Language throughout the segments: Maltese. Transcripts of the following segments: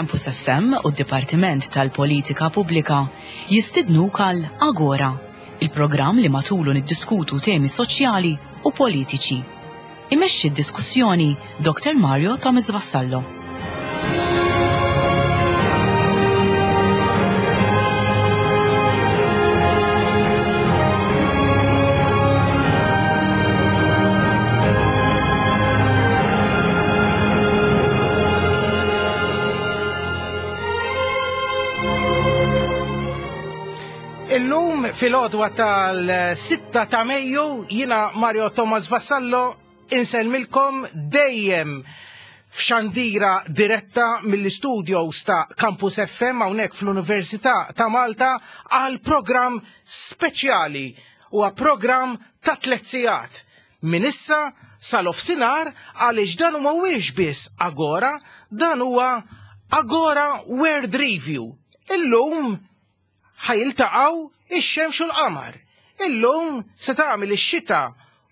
Campus FM u d-Dipartiment tal-Politika Pubblika jistidnuk għal Agora, il-programm li matulu niddiskutu temi soċjali u politiċi. Imexxi d-diskussjoni Dr. Mario Thomas Vassallo. Illum fil-għodwa tal-6 ta' Mejju jina Mario Thomas Vassallo insellmilkom dejjem f'xandira diretta mill-istudios ta' Campus FM hawnhekk fl-Università ta' Malta għal programm speċjali huwa programm ta' tliet sigħat. Minn issa sal-ofsinhar għaliex dan mhuwiex biss Agora, dan huwa Agora World Review. Illum ħa jiltaqgħu ix-xemx u l-qamar. Illum se tagħmel ix-xita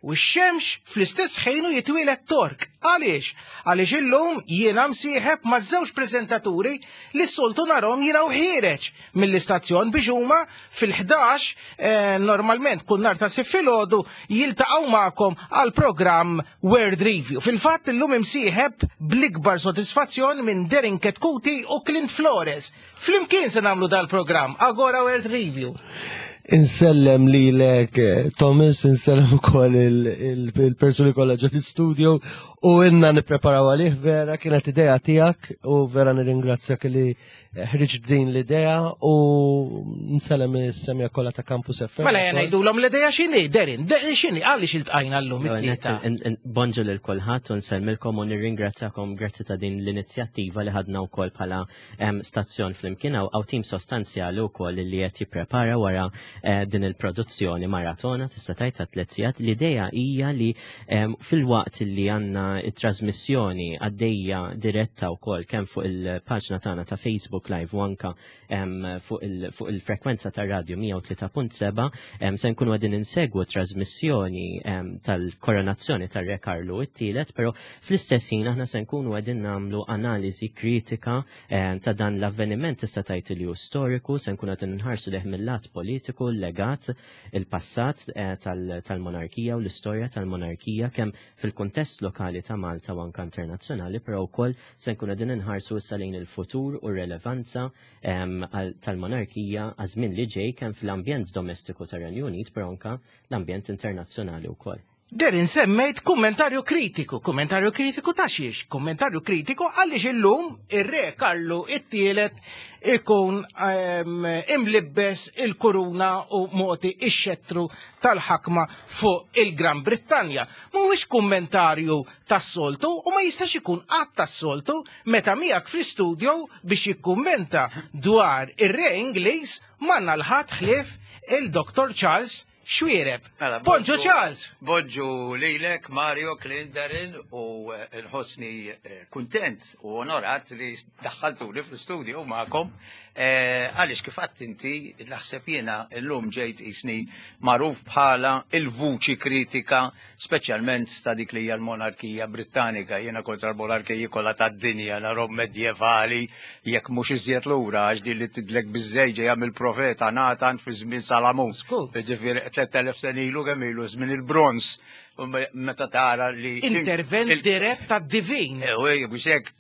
u x-xemx fl-istess ħin u jitwieled Tork. Għaliex? Għaliex illum jiena msieħeb ma' żewġ preżentaturi li s-soltu narhom jiena u ħiereġ mill-istazzjon biex huma fil-11 eh, normalment kull nhar ta' Sibt filgħodu jiltaqgħu magħkom għal programm World Review. Fil-fatt illum imsieħeb bl-ikbar sodisfazzjon minn Derin Ketkuti u Clint Flores. Flimkien se nagħmlu dal-programm Agora World Review. Insellem lilek eh, Thomas, insellem ukoll il-persuni kollha ġo l-studio u inna nippreparaw għalih vera kienet idea tiegħek u vera nirringrazzjak li ħriġ din l-idea u nsellem is-semja kollha ta' Campus FM. Mela jena ngħidulhom l-idea x'inhi, Derin, x'inhi għaliex iltqajna llum it-tlieta. Bonġu lil kulħadd u nsellmilkom u nirringrazzjakom grazzi ta' din l-inizjattiva li ħadna wkoll bħala stazzjon flimkien hawn tim sostanzjali wkoll li qed jipprepara wara eh, din il-produzzjoni maratona tista' tgħid ta' tliet sigħat. L-idea hija li filwaqt li għandna it-trasmissjoni għaddejja diretta wkoll kemm fuq il-paġna tagħna ta' Facebook Live u anka fuq il-frekwenza tar-radju 103.7 se nkunu għadin insegwu trasmissjoni tal-koronazzjoni tar-Re Karlu it-tielet, però fl-istess ħin aħna se nkunu għadin nagħmlu analiżi kritika ta' dan l-avveniment tista' tgħid li hu storiku, se nkunu qegħdin nħarsu leh mill-lat politiku, l-legat, il-passat eh, tal-monarkija u l-istorja tal-monarkija kemm fil-kuntest lokali ta' Malta u anka internazzjonali, però wkoll se nkunu qegħdin inħarsu issa lejn il-futur u r-relevanza tal-monarkija għaż-żmien li ġej kemm fl-ambjent domestiku tar-Renju Unit, però anka l-ambjent internazzjonali wkoll. Derin semmejt kummentarju kritiku, kummentarju kritiku ta' xiex, kummentarju kritiku għaliex illum ir-re Karlu it-tielet ikun ehm, imlibbes il-kuruna u moti ix-xettru tal-ħakma fuq il-Gran Brittanja. Mhuwiex kummentarju tas-soltu u ma jistax ikun qatt tas-soltu meta miegħek fl-istudio biex jikkummenta dwar ir-re Ingliż m'għandna l-ħadd ħlief il-Dr. Charles Xwiereb. Mela, Bonġu Charles! Bonġu lilek, Mario, Clint, Darren u eh, nħossni eh, kuntent u onorat li daħħaltuli fl-studio magħkom. Eh, għaliex kif għadt inti naħseb jiena llum ġejt isni magħruf bħala il-vuċi kritika speċjalment ta' dik li hija l-monarkija Brittanika. Jiena kontra l-monarkiji kollha tad-dinja narhom medjevali jekk mhux iżjed lura għax din li tidlek biż-żejt ġejja mill-profeta Natan fi żmien Salamun. Ġifieri 3000 sena ilu kemm ilu żmien il-bronż meta tara li intervent dirett tad-divin. Eh, biex hekk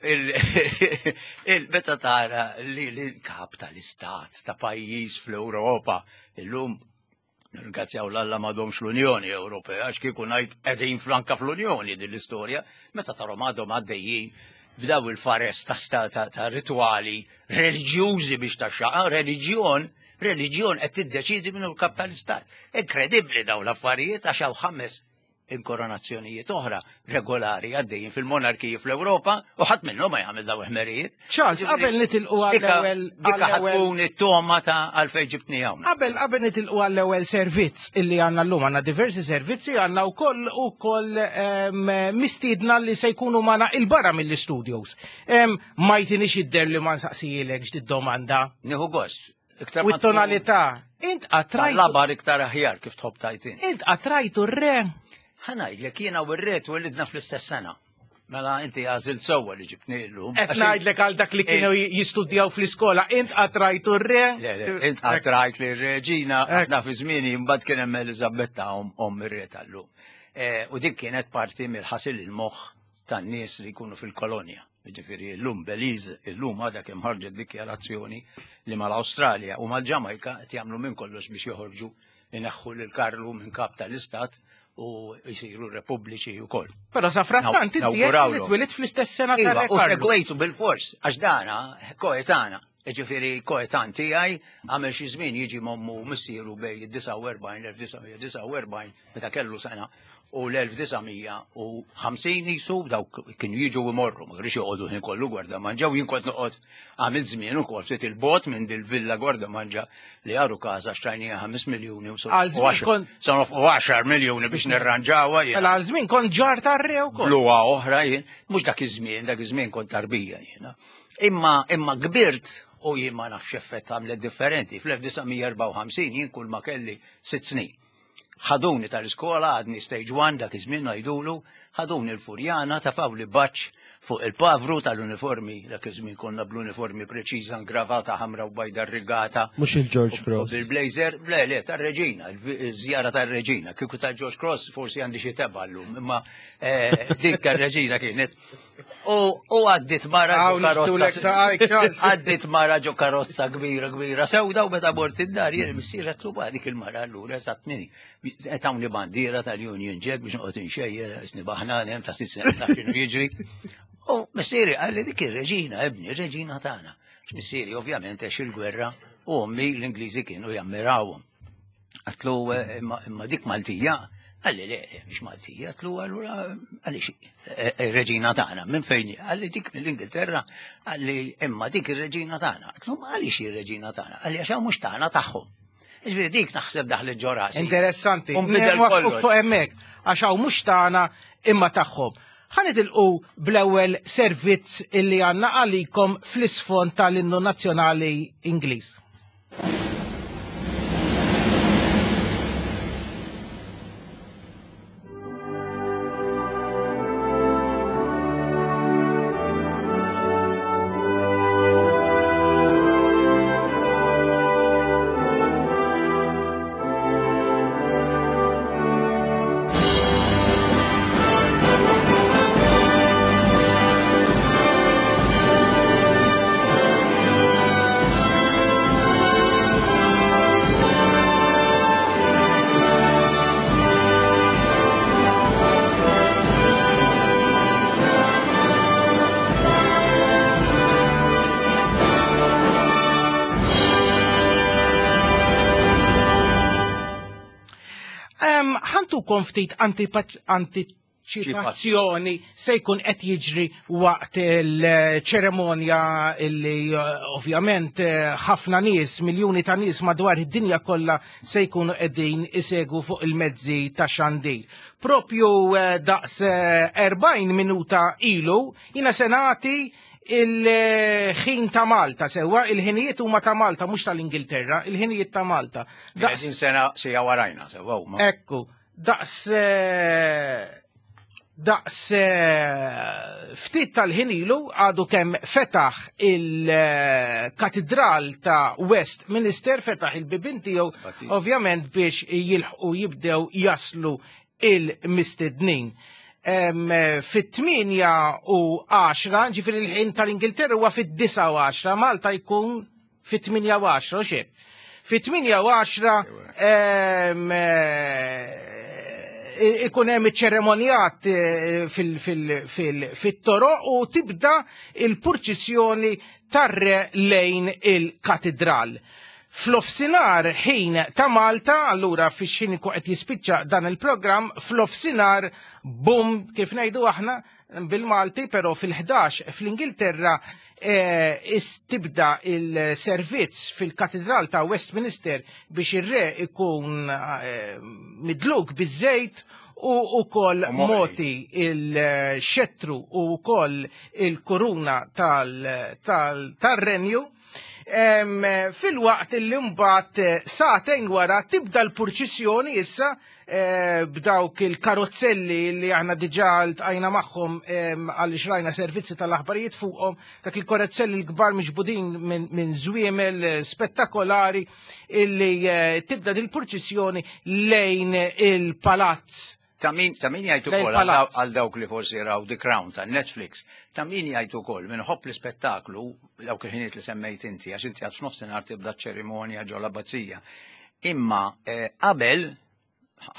meta tara li l-kap tal-istat ta' pajjiż fl-Ewropa illum Nirringrazzjaw l-Alla m'għadhomx l-Unjoni Ewropea, għax kieku ngħid qegħdin flanka fl-Unjoni din l-istorja, meta tarhom għadhom għaddejjin b'daw il-fares ta' ta' ritwali reliġjużi biex ta' xaqa, reliġjon, reliġjon qed tiddeċidi minnu l-kap tal-istat. Inkredibbli dawn l-affarijiet għax hawn ħames. inkoronazzjonijiet oħra regolari għaddejjin fil-monarkiji fl-Ewropa u ħadd minnhom ma jagħmel daw ħmerijiet. Charles, qabel nitilqu għall-ewwel. Dikka tkun it-toma ta' għalfejn ġibtni hawn. Qabel qabel nitilqu għall-ewwel servizz illi għandna llum għandna diversi servizzi għandna wkoll ukoll ehm, mistiedna li se jkunu magħna il-barra mill-istudios. Ehm, ma jtinix idder li ma nsaqsijilek ġdid domanda. Nieħu gost. Iktar U t-tonalità. Int qatrajtu. Labar iktar aħjar kif tħobb tajtin. Int qatrajtu r-re. Ħa ngħidlek jiena u r-re twelidna fl-istess sena. Mela inti għażilt sewwa li ġibtni llum. Qed ngħidlek għal dak li kienu jistudjaw fl-iskola, int qatrajtu r-re. Le, le, int qatrajt li r-reġina, aħna fi żmieni mbagħad kien hemm Eliżabetta omm ir-re tal-lum. Eh, u dik kienet parti mill-ħasil il-moħħ tan-nies li jkunu fil-kolonja. Ġifieri llum Belize, illum għadha kemm ħarġet dikjarazzjoni li mal-Awstralja u mal-Ġamajka qed jagħmlu minn kollox biex joħorġu ineħħu lil Karlu minn kap tal-istat u jisiru repubbliċi wkoll. Però sa frattant inti twilit fl-istess sena ta' iva, U segwejtu bil-fors għax dana koetana. Ġifieri koetan tiegħi għamel xi żmien jiġi mommu missieru bej 49 1949 meta kellu sena u l-1950 jisu dawk kienu jiġu imorru, ma kienux joqogħdu ħin kollu gwarda manġa u jien kont noqgħod għamil żmien ukoll ftit il-bot minn dil-villa gwarda manġa li għaru każa xtrajnija 5 miljuni u sa nofqu 10 miljuni biex nirranġawha jien. Mela għal żmien kont ġar tar-re wkoll. Bluha oħra jien, mhux dak iż-żmien, dak iż-żmien kont tarbija jiena. Imma imma kbirt u jien ma nafx effett għamlet differenti. Fl-1954 jien kull ma kelli sitt snin. Ħaduni tal-iskola għadni stage 1 dak iż-żmien ngħidulu, ħaduni l-Furjana tafawli baċċ fuq il-pavru tal-uniformi, dak iż-żmien konna bl-uniformi preċiża ngravata ħamra u bajda rigata. Mhux il-George Cross. Bil-blazer, le le tar-reġina, il-żjara tar-reġina. Kieku ta' George Cross forsi għandi xi tebgħa llum, imma eh, dik tar-reġina kienet. U għaddit mara ġo karozza. Għaddit mara ġo karozza kbira kbira sewda u meta mort id-dar jien missier qed luba dik il-mara allura eżatt minni. Qed hawnli bandiera tal-Union Jack biex noqgħod inxejjer isni baħnan hemm ta' sitt snin naf x'inhu jiġri. U missieri qalli dik ir-reġina ibni, ir-reġina tagħna. Missieri ovvjament għex il-gwerra u ommi l-Ingliżi kienu jammirawhom. Għatlu, eh, imma dik Maltija, għalli le, mhix Maltija, għatlu allura għaliex eh, eh, reġina tagħna, minn fejn għalli dik mill-Ingilterra, għalli imma dik ir-reġina tagħna, għatlu ma għaliex ir-reġina tagħna, għalli għax mhux tagħna tagħhom. Ġifieri dik naħseb daħlet ġorasi. Interessanti. Fuq hemmhekk, għax hawn mhux tagħna imma tagħhom. Ħa nitilqu bl-ewwel servizz illi għandna għalikom fl-isfond tal-innu nazzjonali Ingliż. Ħantukom ftit antiċipazzjoni se jkun qed jiġri waqt il-ċeremonja illi eh, ovvjament eh, ħafna nies, miljuni ta' nies madwar id-dinja kollha se jkunu qegħdin isegwu fuq il-mezzi ta' xandir. Propju eh, daqs 40 minuta ilu jiena se nagħti il-ħin ta' Malta sewwa, il-ħinijiet huma ta' Malta mhux tal-Ingilterra, il-ħinijiet ta' Malta. Daqs sena sija warajna sewwa huma. Ekku, daqs eh, daqs eh, ftit tal-ħin ilu għadu kemm fetaħ il-katedral ta' Westminster, fetaħ il-bibin tiegħu ovvjament biex jilħqu jibdew jaslu il-mistednin. Fit-8 u 10, ġifiri l-ħin tal-Ingilterra huwa fit-9 u 10, Malta jkun fit-8 u 10, xejn. Fit-8 u 10 ikun hemm iċ-ċeremonjat eh, fit-toroq u tibda il-purċissjoni tar-re lejn il-katedral. Fl-ofsinar ħin ta' Malta, allura fix ħin ikun qed jispiċċa dan il-programm, fl-ofsinar bum kif ngħidu aħna bil-Malti, però fil-11 fl-Ingilterra eh, tibda il-servizz fil-Katedral ta' Westminster biex ir-re ikun eh, midluk biż-żejt u ukoll moti il-xettru u wkoll il-kuruna tal-renju. Fil-waqt li mbagħad eh, sagħtejn wara tibda l-purċissjoni issa eh, b'dawk il-karozzelli li aħna diġà ltqajna magħhom għaliex rajna servizzi tal-aħbarijiet fuqhom, dak il-karozzelli l-kbar miġbudin minn żwiemel eh, spettakolari illi tibda dil-purċissjoni lejn il-palazz. Ta' min ta' min jgħid ukoll għal dawk li forsi raw The Crown ta' Netflix, ta' min jgħid ukoll min ħobb l-ispettaklu dawk il-ħiniet li semmejt inti għax inti għad f'nofsinhar tibda ċerimonja ġo l-abbazija. Imma eh, qabel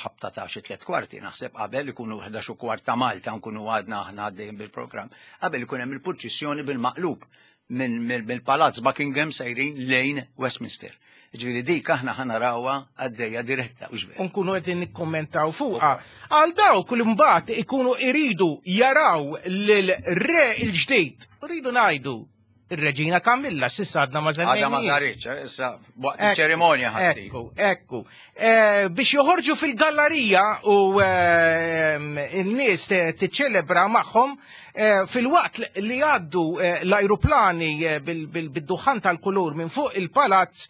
ħabta ta' xi tliet kwarti naħseb qabel ikunu 11 u kwart ta' Malta nkunu għadna aħna għaddejjin bil-programm, qabel ikun hemm il-purċissjoni bil-maqlub mill-Palazz Buckingham sejrin lejn Westminster. Ġifieri dik aħna ħa narawha għaddejja diretta u xbejn. Nkunu qegħdin nikkommentaw fuqha. Għal dawk li mbagħad ikunu iridu jaraw lil re il-ġdid, rridu ngħidu ir-Reġina Kamilla s'issa għadna ma Għadha ma saritx, eh, issa waqt iċ-ċerimonja ħassib. Ekku, ekku. Eh, biex joħorġu fil-gallerija u eh, n-nies tiċċelebra magħhom fil-waqt li għaddu l-ajruplani bil-duħan tal-kulur minn fuq il-palazz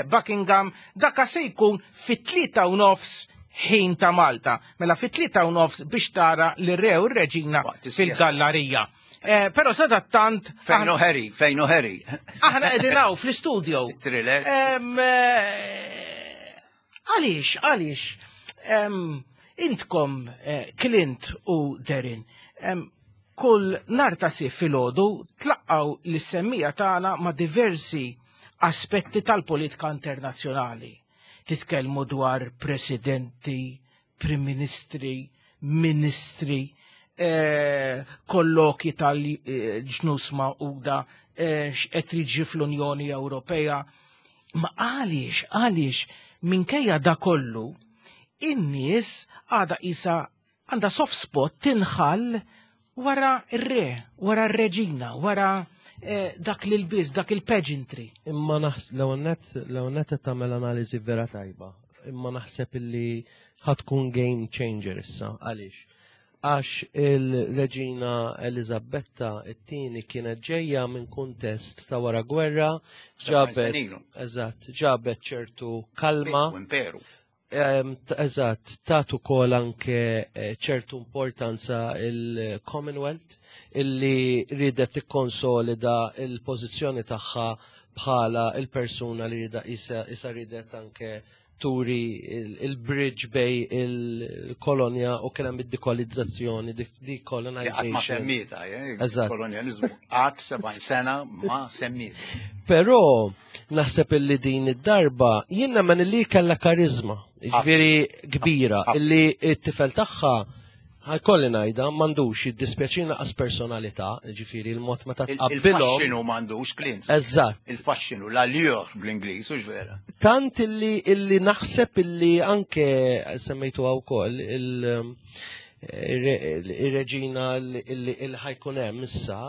Buckingham, daka se jkun fit-3 u nofs ħin ta' Malta. Mela fit-3:30 biex tara l-re u r-reġina fil-gallerija. Pero sadattant. Fejnu Harry, fejnu Harry. Aħna qegħdin fl-istudio. Thriller. Għaliex, għaliex, intkom Clint u Derin, kull nar ta' Sibt filgħodu tlaqqgħu lis-semmiegħa tagħna ma' diversi aspetti tal-politika internazzjonali. Titkellmu dwar presidenti, prim ministri, ministri, kolloki tal-Ġnus Magħquda, x'qed jiġri fl-Unjoni Ewropea. Ma għaliex, għaliex, minkejja da kollu, in-nies għada isa għandha soft spot tinħall wara r-re, wara r-reġina, wara dak l-ilbies, dak il-pageantry. Imma l-ewwel qed tagħmel analiżi vera tajba. Imma naħseb illi ħa tkun game changer issa. Għaliex? Għax il-Reġina Elizabetta it-tieni kienet ġejja minn kuntest ta' wara gwerra, ġabet, eżatt, ġabet ċertu kalma. Imperu. Eżatt, tatu kol anke ċertu importanza il-Commonwealth illi ridet tikkonsolida il-pożizzjoni tagħha bħala il-persuna li rida isa ridet anke turi il-bridge bejn il-kolonja u kien hemm id-dekolonizzazzjoni, decolonization. Ma semmietha, eh? Kolonjalizmu qatt 70 sena ma semmietha. Però naħseb illi din id-darba jien nemmen illi kellha karizma, ġifieri kbira, illi t-tifel tagħha ħa jkolli ngħidha m'għandux jiddispjaċina qas personalità, ġifieri il-mod meta tqabbilhom. Il-faxxinu m'għandux Clint. Eżatt. Il-faxxinu, l-allure bl-Ingliż, u vera. Tant illi naħseb illi anke semmejtu wkoll il-reġina illi ħa jkun hemm issa,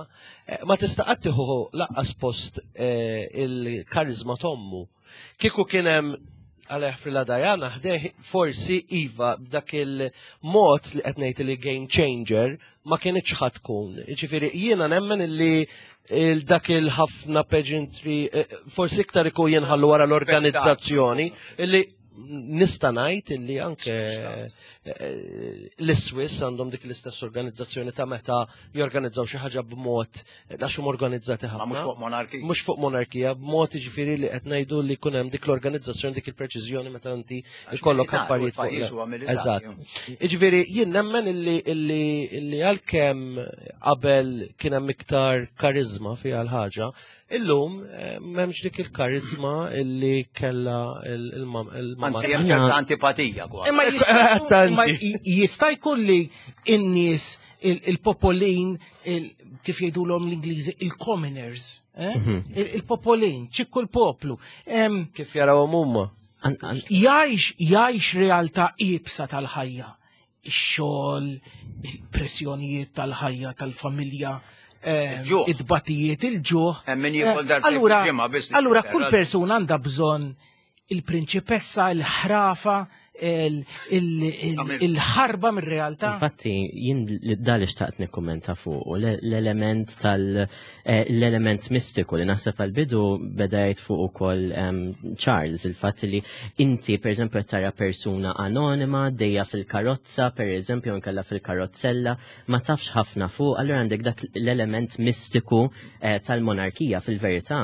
ma tista' qatt tieħu lanqas post il-karizma t'ommu. Kieku kien hemm għalih fil-Dajana ħdejh forsi iva b'dak il-mod li qed ngħid li game changer ma kienx ħa tkun. Ġifieri jiena nemmen illi dak il-ħafna pageantry forsi iktar ikun jinħallu wara l-organizzazzjoni illi nista' ngħid illi anke l-Swiss għandhom dik l-istess organizzazzjoni ta' meta jorganizzaw xi ħaġa b'mod għax huma organizzati ħafna. Mhux fuq monarkija. Mhux fuq monarkija, b'mod jiġifieri li qed ngħidu li jkun hemm dik l-organizzazzjoni, dik il-preċiżjoni meta inti jkollok affarijiet fuq. Eżatt. Jiġifieri jien nemmen illi għalkemm qabel kien hemm iktar karizma fiha l-ħaġa, Illum eh, m'hemmx dik il-karizma illi kella il-mamma. Anzi, hemm ċerta antipatija kwa. Imma jista' jkun li n-nies il-popolin kif jgħidulhom l-Ingliżi il-commoners, eh? mhm. il-popolin, ċikku l-poplu. Kif jarawhom huma? Jgħix jgħix realtà iebsa tal-ħajja ix-xogħol, il-pressjonijiet tal-ħajja tal-familja, eh, id-batijiet, il-ġuħ. Eh, allura, allura kull persuna għandha bżonn il-prinċipessa, il-ħrafa, il-ħarba mir-realtà. Infatti, jien dal xtaqt nikkummenta fuq l-element tal eh, l-element mistiku li naħseb għal-bidu beda jgħid fuq ukoll ehm, Charles, il-fatt li inti pereżempju qed tara persuna anonima dejja fil-karozza, pereżempju nkella fil-karozzella, ma tafx ħafna fuq, allura għandek dak l-element mistiku eh, tal-monarkija fil-verità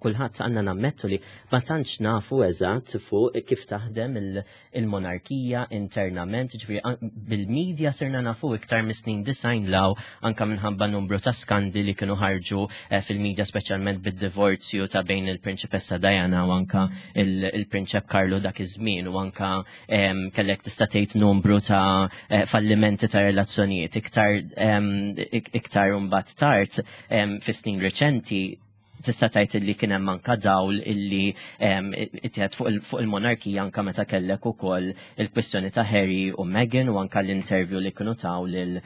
kulħadd għandna nammettu li ma tantx nafu eżatt fuq kif taħdem il-monarkija internament, ġifieri bil-medja sirna nafu iktar mis-snin design law anka minħabba numru ta' skandi li kienu ħarġu eh, fil-medja speċjalment bid-divorzju ta' bejn il-Prinċipessa Diana u anka il-Prinċep Karlu dak iż-żmien u anka kellek tista' tgħid numru ta' eh, fallimenti ta' relazzjonijiet iktar iktar imbagħad tard fis-snin reċenti tista' tgħid illi kien hemm anka dawl illi ittieħed fuq il-monarkija anka meta kellek ukoll il-kwistjoni ta' Harry u Meghan u anka l-interview li kienu taw lil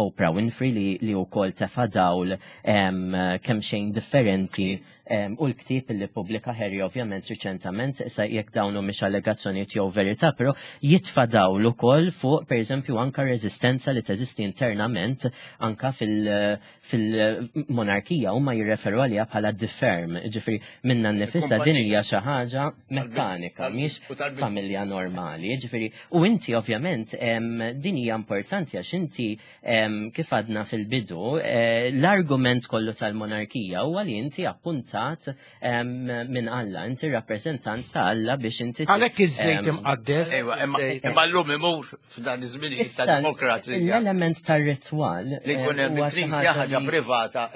Oprah Winfrey li, li wkoll tefa' dawl kemm xejn differenti u l-ktieb li pubblika Harry ovvjament riċentament issa jekk dawn mhumiex allegazzjonijiet jew verità, però jitfa' dawl ukoll fuq pereżempju anka reżistenza li teżisti internament anka fil- fil-monarkija huma jirreferu għaliha bħala the firm, ġifri minna nnifisha din hija xi ħaġa mekkanika, mhix familja normali, ġifri u inti ovvjament din hija importanti għax inti kif għadna fil-bidu eh, l-argument kollu tal-monarkija huwa li inti appuntat minn Alla, inti rappreżentant ta' Alla biex inti. Għalhekk iż-żejt imqaddes. Ejwa, imma llum imur f'dan iż-żminijiet ta' demokrazija. L-element tar-ritwal. Li jkun hemm il-knisja ħaġa privata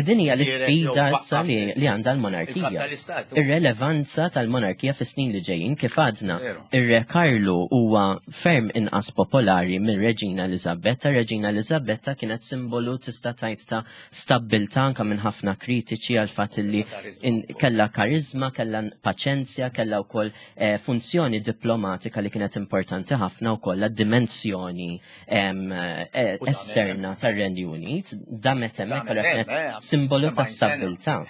Din hija l-isfida issa li għandha l-monarkija. Ir-relevanza tal-monarkija fis-snin li ġejjin kif għadna. Ir-Re Karlu huwa ferm inqas popolari mir-Reġina Eliżabetta. Reġina Eliżabetta kienet simbolu tista' tgħid ta' stabbiltà anka minn ħafna kritiċi għal fatt li kellha karizma, kellha paċenzja, kellha wkoll eh, funzjoni diplomatika li kienet importanti ħafna wkoll għad-dimensjoni eh, esterna tar-Renju Unit, damet hemmhekk allura kienet eh, simbolu ta' stabbiltà.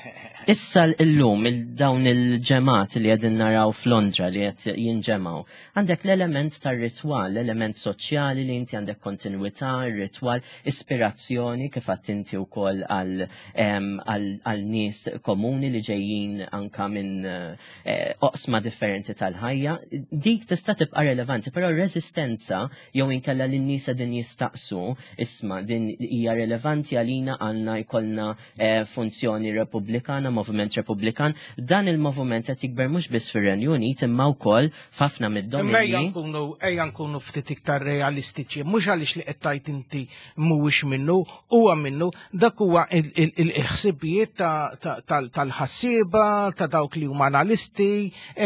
Issa llum dawn il-ġemat li qegħdin naraw f'Londra li qed jinġemgħu Għandek l-element tar-ritwal, l-element soċjali li inti għandek kontinwità, ritwal, ispirazzjoni kif għadt inti wkoll għal nies komuni li ġejjin anka minn eh, oqsma differenti tal-ħajja. Dik tista' tibqa' relevanti, però r-reżistenza jew inkella li n-nies din jistaqsu, isma' din hija relevanti għalina għandna jkollna eh, funzjoni repubblikana, moviment repubblikan, dan il-moviment qed jikber mhux biss fir-Renju Unit imma wkoll f'ħafna mid-dominji. Ejja nkunu ejja nkunu ftit iktar realistiċi, mhux għaliex li qed tgħid inti mhuwiex minnu, huwa minnu, dak huwa il-ħsibijiet tal-ħassieba, ta' dawk li huma analisti,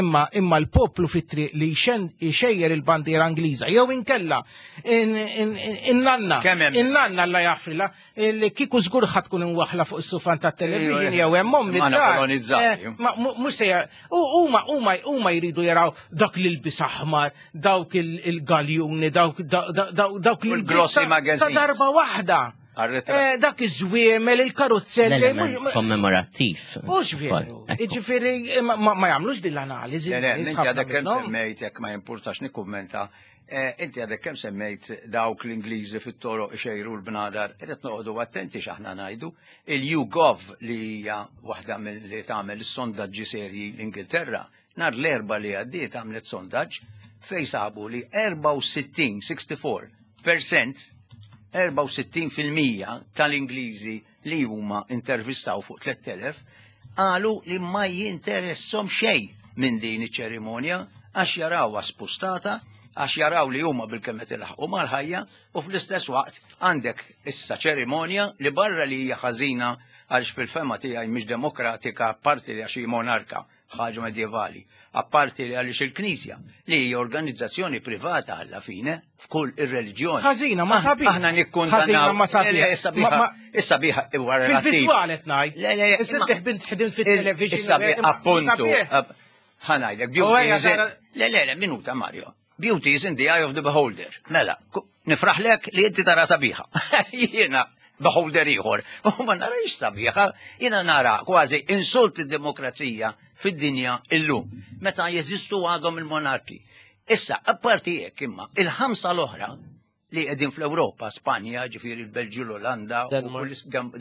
imma imma l-poplu fit-triq li jxejjer il-bandiera Ingliża jew inkella in-nanna, in-nanna alla jaħfrilha, li kieku żgur ħadd tkun imwaħla fuq is-sufan tat-television jew hemm ommi kolonizzati. Eh, ma mhux se huma huma huma jridu jaraw dak li lbis aħmar, dawk il-galjuni, dawk dawk li glossy magazines. Ta' darba waħda. Eh, dak iż-żwiemel, il-karozzelli. Kommemorattiv. Mhux veru. Jiġifieri eh, ma jagħmlux din l-analiżi. Le, le, għadek kemm semmejt jekk ma jimpurtax nikkummenta Eh, inti għadek kemm semmejt dawk l-Ingliżi fit-toroq xejru l-bnadar, qed noqogħdu attenti x'aħna ngħidu. Il-YouGov li hija waħda li tagħmel is-sondaġġi serji l-Ingilterra, nhar l-erba li għaddiet għamlet sondaġġ fej sabu li 64, 64 percent, 64 fil-mija tal-Ingliżi li huma intervistaw fuq 3000 qalu li ma jinteressom xejn minn din iċ-ċerimonja għax jarawha spustata, għax jaraw li huma bil-kemm qed ilaħqu mal-ħajja u fl-istess waqt għandek issa ċerimonja li barra li hija ħażina għaliex fil-fema tiegħi mhix demokratika apparti li għax hi monarka, ħaġa medjevali, apparti li għaliex il-Knisja li hija organizzazzjoni privata alla fine f'kull ir-reliġjoni. Ħażina ma sabiħ. Aħna nikkundannaw. Ħażina ma sabiħ. Issa biħa, issa biħa huwa relattiv. Fil-viżwal qed ngħid. Le, le, Issa teħbin tħdin fit-television. Issa biħa appuntu. Ħa ngħidlek, beauty is in. Le, le, le, minuta Mario. Beauty is in the eye of the beholder. Mela, nifraħlek li inti tara sabiħa. Jiena beholder ieħor. U ma narix sabiħa, jiena nara kważi insult id-demokrazija fid-dinja illum. Meta jeżistu għadhom il-monarki. Issa, apparti hekk imma, il-ħamsa l-oħra li qegħdin fl-Ewropa, Spanja, ġifieri il-Belġju, l-Olanda,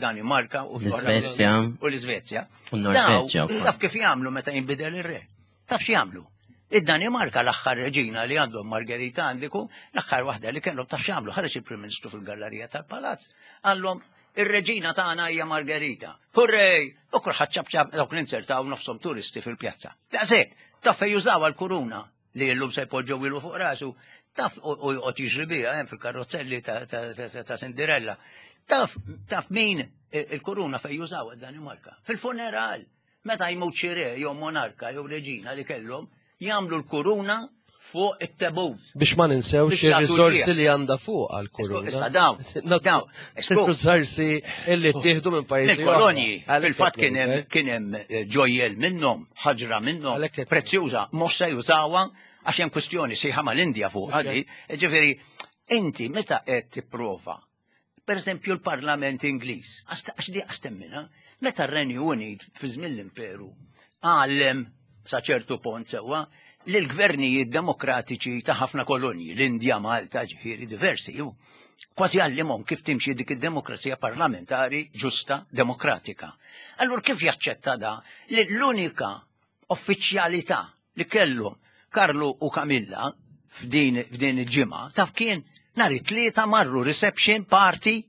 Danimarka u l-Iżvezja. U l-Iżvezja. U n-Norveġġja. Taf kif jagħmlu meta jinbidel ir-re? Taf x'jagħmlu? Id-Danimarka l-aħħar reġina li għandhom Margherita għandiku, l-aħħar waħda li kellhom taf x'għamlu, ħareġ il-Prim Ministru fil-gallerija tal-Palazz, għallhom ir-reġina tagħna hija Margherita. Hurrej! U kulħadd ċapċap dawk li inzertaw nofshom turisti fil-pjazza. Daqshekk, taf fejn jużawha l-kuruna li llum se jpoġġew ilu fuq rasu, taf u joqgħod jiġri biha hemm fil-karozzelli ta' Cinderella. Taf, taf min il-kuruna fejn jużawha d-Danimarka? Fil-funeral. Meta jmut xi re jew monarka jew reġina li kellhom, jagħmlu l-kuruna fuq it-tebut. Biex ma ninsewx ir-riżorsi li għandha fuq għall-kuruna. Issa dawn, dawn, Riżorsi li ttieħdu minn pajjiżi. Mill-kolonji. Fil-fatt kien hemm kien hemm eh, ġojjel minnhom, ħaġra minnhom, prezzjuża, mhux se jużawha għax hemm kwistjoni sejħa mal-Indja fuq għadi. Ġifieri, inti meta qed tipprova Per eżempju l-Parlament Ingliż, għax di għax temmina, meta r-Renju Unit fi żmien l-Imperu għallem sa ċertu pont sewwa li l-gvernijiet demokratiċi ta' ħafna kolonji, l-Indja, Malta, ġifieri diversi, ju, kważi għallimhom kif timxi dik id-demokrazija parlamentari ġusta demokratika. Allura kif jaċċetta da li l-unika uffiċjalità li kellu Karlu u Kamilla f'din f'din il-ġimgħa taf kien nhar it-tlieta marru reception party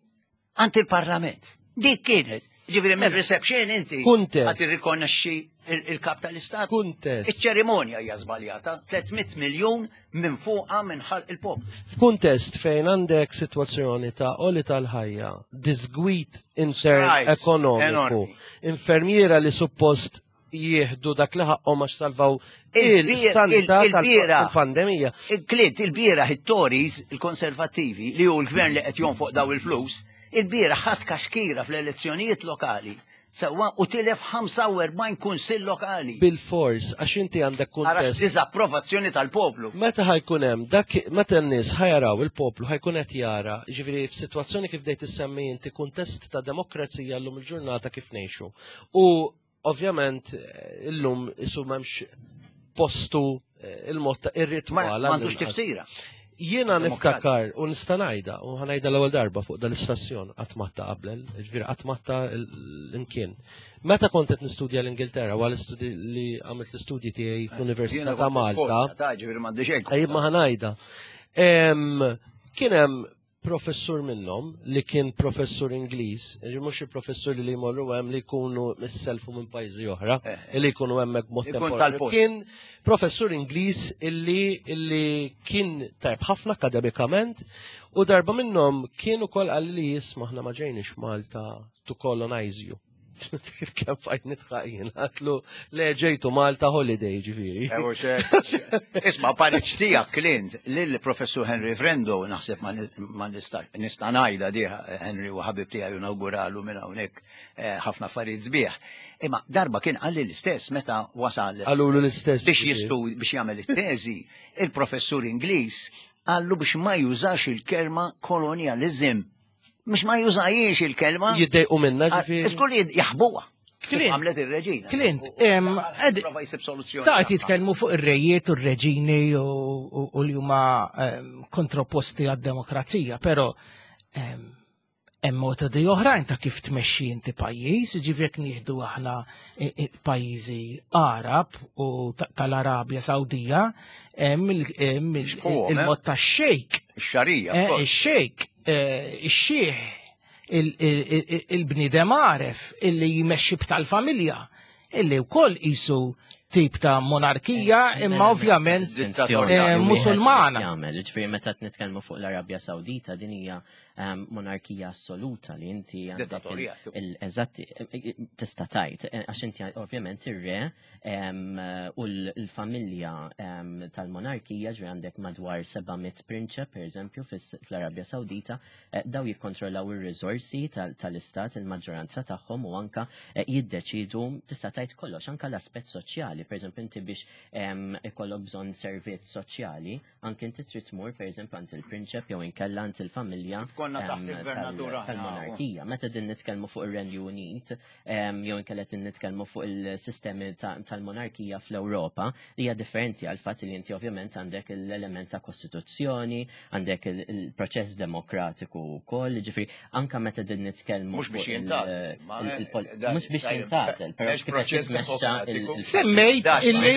għand il-Parlament. Dik kienet. Ġifieri minn reception inti Kuntest. qed irrikonoxxi il-kap tal-istat. Kuntest. Iċ-ċerimonja hija żbaljata, 300 miljun minn fuqha minn ħalq il-poplu. F'kuntest fejn għandek sitwazzjoni ta' oli tal-ħajja, disgwit intern Strikes, ekonomiku, enormi. infermiera li suppost jieħdu dak li ħaqqhom għax salvaw il-sanità tal-pandemija. Clint, il-bieraħ it-Tories, il-Konservattivi, li hu l-gvern li qed jonfoq daw il-flus, il-bieraħ ħadd kaxkira fl-elezzjonijiet lokali sewwa u tilef 45 kunsill lokali. Bil-fors, għax inti għandek kuntest. Diżapprovazzjoni tal-poplu. Meta ħajkun hemm dak meta n-nies ħajaraw il-poplu ħajkun qed jara, ġifieri f'sitwazzjoni kif dejt issemmi inti kuntest ta' demokrazija llum il-ġurnata kif ngħixu. U Ovvjament illum isu m'hemmx postu eh, il-mod ta' ir-ritwal. M'għandux tifsira. Jiena niftakar u nista' ngħidha u ħanajda l-ewwel darba fuq dal-istazzjon qatt matta qabel, ġifieri qatt matta l-imkien. Meta kont qed nistudja l-Ingilterra wara l-istudji li għamilt l-istudji tiegħi fl-Università ta' Malta. Ejja ma ħanajda. Kien hemm professur minnhom li kien professur Ingliż, mhux il-professuri li jmorru hemm li jkunu misselfu minn pajjiżi oħra, eh, eh. li jkunu hemmhekk b'mod temporanju. Kien professur Ingliż illi illi kien tajb ħafna akademikament u darba minnhom kien ukoll qal li jisma' aħna ma ġejniex Malta to colonize you. Kif kemm fajt nitħaq jien, għatlu le ġejtu Malta holiday ġifieri. Eh, Isma' pariċ tiegħek Clint lill-Professur Henry Frendo naħseb ma nista' nista' ngħidha diha Henry u ħabib tiegħi nawguralu minn hawnhekk eh, ħafna affarijiet sbieħ. Imma darba kien qalli l-istess meta wasal. Qalulu l-istess. Biex jistu biex jagħmel it-teżi, il-professur Ingliż qallu biex ma jużax il-kelma kolonializm Mhux ma jużajiex il-kelma. Jiddejqu minna ġifieri. Żgur li jaħbuha. Clint, għamlet ir-reġina. Clint, prova jsib soluzzjoni. Ta' jitkellmu fuq ir-rejiet u r-reġini u li huma kontraposti għad-demokrazija, però hemm metodi oħrajn ta' kif tmexxi inti pajjiż, ġifieri jekk nieħdu aħna pajjiżi Arab u tal-Arabja Sawdija, hemm il-mod tax-xejk. Ix-xarija. Eh, ix-xejk Eh, ix-xieħ il-bniedem għaref illi jmexxi b'tal-familja illi wkoll qisu tip ta' monarkija imma ovvjament musulmana. Jagħmel, ġifieri meta nitkellmu fuq l-Arabja Sawdita din hija monarkija assoluta li inti eżatt tista' tajt għax inti ovvjament ir-re u l-familja tal-monarkija ġri għandek madwar 700 prinċep pereżempju fl-Arabja Sawdita eh, daw jikkontrollaw ir-riżorsi tal-istat il-maġġoranza tagħhom u anka eh, jiddeċidu tista' tgħid kollox anka l-aspett soċjali, pereżempju inti biex ikollok bżonn servizz soċjali, anke inti trid tmur pereżempju għand il-prinċep jew inkella għand il-familja tal-monarkija. Meta din nitkellmu fuq ir-Renju Unit, jew inkella qed nitkellmu fuq il-sistemi tal-monarkija fl-Ewropa li hija differenti għal fatt li inti ovvjament għandek l-element ta' kostituzzjoni, għandek il-proċess demokratiku wkoll, ġifieri anka meta din nitkellmu mhux biex jintgħażel, mhux biex jintgħażel, però kif proċess demokratiku. Semmejt illi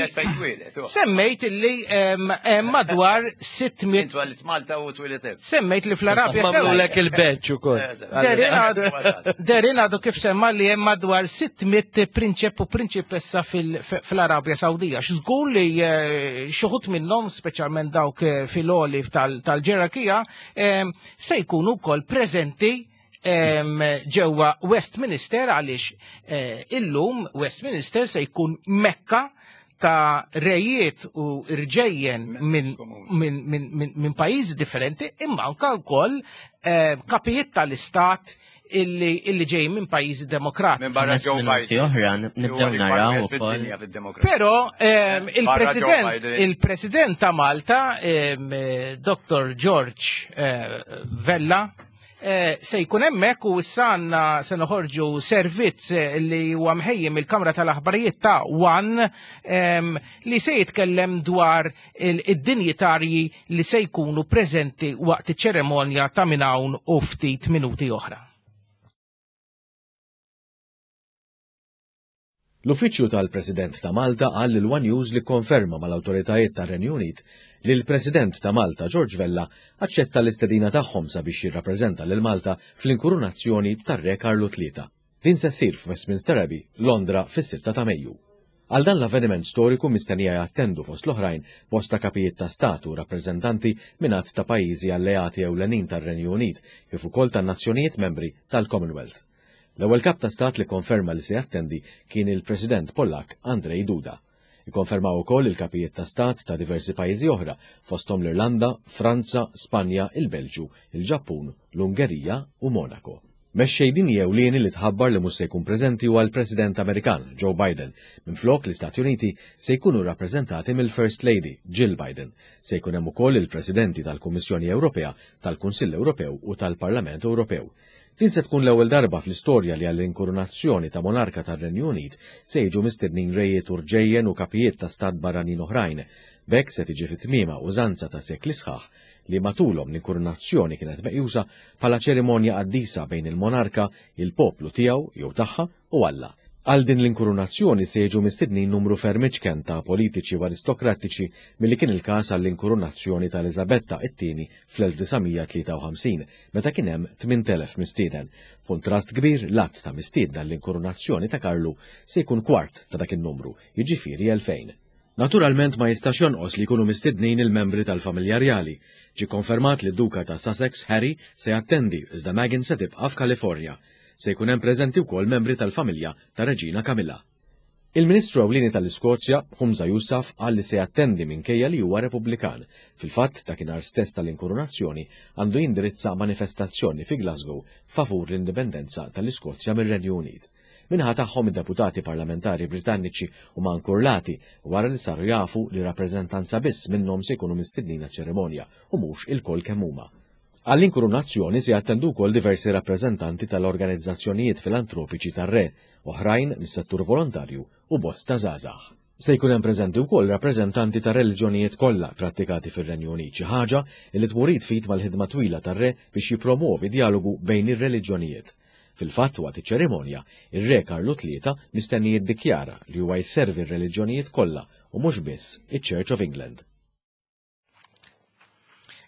semmejt illi hemm madwar 600 Twilit Malta u twilit Semmejt li fl-Arabja Mamlulek il-beċ ukoll. Derin għadu kif semma li hemm madwar 600 prinċep u prinċipessa fil-Arabja Sawdija. X'żgur li eh, xuħut minnhom, speċjalment dawk eh, fil-oli tal-ġerarkija, eh, se jkunu wkoll preżenti ġewwa Westminster għaliex illum Westminster se jkun Mekka ta' rejiet u rġejjen minn min, min, min, min pajjiżi differenti imma anka wkoll eh, kapijiet tal-istat illi, illi ġej minn pajjiżi demokratiċi. Minn barra Joe Biden. Oħra nibdew naraw ukoll. Però ehm, il-President il-President ta' Malta, ehm, Dr. George eh, Vella, Eh, se jkun hemmhekk u issa għandna se noħorġu servizz eh, li huwa mħejjem il-Kamra tal-Aħbarijiet ta' One ehm, li se jitkellem dwar id-dinjitarji li se jkunu preżenti waqt iċ-ċeremonja ta' minn hawn u ftit minuti oħra. L-Uffiċċju tal-President ta' Malta qal lil one News li kkonferma mal-awtoritajiet tar-Renju Unit li l-President ta' Malta George Vella aċċetta l-istedina tagħhom sabiex jirrappreżenta lil Malta fl-inkurunazzjoni tar-Re Karlu Tlieta. Din se ssir f'Westminster Abbey, Londra fis-sitta ta' Mejju. Għal dan l-avveniment storiku mistennija jattendu fost l-oħrajn bosta kapijiet ta' stat u rappreżentanti minn għadd ta' pajjiżi alleati ewlenin tar-Renju Unit kif ukoll tan-nazzjonijiet membri tal-Commonwealth. L-ewwel kap ta' stat li kkonferma li se jattendi kien il-President Pollakk Andrzej Duda. Ikkonfermaw ukoll il-kapijiet ta' stat ta' diversi pajjiżi oħra, fosthom l-Irlanda, Franza, Spanja, il-Belġju, il-Ġappun, l-Ungerija u Monaco. Mexxej dinji ewlieni li tħabbar li mhux se jkun preżenti huwa l-President Amerikan, Joe Biden. Minflok, l-Istati Uniti se jkunu rrappreżentati mill-First Lady, Jill Biden. Se jkun hemm ukoll il-Presidenti tal-Kummissjoni Ewropea, tal-Kunsill Ewropew u tal-Parlament Ewropew. Din se tkun l-ewwel darba fl-istorja li għall-inkurunazzjoni ta' monarka tar-Renju Unit se jiġu mistednin rejiet u rġejjen u kapijiet ta' stat barranin oħrajn. B'hekk se tiġi fi tmiemha użanza ta' sekli sħaħ li matulhom l-inkurunazzjoni kienet meqjusa bħala ċerimonja qaddisa bejn il-monarka, il-poplu tiegħu jew tagħha u Alla. Għal din l-inkurunazzjoni se jiġu mistednin numru ferm iċken ta' politiċi u aristokrattiċi milli kien il-każ għall-inkurunazzjoni ta' Eliżabetta it-Tieni fl-1953, meta kien hemm 8,000 mistieden. B'kuntrast kbir, l-għadd ta' mistiedna għall-inkurunazzjoni ta' Karlu se jkun kwart ta' dak in-numru, jiġifieri 2,000. Naturalment ma jistax jonqos li jkunu mistednin il-membri tal-familja rjali. Ġie kkonfermat li d-Duka ta' Sussex, Harry, se jattendi iżda Meghan se tibqa' f'Kalifornja. Se jkun hemm preżenti wkoll membri tal-familja tar-Reġina Camilla. Il-Ministru Ewlieni tal-Iskozja, Humza Yousaf, qal li se jattendi minkejja li huwa Repubblikan. Fil-fatt, dakinhar stess tal-inkurunazzjoni għandu jindirizza manifestazzjoni fi Glasgow favur l-indipendenza tal-Iskozja mir-Renju Unit. Min-naħa tagħhom id-deputati parlamentari Britanniċi huma nkurlati wara li saru jafu li rappreżentanza biss minnhom se jkunu mistednin għaċ-ċerimonja u mhux ilkoll kemm huma. Għall-inkurunazzjoni se jattendu wkoll diversi rappreżentanti tal-organizzazzjonijiet filantropiċi tar-Re, oħrajn mis-settur volontarju u bosta żgħażagħ. Se jkun hemm preżenti wkoll rappreżentanti tar-reliġjonijiet kollha prattikati fir-Renju Unit, xi ħaġa li tmur id f'id mal-ħidma twila tar-Re biex jippromwovi djalogu bejn ir-reliġjonijiet. Fil-fatt, waqt iċ-ċerimonja, ir-Re Karlu Tlieta mistenni jiddikjara li huwa jservi r-reliġjonijiet kollha u mhux biss iċ-Church of England.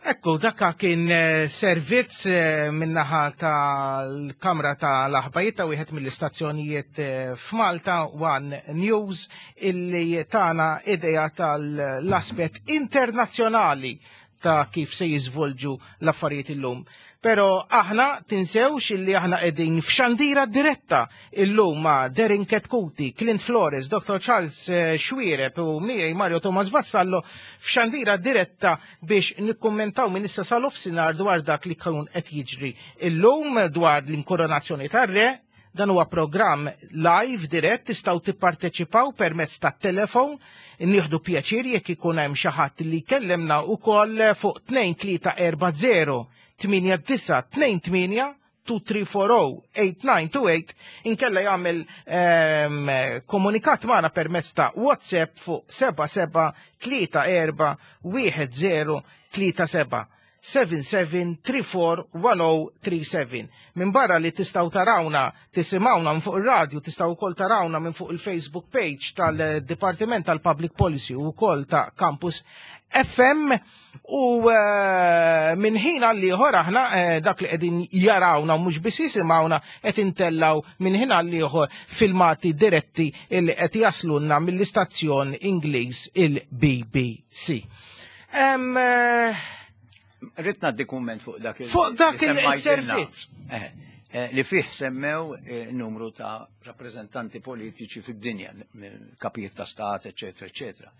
Ekku, dakka kien eh, servizz eh, minnaħa tal-Kamra tal-Aħbarijiet ta' wieħed mill-istazzjonijiet eh, f'Malta, One News, illi tana idea tal-aspett internazzjonali ta' kif se jiżvolġu l-affarijiet illum. Pero aħna tinsewx illi aħna qegħdin f'xandira diretta illum ma' Derin Ketkuti, Clint Flores, Dr. Charles eh, Xuereb u miegħi Mario Thomas Vassallo f'xandira diretta biex nikkummentaw minn issa sal-offsinar dwar dak li kun qed jiġri illum dwar l-inkoronazzjoni tar-re. Dan huwa programm live dirett tistgħu tipparteċipaw permezz tat-telefon. Nieħdu pjaċir jekk ikun hemm xi ħadd li jkellimna wkoll fuq 2340 8928 2340-8928 inkella jagħmel ehm, komunikat magħna permezz ta' WhatsApp fuq 77 34 10 37. 77341037. Minn barra li tistaw tarawna, tisimawna minn fuq il-radio, tistaw ukoll tarawna minn fuq il-Facebook page tal-Dipartiment tal-Public Policy u ukoll ta' Campus FM u eh, minn ħin għal ieħor aħna eh, dak li qegħdin jarawna u mhux biss jisimgħuna qed intellaw minn ħin għal ieħor filmati diretti li qed jaslunna mill-istazzjon Ingliż il-BBC. Eh, Rrid ngħaddi kumment fuq dak il- Fuq dak li semmajtilna. il-servizz. Li fih semmew numru ta' rappreżentanti politiċi fid-dinja, kapijiet ta' stat, eċetera, eċetera.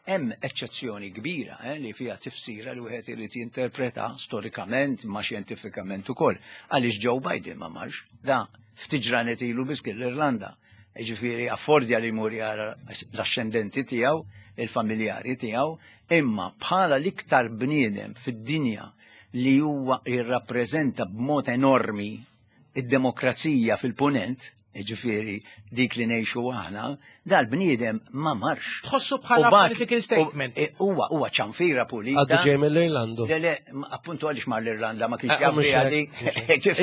Hemm eċċezzjoni kbira eh, li fiha tifsira li wieħed irid jinterpreta storikament ma xjentifikament ukoll. Għaliex Joe Biden ma marx, da ftit ġranet ilu biss kien l-Irlanda. Ġifieri affordja li jmur jara l-axxendenti tiegħu, il-familjari tiegħu, imma bħala l-iktar bniedem fid-dinja li huwa jirrappreżenta b'mod enormi id-demokrazija fil-punent, ġifieri dik li ngħixu aħna, dal-bniedem ma marx. Tħossu bħala political statement. E, huwa huwa ċanfira pulita. Għaddu ġej mill-Irlandu. Le, le, appuntu għaliex mar l-Irlanda ma kienx eh, jaf għadi.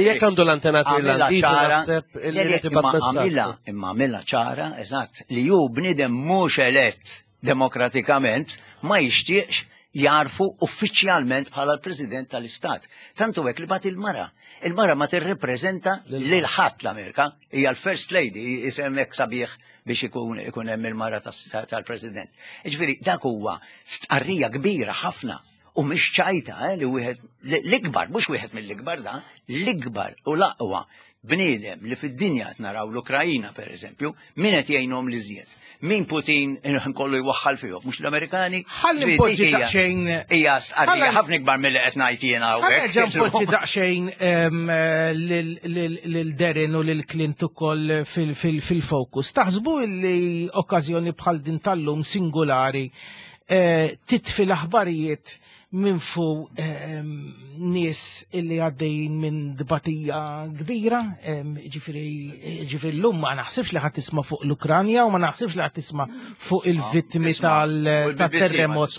Jekk għandu l-antenat Irlandiż naħseb li tibgħat Imma għamilha ċara, eżatt, li hu bniedem mhux elett demokratikament ma jixtieqx jarfu uffiċjalment bħala l-President tal-Istat. Tantu hekk li bat il-mara. Il-mara ma tirrepreżenta lil ħadd l-Amerika, hija l-First Lady, isem hekk sabiħ biex ikun ikun hemm il-mara tal-President. Ġifieri dak huwa stqarrija kbira ħafna u mhix ċajta eh, li wieħed l-ikbar, mhux wieħed mill-ikbar da, l-ikbar u l-aqwa bniedem li fid-dinja qed naraw l-Ukrajina pereżempju, min qed jgħinhom li żjed. Min Putin kollu jwaħħal fihom, mhux l-Amerikani. Ħalli npoġġi daqsxejn. Hija stqarrija ħafna ikbar milli qed ngħid jiena hawnhekk. Ħalli npoġġi daqsxejn lil Derin u lil Clint ukoll fil-fokus. Taħsbu li okkażjoni bħal din tal-lum singulari eh, titfi l-aħbarijiet minn fu ehm, nies illi għaddejjin minn dbatija kbira, ehm, ġifiri ġifiri l-lum ma naħsibx li ħadd tisma' fuq l-Ukranja u ma naħsibx li ħadd tisma' fuq il-vittmi tal-terremot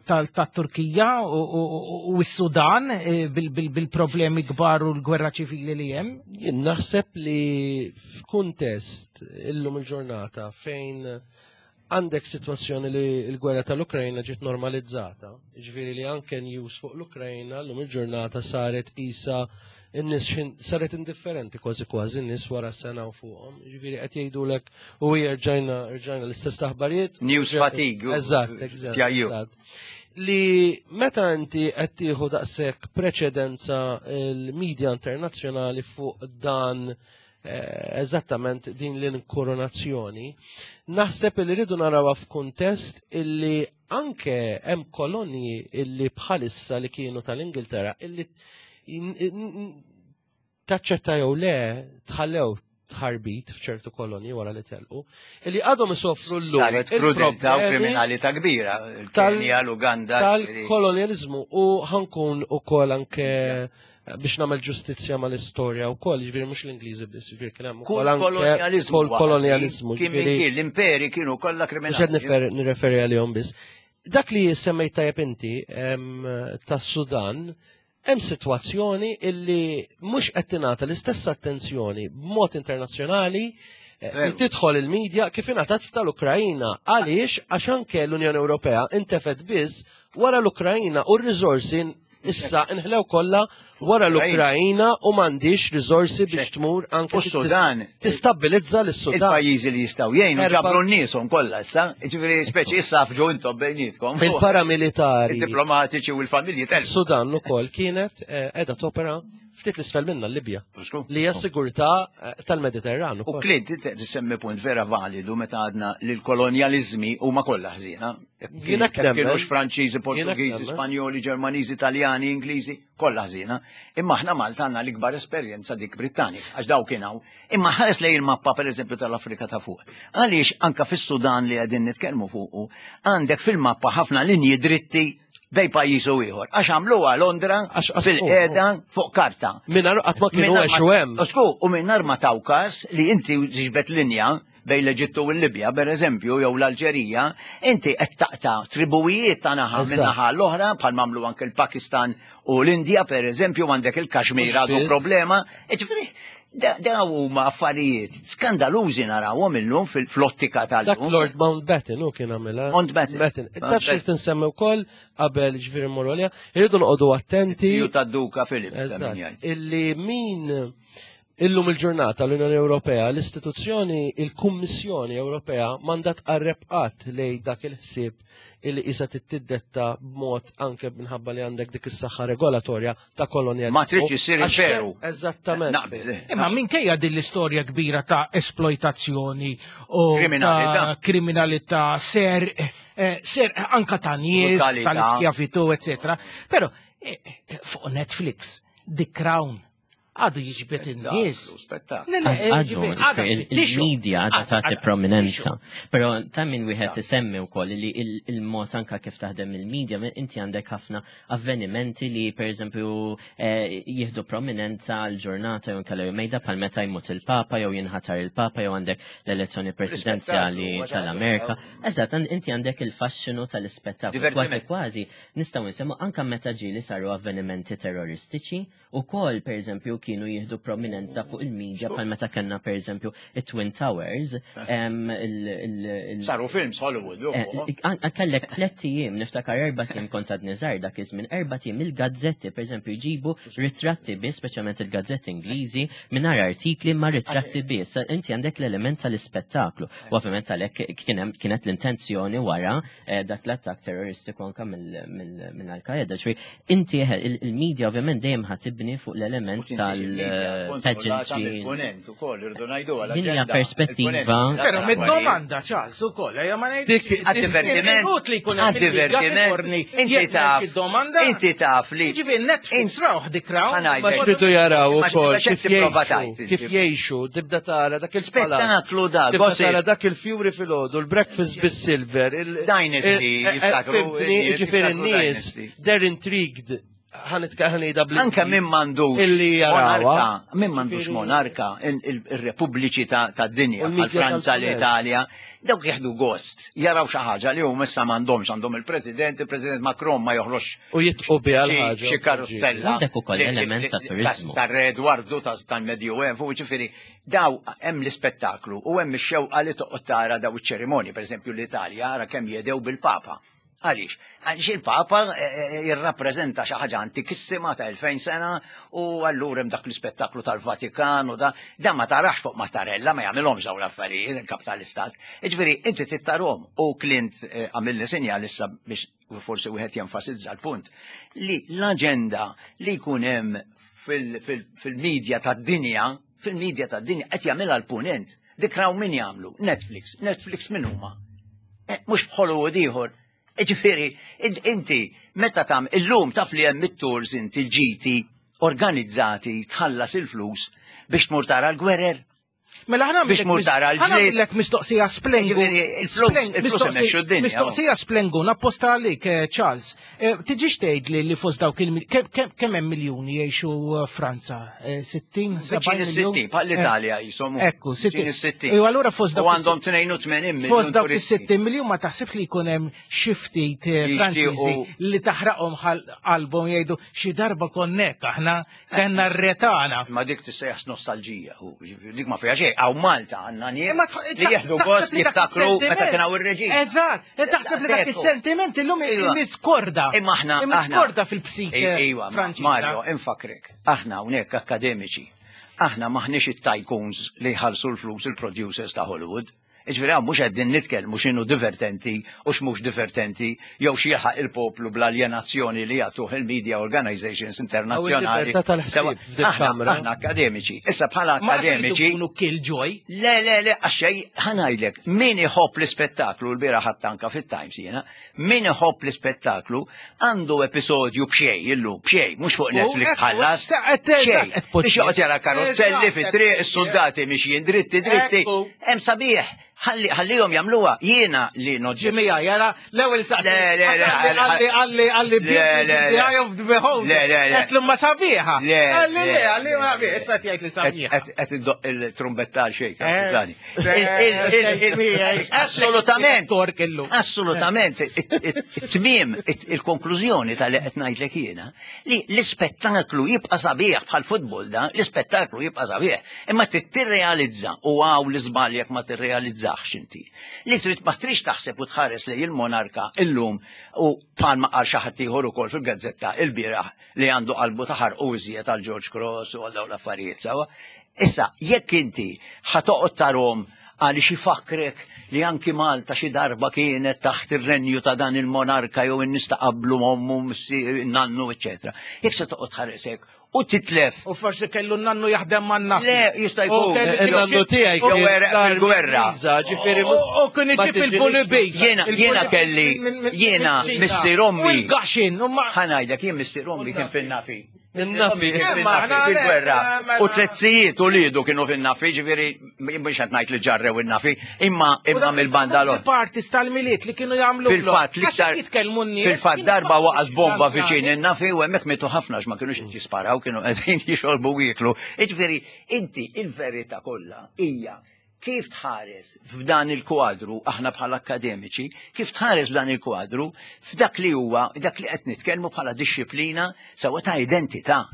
tal-Turkija u s-Sudan eh, bil-problemi kbar u l-gwerra ċivili li hemm. Jien naħseb li f'kuntest illum il-ġurnata fejn għandek sitwazzjoni li l-gwerra tal-Ukrajna ġiet normalizzata, ġifieri li anke news fuq l-Ukrajna llum il-ġurnata saret isa in-nies saret indifferenti kważi kważi n-nies wara sena u fuqhom. Ġifieri qed jgħidulek u rġajna rġajna l-istess aħbarijiet. News fatigue. Eżatt, eżatt. Li meta inti qed tieħu daqshekk preċedenza l-medja internazzjonali fuq dan Eh, eżattament din l-inkoronazzjoni, naħseb li rridu narawha f'kuntest illi anke hemm kolonji illi bħalissa li kienu tal-Ingilterra illi taċċetta jew le tħallew tħarbit f'ċertu kolonji wara li telqu, illi għadhom isofru l-lum. Saret krudeltà u kriminalità kbira, il-Kenja, l-Uganda. Tal-kolonjalizmu u ħankun ukoll anke biex nagħmel ġustizzja mal-istorja wkoll, jiġifieri mhux l-Ingliżi biss, jiġifieri kien hemm ukoll anke kolonjaliżmu. Kien l-imperi kienu kollha kriminali. Mhux qed nirreferi għalihom biss. Dak li semmejt tajjeb inti tas-Sudan, hemm sitwazzjoni illi mhux qed tingħata l-istess attenzjoni b'mod internazzjonali. Eh, tidħol il-medja kif ingħatat tal-Ukrajina. Għaliex għax anke l-Unjoni Ewropea intefet biss wara l-Ukrajina u r-riżorsi issa inħlew kollha wara l-Ukrajina u m'għandix riżorsi biex tmur anke U Sudan. Tistabbilizza lis-Sudan. Il-pajjiżi li jistgħu jgħinu ġabru n-nieshom kollha issa, jiġifieri speċi issa afġu intom bejnietkom. Il-paramilitari. Il-diplomatiċi u l-familji tal Sudan ukoll kienet eh, qiegħda topera ftit l-isfel minna l-Libja. Li hija sigurtà eh, tal-Mediterran. U Clint, tissemmi punt vera validu meta għadna li l-kolonjalizmi huma kollha ħżiena. Jiena Kienux Franċiżi, Portugiżi, Spanjoli, Ġermaniżi, Taljani, Ingliżi, kollha ħżiena. Imma aħna Malta għandna l-ikbar esperjenza dik Brittanika, għax daw kien hawn. Imma ħares lejn il-mappa pereżempju tal-Afrika ta' fuq. Għaliex anka fis-Sudan li qegħdin nitkellmu fuqu, għandek fil-mappa ħafna linji dritti bej pajjiż u ieħor. Għax għamluha Londra fil-qiegħda fuq karta. Mingħajr qatt ma kienu għexu hemm. Sku, u mingħajr ma taw każ li inti tiġbed linja bejn l-Eġittu u l-Libja, per eżempju, jew l-Alġerija, inti qed taqta' tribuwijiet ta' naħa minn naħa l-oħra, bħal mamlu anke l-Pakistan u l-Indja, per eżempju, għandek il-Kashmir għadu problema. Ġifieri, Da huma affarijiet skandalużi narawhom illum fil-flottika tal-lum. Dak Lord Mountbatten u kien għamilha. Mountbatten. Taf xi tinsemmi wkoll qabel ġifieri mmorru għaliha, irridu noqogħdu attenti. Ziju tad-Duka Filip. Illi min illum il-ġurnata l-Unjoni Ewropea, l-istituzzjoni, il-Kummissjoni Ewropea mandat tqarreb qatt lej dak il-ħsieb illi qisha tiddetta b'mod anke minħabba li għandek dik is-saħħa regolatorja ta' kolonjalizmu. Ma tridx issir imperu. Eżattament. Naqbel. Eh. Imma minkejja din l-istorja kbira ta' esploitazzjoni u kriminalità, kriminalità ser, eh, ser anka ta' nies, tal-iskjavitu, eccetera. Però eh, fuq Netflix, The Crown, għadu jiġbed in-nies. Għadu, il-media għadha tagħti prominenza. Però ta' min wieħed isemmi wkoll li il-mod anka kif taħdem il-media, inti għandek ħafna avvenimenti li pereżempju eh, jieħdu prominenza għal ġurnata jew inkella mejda bħal meta jmut il-Papa jew jinħatar il-Papa jew għandek l-elezzjoni presidenzjali tal-Amerika. Eżatt, inti għandek il-faxxinu tal-ispettaklu. Kważi kważi nistgħu nsemmu anka meta ġieli saru avvenimenti terroristiċi Ukoll, pereżempju, kienu jieħdu prominenza fuq il-media bħal meta kellna pereżempju it-Twin Towers. Eh. Saru films Hollywood. Eh, kellek tlett ijiem, niftakar erba' ijiem kont għadni żgħar dak iż-żmien, erba' ijiem il-gazzetti pereżempju jġibu ritratti biss, speċjalment il-gazzetti Ingliżi, mingħajr artikli ma' ritratti biss. Inti għandek l-element tal-ispettaklu. U ovvjament għalhekk kienet l-intenzjoni wara eh, dak l-attakk terroristiku anka mill-Al-Qaeda. Inti il-media ovvjament dejjem ħa tibni fuq l-element tal-pageantry. Din hija perspettiva. Però mid-domanda ċans ukoll, ejja ma ngħidx. Għad-divertiment. Li jkun Għad-divertiment. Inti taf. Inti taf li. Ġifieri Netflix rawh dik raw. Ma xridu jaraw ukoll kif jgħixu, kif jgħixu, tibda tara dak il-spettaklu da. Tibda tara dak il-fjuri filgħodu, l-breakfast bis-silver. Dynasty, jiftakru. Ġifieri n-nies They're intrigued ħanida bl Anka minn mandux illi monarka, minn mandux monarka, il-repubbliċi ta' dinja, bħal Franza, l-Italja, dawk jieħdu gost, jaraw xi ħaġa li huma issa m'għandhomx għandhom il-President, il-President Macron ma joħroġ. U jitqu biha l-ħaġa. Xi karuzzella. Għandek ukoll element ta' turizmu. Ta' Re Edwardu tal-Medjuevu, ġifieri, daw hemm l-ispettaklu u hemm ix-xewqa li toqgħod tara daw iċ-ċerimonji, pereżempju l-Italja, ara kemm jedew bil-Papa. Għaliex? Għaliex il-Papa eh, eh, jirrappreżenta xi ħaġa antikissima ta' 2000 sena u allura hemm dak l-ispettaklu tal-Vatikan u da da ma tarax fuq Mattarella ma jagħmilhomx dawn l-affarijiet il-kap tal-istat. Jiġifieri inti tittarhom u Clint eh, għamilni sinjal issa biex forsi wieħed jenfasizza l-punt li l-aġenda li jkun hemm fil-medja tad-dinja, fil-medja tad-dinja qed jagħmilha l-punent. Dik raw min jagħmlu? Netflix. Netflix min huma? Eh, mhux f'Hollywood ieħor. Eh, ġifieri, inti meta tam illum taf li hemm it-tours inti l-ġiti organizzati tħallas il-flus biex tmur tara l-gwerer. Mela ħana biex mur tara l-ġlied. Lek mistoqsija splengu. Mistoqsija splengu, napposta għalik, eh, Charles. Eh, tiġix tgħid li li fost dawk il kemm hemm miljuni jgħixu eh, Franza? 60, 70 miljun? 60, bħal l-Italja jisom. Ekku, 60. U allura fost dawk. U għandhom 82 miljun. Fost dawk is-60 miljun ma taħsibx li jkun hemm xi ftit Franċiżi li taħraqhom qalbhom jgħidu xi darba konnek aħna kellna r-retana. Ma dik tissejjaħ nostalġija, dik ma fiha xejn, hawn Malta għandna nies li jieħdu gost jiftakru meta kien hawn ir-reġim. Eżatt, taħseb li dak is-sentiment illum Iva. imiskorda. Imma aħna Imiskorda fil-psike Iva, Franċiża. Mario, infakrek, aħna hawnhekk akademiċi. Aħna maħniex it-tycoons li jħallsu l-flus il-producers ta' Hollywood. Iġifieri hawn mhux qegħdin nitkellmu x'inhu divertenti u x'mhux divertenti jew x'jilħaq il-poplu bl-aljenazzjoni li jagħtuh il-media organizations internazzjonali. il-libertà tal-ħsieb Sewa, f'dik Aħna kamra. aħna akademiċi. Issa bħala Ma se akademiċi jkunu killjoy. Le, le, le, għaxej, ħanajdlek, min iħobb l-ispettaklu, l-bira ħattanka fit-Times jena, min iħobb l-ispettaklu għandu episodju b'xej, illum, b'xej, mux fuq U Netflix ekku, tħallas, eżatt, b'xej. eżatt, Biex joqgħod jara karozzelli Eżatt, fit-triq, is-soldati mixjin dritti, dritti. Ekku. Hemm sabiħ, ħalli- ħallihom jagħmluha, jiena li noġġi. Ġimija, jara, l-ewel saqsi. Le, le, le, Għalli, għalli, għalli, Le, le, le. eye of the beholder. Le, le, le. Għetlu ma sabiħa. Le, Għalli, le, le, għalli, le, ma le. issa tgħid li sabiħa. Qed qed iddoq il-trumbetta għal xejn, Eh, skużani. eh, Il- il- il- eh, Assolutament. Tork illum. Assolutament. It-tmiem, il-konklużjoni tal-li qed ngħidlek jiena li l-ispettaklu jibqa' sabiħ bħal futbol da, l-ispettaklu jibqa' sabiħ. Imma trid tirrealizza u għaw l-iżbal jekk ma tirrealizzax inti. Li trid ma trix taħseb u tħares lejn il-monarka illum u bħalma qal xi ħadd ieħor ukoll fil-gazzetta il-bieraħ li għandu qalbu ta' ħarqu iżjed għal George Cross u għal dawn l-affarijiet sawa. Issa, jekk inti ħatoqgħod tarhom għaliex ifakrek li anki Malta xi darba kienet taħt ir-renju ta' dan il-monarka jew in-nies ta' qablu ommu, missier, nannu, eċetera. Jekk se toqgħod tħaresek u titlef U forsi kellu nannu jaħdem man nafi. Le, jista' jkun. U kellu- Il-nannu tiegħi Jew kien għereq fil-gwerra. l-Ingliża, ġifieri mhux- U kien ma iġib tiġilix il-bulibi. Jiena- jiena kelli- jiena missier ommi. U l-gaxin, u ma. ħanajdek jien missier ommi kien fin-nafi. In-nafi. Kien Imma fin-nafi aħna fil-gwerra. le, mela- U tletzijiet u lidu kienu fin-nafi, ġifieri mhux qed ngħid li ġarrew in-nafi, imma imma mill-banda l Partis tal-miliet li kienu jagħmlu. Fil-fatt l-iktar jitkellmu n-nies. Fil-fatt darba waqas bomba viċin in-nafi u hemmhekk mietu ħafna għax ma kinux qed jisparaw, kienu qegħdin jixorbu u jieklu. Jiġifieri inti il-verità kollha hija kif tħares f'dan il-kwadru aħna bħala akademiċi, kif tħares f'dan il-kwadru f'dak li huwa dak li qed nitkellmu bħala dixxiplina sewa ta' identità.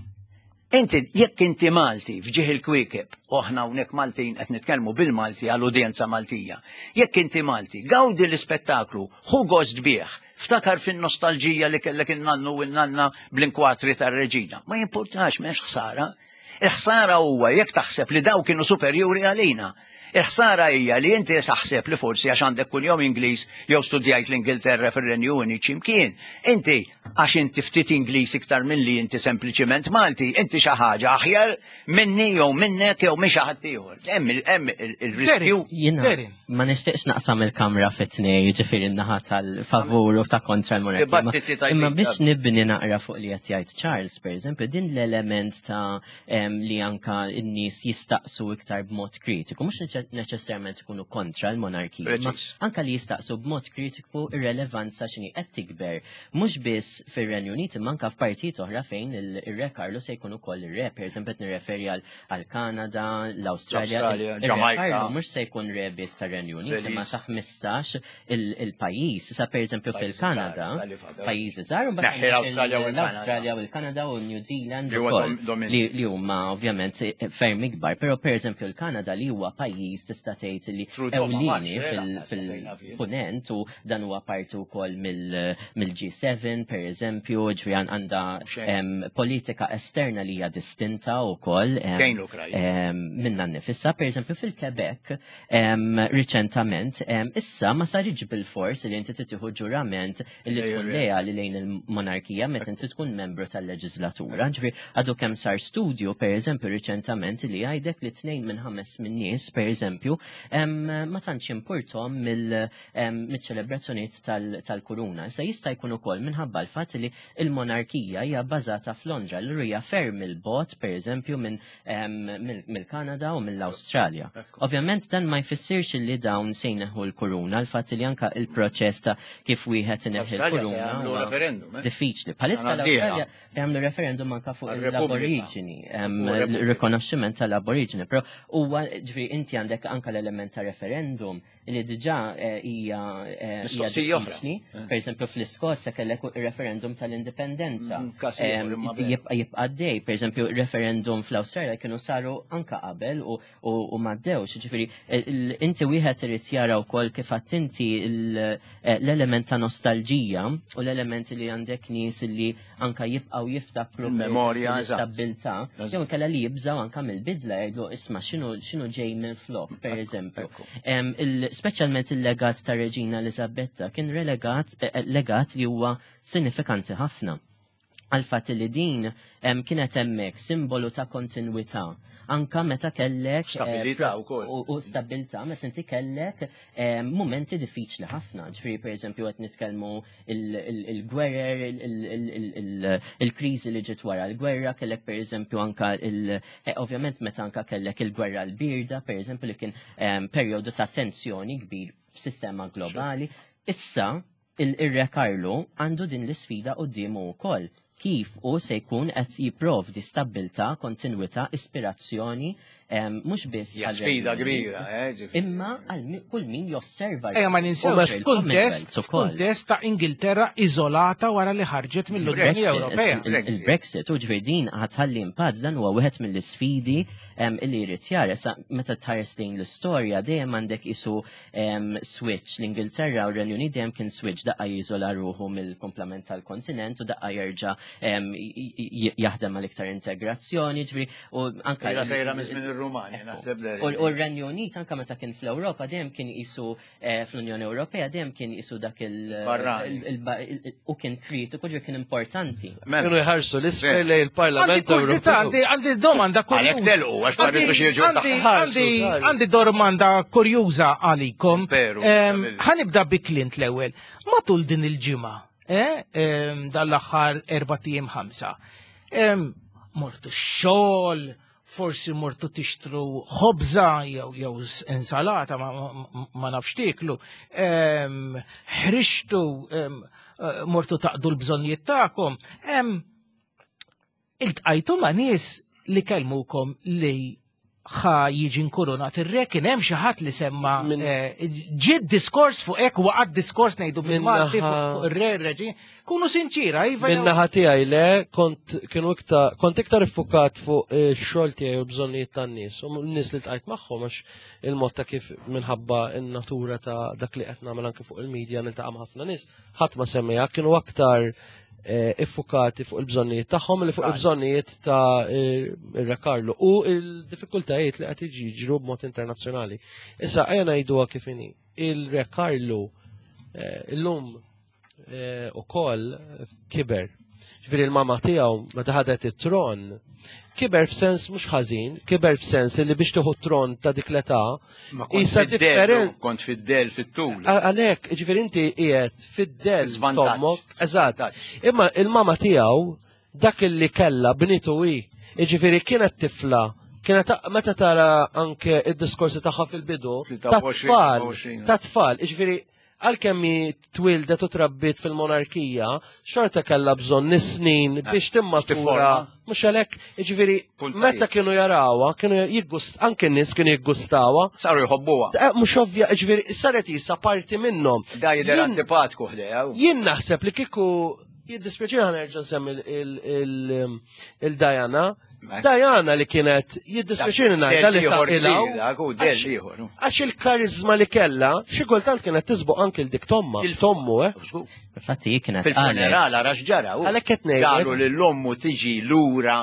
Inti, jekk inti Malti f'ġieħ il-kwiekeb, u aħna hawnhekk Maltin qed nitkellmu bil-Malti għall udjenza Maltija, jekk inti Malti, gawdi l-ispettaklu, ħu gost bih, ftakar fin-nostalġija li kellek in-nannu u n-nanna bl-inkwatri tar-reġina. Ma jimpurtax, m'hemmx ħsara. Il-ħsara huwa jekk taħseb li daw kienu superjuri għalina. Il-ħsara hija li inti taħseb li forsi għax għandek kuljum Ingliż jew studjajt l-Ingilterra fir-Renju Unit x'imkien. Inti għax inti ftit Ingliż iktar milli inti sempliċiment Malti, inti xi ħaġa aħjar minni jew minnek jew minn xi ħadd ieħor. Hemm il- hemm il- il-riskju. Jina, Derin. ma nishtiqx naqsam il-kamra fit-tnej, ġifiri naħa tal-favur u ta' kontra l-monarkija. Ma- Dibattiti tajbin. Imma biex nibni naqra fuq li qed jgħid Charles, per eżempju, din l-element ta' em, li anka n-nies jistaqsu iktar b'mod kritiku, mhux neċessarjament ikunu kontra l-monarkija, imma Preċiż. anka li jistaqsu b'mod kritiku ir-relevanza x'inhi qed tikber, mhux biss fir-Renju Unit imma anka f'partijiet oħra fejn il-Re Carlo se jkun ukoll ir-re, per eżempju qed nirreferi għal Kanada, l-Awstralja, L-Awstralja, il-Re Ġamajka. Carlo mhux se jkun re biss tar-Renju Unit, imma Belize. sa 15 il-pajjiż. Sa pereżempju Pajjiżi fil-Kanada, żgħar, sa li fadal. pajjiżi żgħar, u mbagħad Neħħi l-Awstralja u l-Kanada. l-Awstralja u l-Kanada u New Zealand Li huwa ukoll, domin- li li huma ovvjament ferm ikbar, però pereżempju l-Kanada li huwa pajjiż tista' tgħid li Trudeau ma ewlieni marx, eh, lanqas fejn naf jien. fil-punent u dan huwa parti wkoll mill-G7 pereżempju, ġifieri għandha Xejn. em, politika esterna li hija distinta wkoll. em, Kejn l-Ukrajna. em, minna nifissa, per eżempju fil-Quebec, em, riċentament, em, issa ma saritx bil-fors li inti titieħu ġurament li Lej tkun ir-re. leali lejn il-monarkija meta inti tkun membru tal-leġislatura. Ġifieri għadu kemm sar studju, per eżempju, riċentament li jgħidek li tnejn minn ħames minn nies, per eżempju, em, ma tantx importom mill- em, mill-ċelebrazzjonijiet tal- tal-kuruna. Issa jista' jkun ukoll minħabba l-fatt li il-monarkija hija bbażata f'Londra, l hija ferm il-bot, per eżempju, minn em, mill- mill-Kanada u mill-Awstralja. Ovvjament dan ma jfissirx li dawn se jneħħu l-kuruna, l-fatt li anka il-proċess ta' kif wieħed ineħħi L-Awstralja se l-kuruna jagħmlu huwa referendum, eh? diffiċli. Bħalissa Sena d-dieħla. l-Awstralja jagħmlu referendum anka fuq Għal-Repubblika. l-aboriġini, em, U Repubblika. il-rikonoxximent tal-aboriġini, però huwa ġifieri inti għandek anka l-element ta' referendum li diġà eh, hija eh, mistoqsija oħra. Per eżempju fl-Iskozja kellek referendum tal-indipendenza. Mm, jibqa' dej, per eżempju referendum fl-Awstralja kienu saru anka qabel u m'għaddewx. Ġifieri inti wieħed irid jara wkoll kif inti l-element ta' nostalġija u l-element li għandek nies li anka jibqgħu jiftakru memorja stabbiltà, jew inkella li jibżgħu anka mill-bidla jgħidu isma' x'inhu ġej minn flok, per eżempju. Speċjalment il-legat ta' Reġina Elisabetta kien relegat eh, eh, legat li huwa sinifikanti ħafna għal fatt li din kienet hemmhekk simbolu ta' kontinwità anka meta kellek eh, stabilità wkoll. U stabilità meta inti kellek momenti diffiċli ħafna. Ġifieri pereżempju qed nitkellmu il-gwerer, il-kriżi li ġiet wara l-gwerra, kellek pereżempju anka il eh, ovvjament meta anka kellek il-gwerra l-birda, pereżempju li kien perjodu ta' tensjoni kbir f'sistema globali. Issa il-Re Karlu għandu din l-isfida quddiemu wkoll kif hu se jkun qed jipprovdi stabbiltà, kontinwità, ispirazzjoni mhux biss Hija sfida kbira, eh, Imma għal kull min josserva. Ejja ma ninsewx f'kuntest f'kuntest ta' Ingilterra iżolata wara li ħarġet mill-Unjoni Ewropea. Il-Brexit u ġifieri din ħatħalli impatt dan huwa wieħed mill-isfidi li jrid jara. Meta tħares lejn l-istorja dejjem għandek isu switch l-Ingilterra u r-Renju Unit dejjem kien switch daqqa jiżola ruħu mill-komplament tal-kontinent u daqqa jerġa' jaħdem għal iktar integrazzjoni, ġifieri u anka sejra minn żmien ir-Rumani, naħseb U r-Renju Unit anka meta kien fl-Ewropa dejjem kien qisu eh, fl-Unjoni Ewropea dejjem kien qisu dak il u kien kritiku ġifieri kien importanti. Mela. Kienu jħarsu l-isfel lejn il-Parlament Ewropew. Għandi domanda kurjuża. Għalhekk telqu għax ma rridux jiġu Għandi domanda kurjuża għalikom. Ħanibda bi Clint l-ewwel. Matul din il-ġimgħa, eh, dal-aħħar erba' ijiem ħamsa. Mortu x-xogħol, forsi mortu tixtru ħobża jew jew insalata ma, ma nafx tieklu, ħrixtu eh, mortu taqdu l-bżonnijiet tagħkom. Iltqajtu ma' nies li kellmukom li ħa jiġi nkurunat ir-re kien hemm xi ħadd li semma eh, ġiet diskors fuq hekk waqgħad diskors ngħidu bil-Malti fuq ir-re reġi. Kunu sinċira, iva. Min-naħa tiegħi le kont kienu iktar kont iktar iffukat fuq ix-xogħol tiegħi u bżonnijiet tan-nies u n-nies li tqajt magħhom għax il-mod ta' kif minħabba n-natura ta' dak li qed nagħmel anke fuq il-medja niltaqa' ma' ħafna nies, ħadd ma semmiha kienu aktar Eh, iffukati fuq il-bżonnijiet tagħhom li fuq il-bżonnijiet ta' ir-Re Karlu u il-diffikultajiet li qed jiġru b'mod internazzjonali. Issa ejja ngħiduha kif inhi. Il-Re Karlu eh, illum eh, ukoll kiber. Ġifieri il-mama tiegħu meta ħadet it-tron kiber f'sens mhux ħażin, kiber f'sens li biex tieħu tron ta' dik l-età, isa different. Kont fid-del fit-tul. Għalhekk, ġifieri inti qiegħed fid-del tommok, eżatt. Imma il-mama tiegħu dak li kella bnitu hi, jiġifieri kienet tifla kienet meta tara anke id-diskorsi tagħha fil-bidu ta' tfal, ta' tfal, jiġifieri Għalkemm hi twieldet u trabbiet fil-monarkija, xorta kellha bżonn is-snin eh, biex timmatura. Mhux għalhekk, jiġifieri meta kienu jarawha, kienu jiggust anke n-nies kienu jiggustawha. Saru jħobbuha. Eh, mhux ovvja, jiġifieri saret isa parti minnhom. Da jidher antipatku ħdejha. Jien naħseb li kieku jiddispjaċini ħa nerġa' nsemmi il-Diana. Diana li kienet jiddispjaċini ngħidha li taqilgħu. Għax il-karizma li kellha, xi kultant kienet tisboq anke l dik tomma, tommu, eh. Infatti kienet fil-funeral ara x'ġara. Għalhekk qed ngħid. Ġaru lil ommu tiġi lura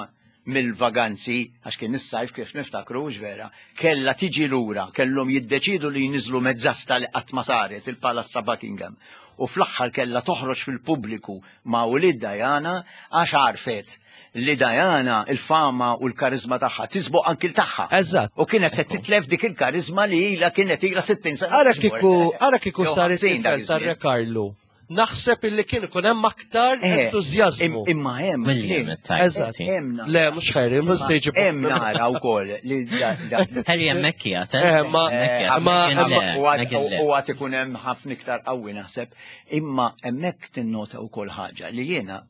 mill-vaganzi, għax kien is-sajf kif niftakru vera, kellha tiġi lura, kellhom jiddeċidu li jniżlu mezzasta li qatt ma saret il-Palazz ta' Buckingham. U fl-aħħar kellha toħroġ fil-pubbliku ma' ulied Diana għax għarfet li Diana il-fama u l-karizma tagħha tisboq anki l tagħha. Eżatt. U kienet se titlef dik il-karizma li ilha kienet ilha 60 sena. Ara kieku ara kieku saret tifel tar-Re Karlu. Naħseb illi kien ikun hemm aktar Eh, entużjażmu. Imma hemm. William Eżatt. Hemm nara. Le, mhux Harry, mhux se jiġi. Hemm nara wkoll li da- da- Harry hemmhekk qiegħed, eh? Eh, ma- Hemmhekk qiegħed. ma- Meghan le, U għad- Meghan le. u għad ikun hemm ħafna iktar qawwi naħseb, imma hemmhekk tinnota wkoll ħaġa li jiena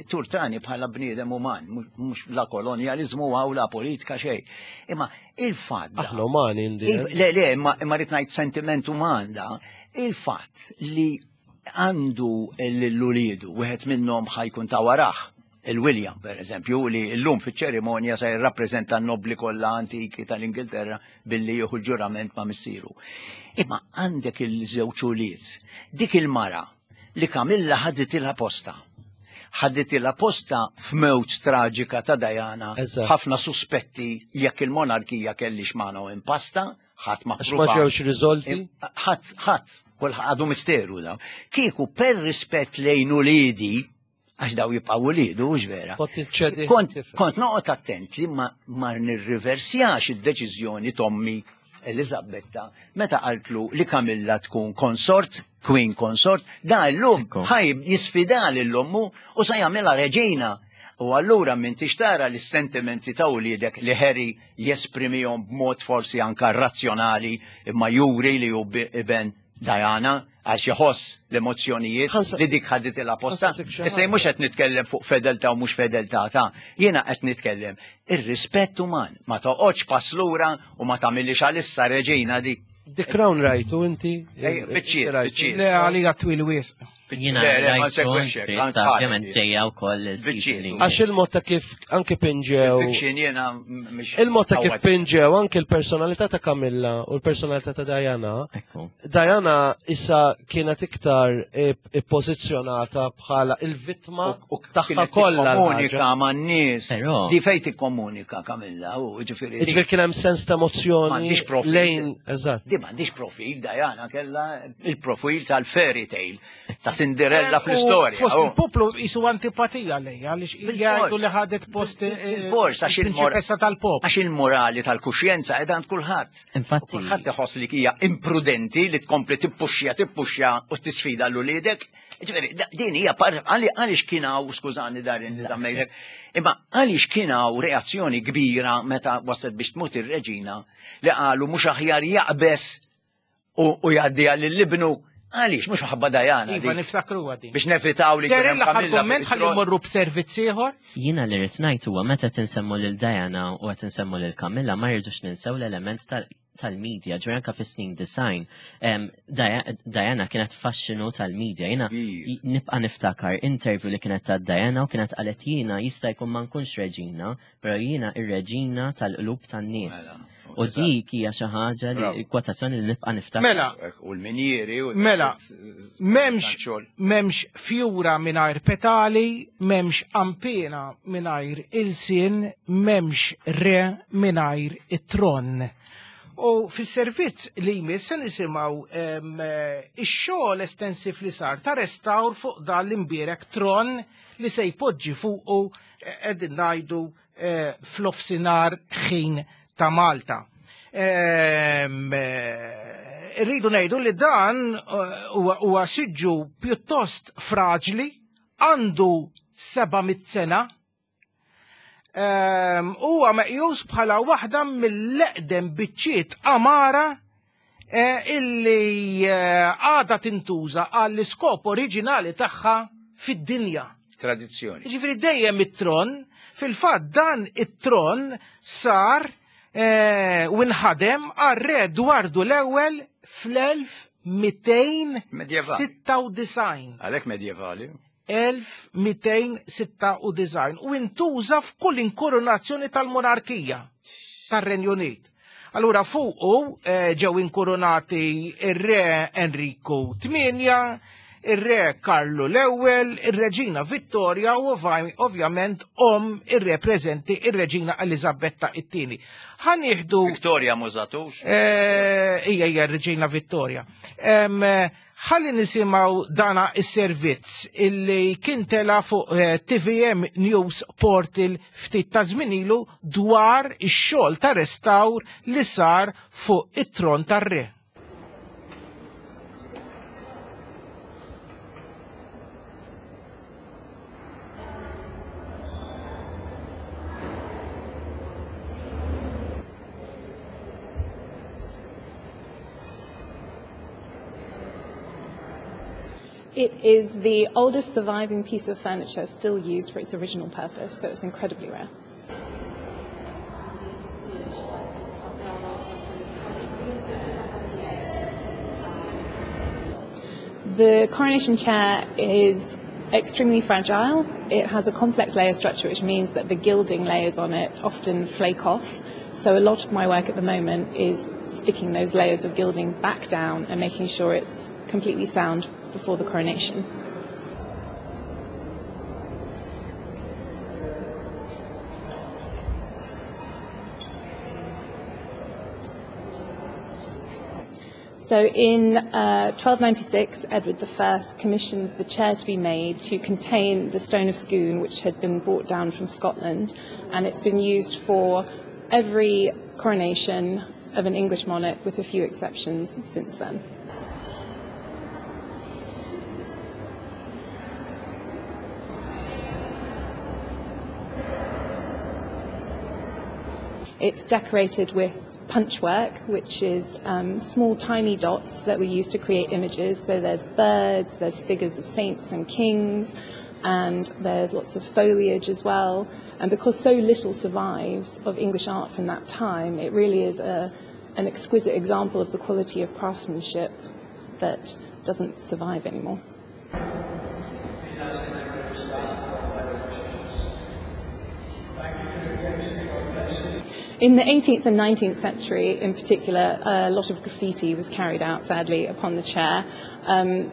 turtani bħala bniedem uman, mhux la kolonjaliżmu għaw la politika xejn. Imma il-fatt da- Aħna umani indi. Il- Le, le, imma imma rrid ngħid sentiment uman da, il-fatt li għandu l-uliedu, wieħed minnhom ħajkun ta' warah, il-William per eżempju, li llum fiċ-ċerimonja se jirrappreżenta n-nobli kollha antiki tal-Ingilterra billi jieħu l-ġurament ma' missieru. Imma għandek il-żewġ ulied, dik il-mara li Kamilla ħaditilha posta. Ħaditilha posta f'mewt traġika ta' Diana, Eżatt. ħafna suspetti jekk il-monarkija kellix magħna u impasta, ħadd ma Għax ma ppruva. ġewx riżolti. Ħadd, ħadd, kulħadd għadu misteru da. Kieku per rispett lejn uliedi, għax daw jibqgħu uliedu, hux vera. Kont inċedi. Kont, kont noqgħod attent li ma, ma nirriversjax id-deċiżjoni tommi Elizabetta meta qaltlu li Kamilla tkun konsort, queen consort, da llum Ekku. ħaj jisfida lil ommu u sa jagħmilha reġina. U allura minn tixtara li s-sentimenti ta' uliedek li Harry jesprimihom b'mod forsi anka razzjonali imma juri li hu bi- iben Diana għax iħoss l-emozzjonijiet li dik ħadet il-aposta. Ħansaqsik xi Issa jien mhux qed nitkellem fuq fedeltà u mhux fedeltà ta' jiena qed nitkellem ir-rispett uman, ma toqgħodx pass lura u ma tagħmilix għalissa reġina dik. The Crown rajtu inti? Ej, biċċiet, Rajtu. biċċiet. Le għalija twil wisq. Jiena Le, le, ma rajtu, nsegwixek, issa, ovvjament ġejja wkoll il-season Biċċiet. li Għax il-mod ta' kif anke pinġew. Fiction jiena mhix. Il-mod ta' kif qawwa. pinġew anke l-personalità ta' Camilla u l-personalità ta' Diana. Ekku. Diana issa kienet iktar ippożizzjonata bħala il-vittma U- u tagħha kienet kollha. tikkomunika l-ħaġa. man-nies. Però- Di fejn tikkomunika Kamilla, u ġifieri. Jiġifieri kien hemm sens ta' emozzjoni M'għandix profil. lejn, eżatt. Di m'għandix profil, Diana kella il-profil tal-fairy tale, ta' Cinderella fl-istorja. Fost oh. il-poplu jisu antipatija lejja, għaliex jgħidu li ħadet post Bil-fors, għax il-mor- il-prinċipessa tal-poplu. Għax il-morali tal-kuxjenza qiegħda għand kulħadd. Infatti- U Kulħadd iħoss li hija imprudenti li tkompli tippuxxja tippuxxja u tisfida l uliedek. Ġifieri, da- din hija par għali- għaliex kien hawn, skużani darin li tammejlek, imma għaliex kien hawn reazzjoni kbira meta waslet biex tmut ir-reġina li qalu mhux aħjar jaqbes u u jgħaddiha lill-ibnu. Għaliex mhux ħabba Dajana Iva, dik. niftakru għadi. Biex nevitaw li kien Darin hemm l-aħħar Kamilla komment fuq ħalli it-tron. mmorru b'servizz ieħor. Jiena li rrid ngħid huwa meta tinsemmu lil Diana u qed insemmu lil Camilla ma rridux ninsew l-element tal- tal-medja, ġifieri anke fis-snin design. Em, Dia- Diana kienet faxxinu tal-medja. Jiena Kbir. nibqa' niftakar interview li kienet ta' Diana u kienet qalet jiena jista' jkun ma nkunx reġina, però jiena ir-reġina tal-qlub tan-nies. Mela, U dik hija xi ħaġa li Bravo. kwotazzjoni li nibqa' niftakar. Mela, U l-minjieri u Mela, memx, xogħol. memx fjura minajr petali, memx ampina minajr ilsin, memx re minajr it-tron. U fis-servizz li jmiss se nisimgħu em, eh, ix-xogħol estensiv li sar ta' restawr fuq dan l-imbierek tron li se jpoġġi fuqu eh, qegħdin ngħidu eh, fl-ofsinar ħin ta' Malta. Em, eh, Irridu ngħidu li dan eh, huwa huwa siġġu pjuttost fraġli, għandu 700 sena, Ehm, huwa meqjus bħala waħda mill-eqdem biċċiet amara eh, illi eh, għada tintuża għall-iskop oriġinali tagħha fid-dinja. Tradizzjoni. Ġifieri dejjem it-tron, fil-fatt dan it-tron sar eh, u nħadem għar-re Edwardu l-ewwel fl-1296. Għalhekk medjevali. 1296 u intuża f'kull inkoronazzjoni tal-monarkija tar-Renju Unit. Allura fuqu eh, ġew inkoronati ir-re Enriku VIII, ir-re Karlu l-ewwel, ir-Reġina Vittoria u ovvaj- ovvjament om ir-re preżenti ir-Reġina Eliżabetta it-tieni. Ħa nieħdu Victoria mużatux. Eh, Ija, ija, Reġina Vittoria. Em, eh, Ħalli nisimaw dana is-servizz illi kien tela fuq eh, TVM News Portal ftit ta' żmien ilu dwar ix-xogħol ta' restawr li sar fuq it-tron tar-re. It is the oldest surviving piece of furniture still used for its original purpose, so it's incredibly rare. The coronation chair is extremely fragile. It has a complex layer structure, which means that the gilding layers on it often flake off. So a lot of my work at the moment is sticking those layers of gilding back down and making sure it's completely sound before the coronation. So in uh, 1296, Edward I commissioned the chair to be made to contain the Stone of Scone, which had been brought down from Scotland, and it's been used for every coronation of an English monarch, with a few exceptions since then. It's decorated with punchwork, which is um, small tiny dots that we use to create images. So there's birds, there's figures of saints and kings, and there's lots of foliage as well. And because so little survives of English art from that time, it really is a, an exquisite example of the quality of craftsmanship that doesn't survive anymore. In the 18th and 19th century, in particular, a lot of graffiti was carried out, sadly, upon the chair. Um,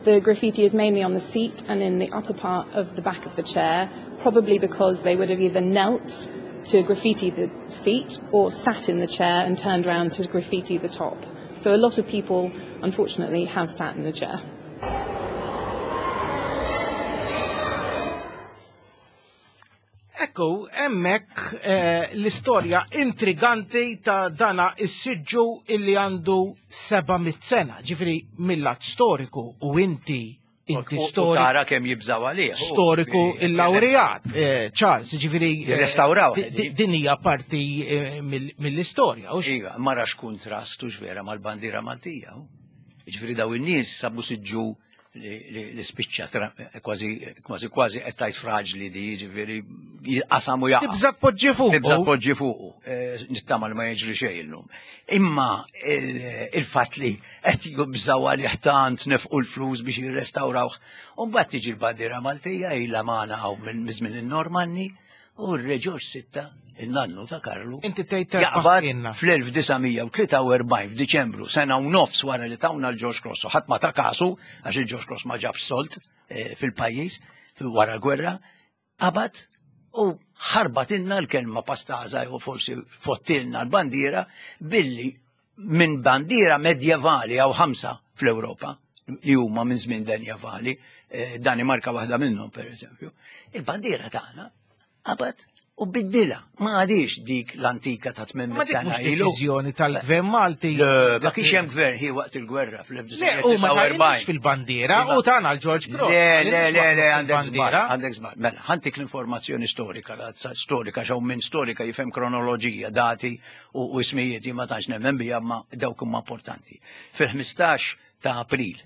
the graffiti is mainly on the seat and in the upper part of the back of the chair, probably because they would have either knelt to graffiti the seat or sat in the chair and turned round to graffiti the top. So a lot of people, unfortunately, have sat in the chair. Ekku, hemmhekk eh, l-istorja intriganti ta' dana is-siġġu illi għandu 700 sena, ġifiri mill-lat storiku u inti inti storiku. Tara kemm jibżaw għalih. Storiku il-laureat, eh, Charles, ġifiri. Eh, Restawraw. Din hija parti mill-istorja. Iva, marax kontrast u vera mal-bandiera Maltija. Ġifiri daw in-nies sabu siġġu li spiċċa kważi kważi kważi qed tgħid fraġli di jiġifieri qasam u jaqa'. Tibża' tpoġġi fuqu. Tibża' tpoġġi fuqu. Eh, nittama li ma jiġri xejn illum. Imma il-fatt li qed jibżgħu għalih tant nefqu l-flus biex jirrestawrawh. U mbagħad tiġi l-bandiera Maltija ilha magħna hawn minn żmien in-Normanni U r-Re Ġorġ Sitta, in-nannu ta' Karlu, Inti tgħid jaqbad fl-1943 f'Diċembru, sena u nofs wara li tawna l-George Cross, u ħadd ma ta' kasu, għax il-George Cross ma ġabx solt eh, fil-pajjiż wara l-gwerra, qabad u ħarbatilna l-kelma pastaza jew forsi fottilna l-bandiera billi minn bandiera medjevali għaw ħamsa fl-Ewropa li huma minn żmien medjevali, eh, Danimarka waħda minnhom pereżempju. Il-bandiera tagħna qabad u biddila. Ma għadix dik l-antika ta' 800 sena ilu. deċiżjoni tal-gvern Malti. Ma kienx hemm gvern hi waqt il-gwerra fl-1944. fil-bandiera u tagħna l-George Cross. Le, le, le, le, għandek żball, għandek żball. Mela, ħantik l-informazzjoni storika, storika xaw minn storika jifhem kronoloġija, dati u ismijiet jien ma tantx nemmen biha ma dawk huma importanti. Fil-15 ta' April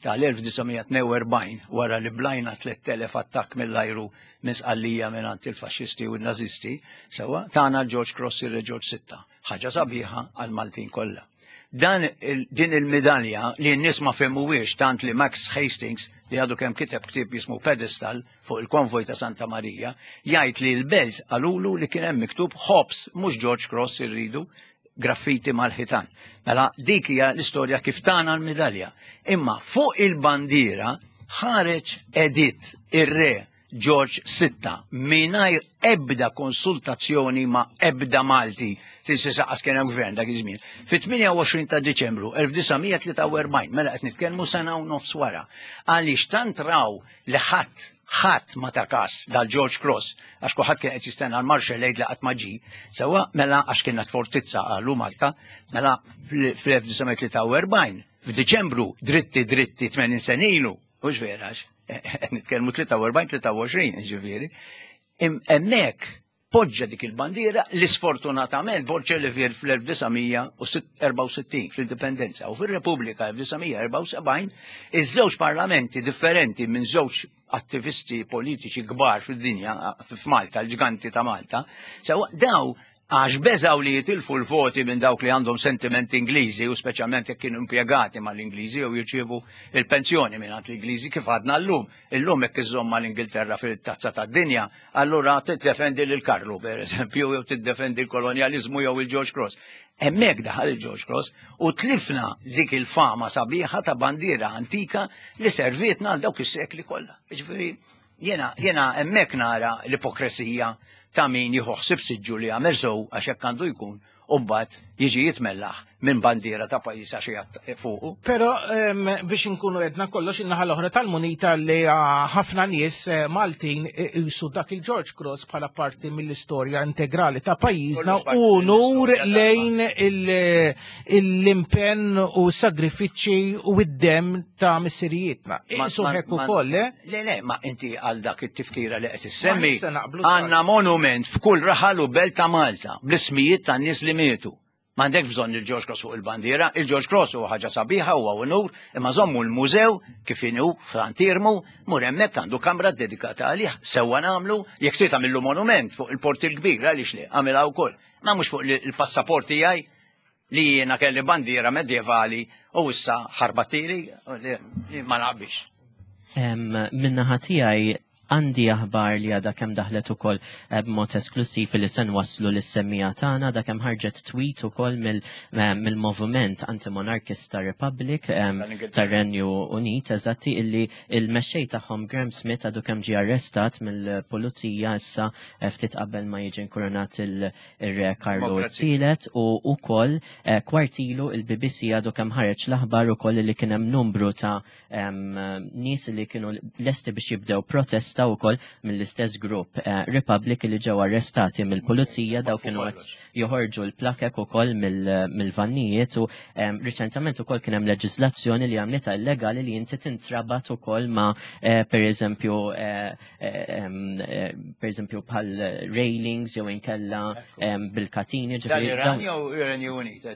tal-1942 wara li blajna 3000 attakk mill-ajru minn Sqallija minn il-faxxisti u n-nazisti, sewa tagħna George Cross ir George Sitta. Ħaġa sabiħa għal-Maltin kollha. Dan din il-medalja li n-nies ma fehmuhiex tant li Max Hastings li għadu kemm kiteb ktieb jismu Pedestal fuq il-konvoj ta' Santa Marija, jgħid li l-belt qalulu li kien hemm miktub Hobbs mhux George Cross irridu graffiti mal-ħitan. Mela dik hija l-istorja kif tana l-midalja. Imma fuq il-bandiera ħareġ edit ir-re George VI mingħajr ebda konsultazzjoni ma' ebda Malti Tinsi saqas kien hemm gvern dak iż-żmien. Fit-28 ta' Diċembru 1943, mela qed nitkellmu sena u nofs wara, għaliex tant raw li ħadd ħadd ma ta kas dal-George Cross għax kulħadd kien qed jistenna l-Marshall Aid li qatt ma ġie, sewwa mela għax kienet fortizza qalu Malta, mela fl-1943 f'Diċembru dritti dritti 80 sena ilu, hux vera għax qed nitkellmu 43 23 ġifieri. Hemmhekk Poġġa dik il-bandiera li sfortunatament Borg Olivier fl-1964 fl-Indipendenza u fir-Repubblika 1974 iż-żewġ parlamenti differenti minn żewġ attivisti politiċi kbar fid-dinja f'Malta, l-ġganti ta' Malta, sewa daw għax beżaw li jitilfu l-voti minn dawk li għandhom sentimenti Ingliżi u speċjalment jekk kienu impjegati mal-Ingliżi jew jirċievu il-pensjoni minn l-Ingliżi kif għadna llum. Illum jekk iżżomm mal-Ingilterra fil-tazza tad-dinja, allura tiddefendi lil Karlu pereżempju jew tiddefendi l-kolonjaliżmu jew il-George Cross. Hemmhekk daħal il-George Cross u tlifna dik il-fama sabiħa ta' bandiera antika li servietna għal dawk is-sekli kollha. Jiġifieri jiena jiena hemmhekk nara l-ipokresija ta' min jieħu ħsieb siġġu li għamel sew għax hekk għandu jkun u mbagħad jiġi jitmellaħ minn bandiera ta' pajjiż għax qiegħed fuqu. Però biex inkunu edna kollox in-naħa l-oħra tal-munita li ħafna nies eh, Maltin isu dak il-George Cross bħala parti mill-istorja integrali ta' pajjiżna u nur lejn l-impenn u sagrifiċċji u id-dem ta' missirijietna. Isu hekk ukoll, eh? Le, le, ma inti għal dak it-tifkira li qed issemmi. Għandna monument f'kull raħal u belt ta' Malta bl-ismijiet tan-nies li mietu. M'għandek bżonn il-George Cross fuq il-bandiera, il-George Cross huwa ħaġa sabiħa huwa unur, imma żommu l-mużew kif inhu f'Antirmu, mur hemmhekk għandu kamra dedikata għalih, sewwa nagħmlu, jekk trid tagħmillu monument fuq il-Port il-Kbir għaliex le, għamilha wkoll. Ma mhux fuq il-passaport tiegħi li jiena kelli bandiera medjevali u issa ħarbatili li ma naqbix. Minnaħa tiegħi għandi aħbar li għadha kemm daħlet ukoll eh, b'mod esklusiv li se nwasslu lis-semmija tagħna da kemm ħarġet tweet ukoll eh, mill-moviment antimonarkista Republic tar-Renju Unit eżatti illi il-mexxej tagħhom Graham Smith għadu kemm ġie arrestat mill-pulizija issa eh, ftit qabel ma jiġi nkurunat il- ir-Re Karlu t-tielet u wkoll eh, kwartilu il-BBC għadu kemm ħareġ l-aħbar ukoll li kien hemm numru ta' nies li kienu lesti biex jibdew protesta wkoll mill-istess grupp eh, Republic li ġew arrestati mill-pulizija daw kienu qed joħorġu l-plakek ukoll mill-vannijiet u riċentament ukoll kien hemm leġiżlazzjoni li għamlitha illegali li inti tintrabat ukoll ma' eh, pereżempju Eh, per eżempju bħal railings jew inkella bil-katini. Iran jew Renju Unit.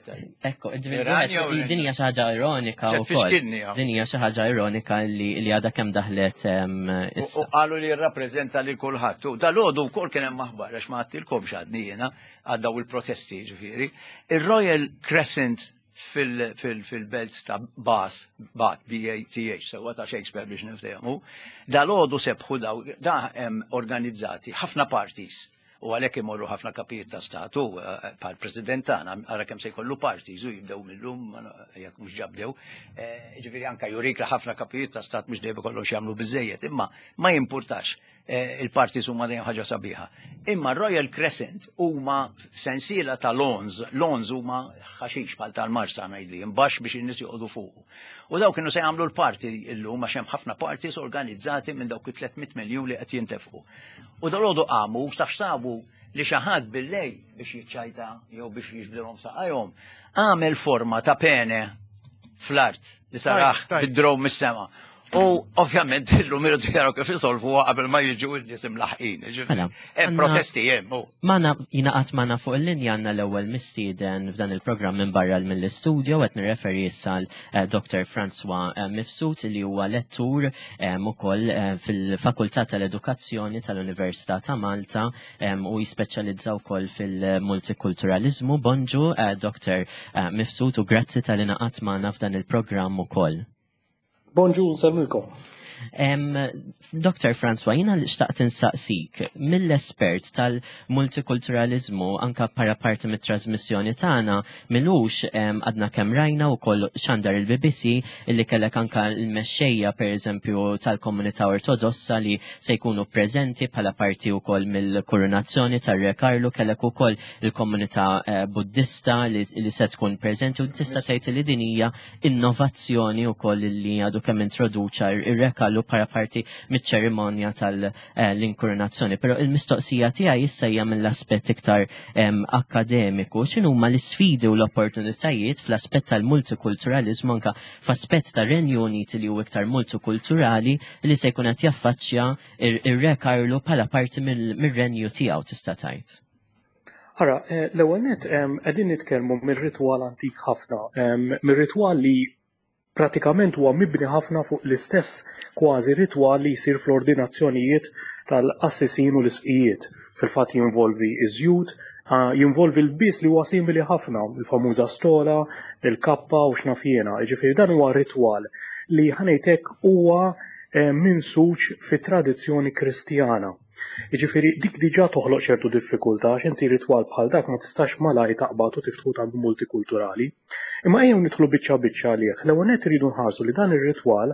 Ekku, din hija xi ħaġa ironika wkoll. Din hija xi ħaġa ironika li għadha kemm daħlet issa. U qalu li jirrappreżenta lil kulħadd. U dal-għodu wkoll kien hemm aħbar għax ma għattilkomx għadni jiena għal daw il-protesti ġifieri. Ir-Royal Crescent fil-belt ta' Bath, Bath, B-A-T-H, sewa ta' Shakespeare biex niftehmu, dal-għodu sebħu daw, da hemm organizzati ħafna parties u għalhekk imorru ħafna kapijiet ta' statu eh, bħal president tagħna ara kemm se jkollu parties u jibdew millum jekk mhux ġabdew. Eh, ġifieri anka jurik li ħafna kapijiet ta' stat mhux dejjem ikollhom jagħmlu biżejjed, imma ma jimpurtax. Eh, il-parties huma dejjem ħaġa sabiħa. Imma Royal Crescent huma sensiela ta' lawns, lawns huma ħaxix bħal tal-marsa ngħidli, imbaxx biex in-nies joqogħdu fuq. U daw kienu se jagħmlu l-party illum għax hemm ħafna parties organizzati minn dawk it-300 miljun li qed jintefqu. U dalodu qamu taf sabu li xi ħadd billej biex jiċċajta jew biex jiġbdilhom saqajhom għamel forma ta' pene fl-art li taraħ bid-drow mis-sema. U ovvjament illum irridu jaraw kif isolvuha qabel ma jiġu n-nies imlaħqin. Mela, hemm protesti hemm. Magħna jingħaqad magħna fuq il-linja għandna l-ewwel mistieden f'dan il-programm minn barra mill-istudio qed nirreferi issa l eh, Dr. François eh, Mifsud li huwa lettur eh, ukoll fil-Fakultà tal-Edukazzjoni tal-Università ta' Malta u jispeċjalizza wkoll fil-multikulturalizmu. Bonġu Dr. Mifsud u grazzi tal ingħaqad magħna f'dan il-programm ukoll. Bonġu, nsellmilkom. Dr. François, jina li xtaqt insaqsik, mill-espert tal-multikulturalizmu anka para parti mit-trasmissjoni tagħna milux għadna kemm rajna wkoll xandar il-BBC illi kellek anka l-mexxejja pereżempju tal-komunità ortodossa li se jkunu preżenti bħala parti wkoll mill-koronazzjoni tar-Re Karlu kellek ukoll il-komunità eh, Buddista li, li se tkun preżenti u tista' tgħid li din hija innovazzjoni wkoll li għadu kemm introduċa ir-Re Karlu bħala parti miċ-ċerimonja tal-inkurunazzjoni. Però il-mistoqsija tiegħi issa hija mill-aspett iktar akademiku, x'inhuma l-isfidi u l-opportunitajiet fl-aspett tal-multikulturaliżmu anka f'aspett tar-Renju Unit li hu iktar multikulturali li se jkun qed jaffaċċja ir-Re Karlu bħala parti mir-renju tiegħu tista' tgħid. Ara, eh, l-ewwel nett qegħdin nitkellmu mir-ritwal antik ħafna, mir-ritwal li pratikament huwa mibni ħafna fuq l-istess kważi ritwal li jsir fl-ordinazzjonijiet tal-qassisin u l-isqfijiet. Fil-fatt jinvolvi iż-żjut, jinvolvi l-bies li huwa simili ħafna, il-famuża stola, il-kappa u x'naf jiena. Jiġifieri dan huwa ritwal li ħa ngħid hekk huwa eh, minsuġ fit-tradizzjoni Kristjana. Jiġifieri dik diġà toħloq ċertu diffikultà għax inti ritwal bħal dak ma tistax malajr taqbad u tiftħu ta' multikulturali. Imma ejjew nidħlu biċċa biċċa għalih. L-ewwel nett irridu nħarsu li dan ir-ritwal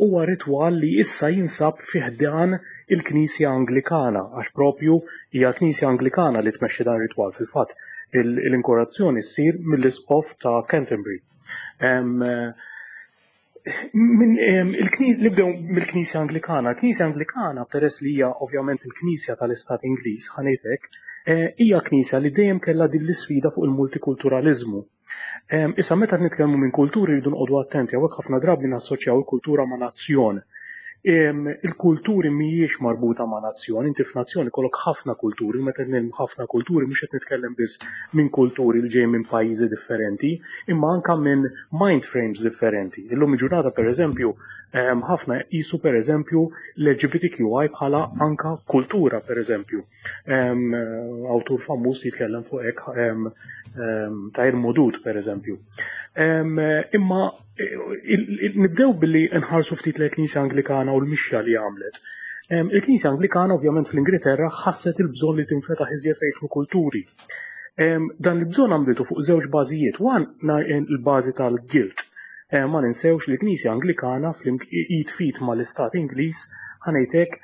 huwa ritwal li issa jinsab fi ħdan il-Knisja Anglikana għax propju hija l-Knisja Anglikana li tmexxi dan ir-ritwal. Fil-fatt l-inkorazzjoni ssir mill-Isqof ta' Canterbury. Nibdew mill-Knisja Anglikana. Il-Knisja Anglikana, peress li hija ovvjament il-Knisja tal-Istat Ingliż, ħa ngħid hekk, eh, hija Knisja li dejjem kellha din l-isfida fuq il-multikulturaliżmu. Issa meta nitkellmu minn kulturi rridu noqogħdu attenti hawnhekk ħafna drabi nassoċjaw il-kultura ma' nazzjon. Il-kulturi mhijiex marbuta ma' nazzjon, inti f'nazzjon ikollok ħafna kulturi, u meta ngħid ħafna kulturi mhux qed nitkellem biss minn kulturi li ġej minn pajjiżi differenti, imma anka minn mind frames differenti. Illum il-ġurnata pereżempju ħafna jqisu pereżempju l-LGBTQI bħala anka kultura pereżempju. Awtur famuż jitkellem fuq hekk Tahir Modud pereżempju. Imma nibdew billi nħarsu ftit l-Knisja Anglikana u l-mixja li għamlet. Il-Knisja Anglikana ovvjament fl-Ingilterra ħasset il-bżonn li tinfetaħ iżjed fejn kulturi. Dan il-bżonn għamlitu fuq żewġ bażijiet. One il-bażi tal-guilt. Ma ninsewx li l-Knisja Anglikana fl-id fit mal-Istat Ingliż ħa ngħid hekk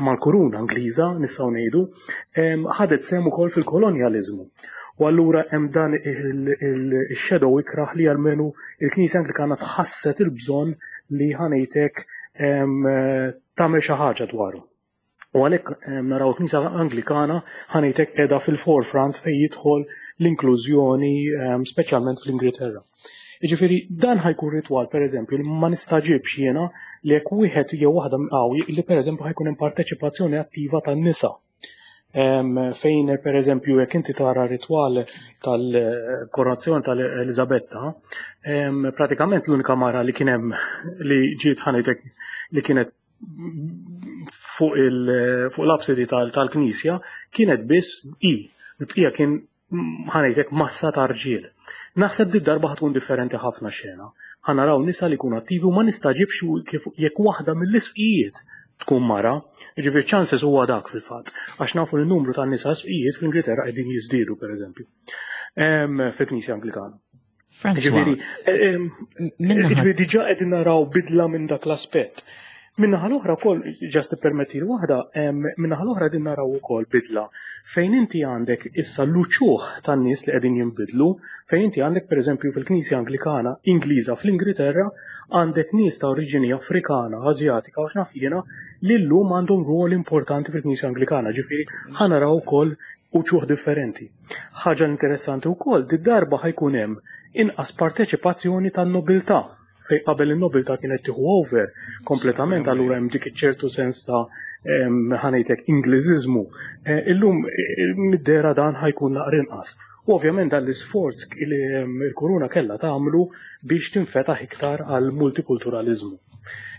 mal-kuruna Ingliża nistgħu ngħidu, ħadet sehem ukoll fil-kolonjaliżmu. U allura hemm dan il-shadow ikrah li almenu il-Knisja Anglikana tħasset il-bżonn li ħa ngħid hekk tagħmel xi ħaġa dwaru. U għalhekk naraw il-Knisja Anglikana ħa ngħid hekk qiegħda fil-forefront fejn jidħol l-inklużjoni speċjalment fl-Ingilterra. Jiġifieri dan ħa jkun ritwal pereżempju li ma nistaġibx jiena li jekk wieħed jew waħda li pereżempju ħa jkun hemm parteċipazzjoni attiva tan-nisa fejn per eżempju jekk inti tara ritwal tal-koronazzjoni tal-Elizabetta, pratikament l-unika mara li kien hemm li ġiet ħa ngħidlek li kienet fuq l-absidi tal-knisja kienet biss i. Il-bqija kien ħa ngħidlek massa ta' rġiel. Naħseb di darba ħa tkun differenti ħafna xena. Ħa naraw nisa li jkunu attivi u ma nistagħġibx kif jekk waħda mill-isqfijiet tkun mara, jiġifieri chances huwa dak fil-fatt, għax nafu li n-numru ta' nisa isqfijiet fl-Ingilterra qegħdin jiżdiedu pereżempju. Fil-Knisja Anglikana. Ġifieri, ġifieri diġà qegħdin naraw bidla minn dak l-aspett. Min-naħa l-oħra wkoll, ġast tippermetti li waħda, min-naħa l-oħra qegħdin naraw ukoll bidla fejn inti għandek issa l-uċuħ tan-nies li qegħdin jinbidlu, fejn inti għandek pereżempju fil-Knisja Anglikana Ingliża fl-Ingilterra għandek nies ta' oriġini Afrikana, Asjatika u x'naf jiena li llum għandhom rwol importanti fil-Knisja Anglikana, ġifieri ħa naraw ukoll uċuħ differenti. Ħaġa interessanti wkoll, did-darba ħa jkun hemm inqas parteċipazzjoni tan-nobiltà fejn qabel in-nobiltà kienet tieħu over kompletament allura hemm dik iċ-ċertu sens ta' ħa ngħidlek Ingliżiżmu. Eh, illum eh, mid-dehra dan ħa jkun naqra inqas. U ovvjament dan l-isforz li l-kuruna kellha tagħmlu biex tinfetaħ iktar għal multikulturaliżmu.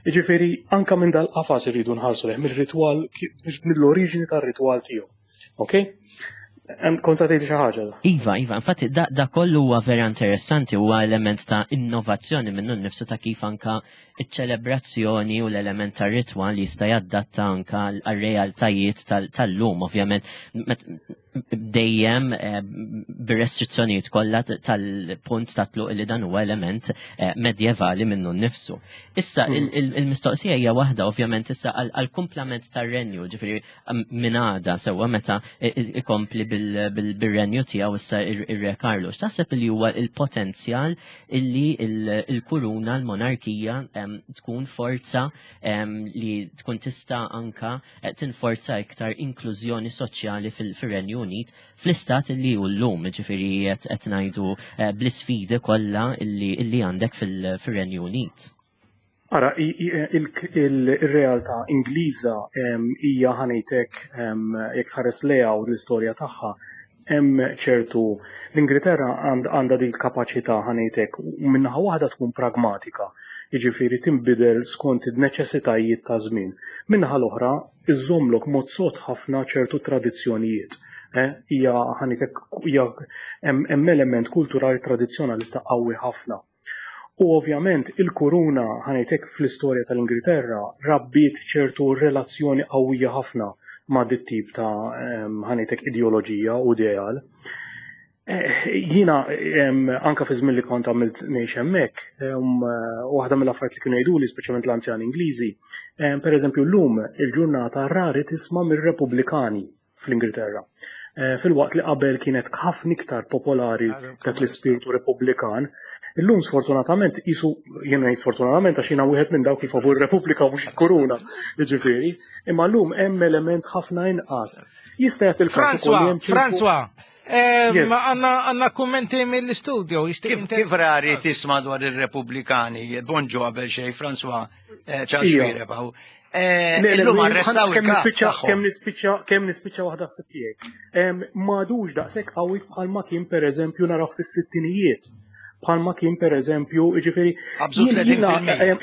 Jiġifieri anka minn dal-qafas irridu nħarsu lejh mill-ritwal mill-oriġini tar-ritwal tiegħu. Ok? Kont sa tgħid xi ħaġa. Iva, iva, infatti da, da kollu huwa vera interessanti huwa element ta' innovazzjoni minnu nnifsu ta' kif anka iċ-ċelebrazzjoni u l-element ta' ritwal li jista' jadatta anka għal-realtajiet tal-lum, ovvjament dejjem eh, bir-restrizzjonijiet kollha tal-punt ta' tluq li dan huwa element eh, medjevali minnu nnifsu. Issa hmm. il-mistoqsija hija waħda ovvjament issa għal-kumplament tar-renju, ġifieri minn għada sewwa meta ikompli bil-renju tiegħu issa ir-Re Carlos. Taħseb li huwa il-potenzjal illi il-kuruna l-monarkija tkun forza li tkun tista' anka eh, tinforza iktar inklużjoni soċjali fil-Renju Unit fl-istat li hu llum, ġifieri qed ngħidu eh, bl-isfidi kollha illi għandek fil-Renju Unit. Ara, il-realtà Ingliża hija ħanejtek jekk tħares lejha u l-istorja tagħha hemm ċertu l-Ingilterra għandha din il-kapaċità ħanejtek u minnaħa waħda tkun pragmatika, jiġifieri tinbidel skont in-neċessitajiet ta' żmien. Minnaħa l-oħra iżżommlok mod sod ħafna ċertu tradizzjonijiet. Eh, hija ħanejtek hija hemm element kulturali tradizzjonalista qawwi ħafna. U ovvjament il-kuruna ħanejtek fl-istorja tal-Ingilterra rabbiet ċertu relazzjoni qawwija ħafna ma' dit tip ta' ħanejtek ideoloġija u ideal. Eh, jiena anka fi żmien li kont għamilt ngħix hemmhekk, waħda mill-affarijiet li kienu jgħiduli speċjalment l-anzjani Ingliżi, pereżempju llum il-ġurnata rari tisma' mir-Repubblikani fl-Ingilterra. Eh, filwaqt li qabel kienet ħafna iktar popolari dak l-ispirtu Repubblikan, illum sfortunatament jisu jien ngħid sfortunatament għax jiena wieħed minn dawk li favur Repubblika mhux il-Kuruna, jiġifieri, imma llum hemm element ħafna inqas. Jista' jagħti il-każ François, eh, għanna kummenti mill-studio. Kif rari tisma' dwar il-Repubblikani, bonġu qabel xej, François, eh, ċaxwire, Eh, illum arrestaw il-kap. Kemm nispiċċa kemm nispiċċa waħda ħsib tiegħek. M'għadux daqshekk qawwi bħalma kien pereżempju naraw fis-sittinijiet. Bħalma kien pereżempju, jiġifieri.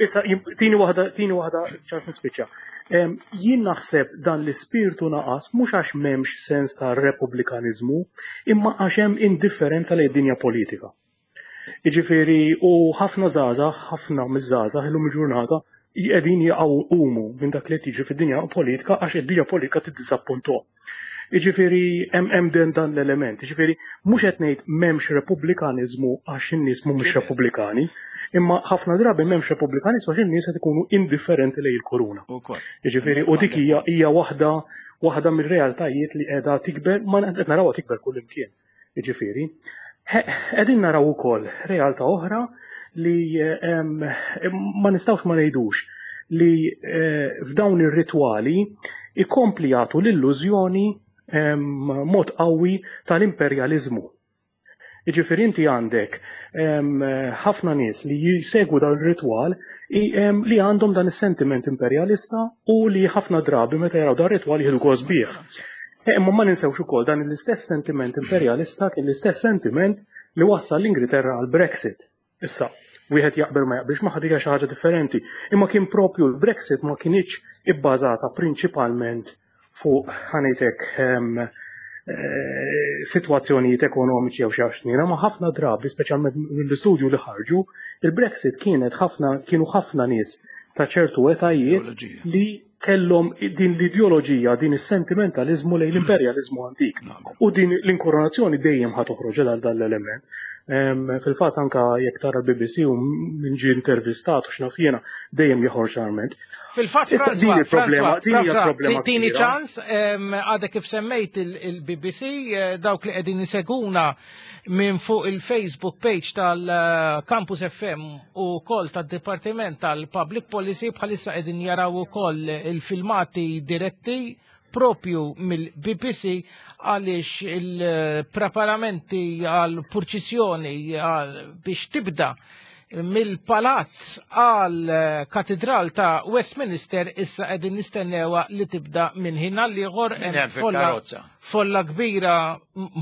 Issa tini waħda tini waħda ċans nispiċċa. Jien naħseb dan l-ispirtu naqas mhux għax m'hemmx sens ta' repubblikaniżmu, imma għax hemm indifferenza lejn dinja politika. Jiġifieri u ħafna żgħażagħ, ħafna miż-żgħażagħ illum il-ġurnata qegħdin jaqgħu jqumu minn dak li qed jiġri fid-dinja politika għax id-dinja politika tiddiżappunthom. Jiġifieri hemm hemm den dan l-element. Jiġifieri mhux qed ngħid m'hemmx repubblikaniżmu għax in-nies mhumiex repubblikani, imma ħafna drabi m'hemmx repubblikaniżmu għax in-nies qed ikunu indifferenti lejn il-kuruna. Jiġifieri u dik hija hija waħda waħda mir-realtajiet li qiegħda tikber ma qed narawha tikber kullimkien. Jiġifieri, qegħdin naraw ukoll realtà oħra li ma nistgħux ma ngħidux li eh, f'dawn ir-ritwali ikompli jagħtu l-illużjoni mod qawwi tal-imperjaliżmu. Jiġifieri inti għandek ħafna nies li jsegwu dan ir-ritwal li għandhom dan is-sentiment imperjalista u li ħafna drabi meta jaraw dan ir-ritwal jieħdu gost bih. Eh, imma ma ninsewx ukoll dan l-istess sentiment imperjalista kien l-istess sentiment li wassal l-Ingilterra għal Brexit. Issa, wieħed jaqbel ma jaqbilx ma ħadija xi ħaġa differenti. Imma kien propju l-Brexit ma kienx ibbażata prinċipalment fuq ħanejtek ehm, eh, sitwazzjonijiet ekonomiċi jew xi għaxnina, ma ħafna drabi, speċjalment mill-istudju li ħarġu, il-Brexit kienet ħafna kienu ħafna nies ta' ċertu etajiet li kellhom din l-ideoloġija, din is-sentimentaliżmu lejn l-imperjaliżmu antik. U din l-inkoronazzjoni dejjem ħa toħroġ għal dan l-element. Fil-fatt anka jekk tara l-BBC u min ġie intervistat u x'naf jiena dejjem joħorġ arment. Fil-fatt, din il-problema, din hija problema. Tini ċans, għadek kif semmejt il-BBC, eh, dawk li qegħdin iseguna minn fuq il-Facebook page tal-Campus FM u kol tad-Dipartiment tal-Public Policy bħalissa qegħdin jaraw ukoll il-filmati diretti propju mill-BBC għaliex il-preparamenti għal purċissjoni biex tibda mill-palazz għal katedral ta' Westminster issa qegħdin nistennewa li tibda minn ħin għal ieħor hemm folla Folla kbira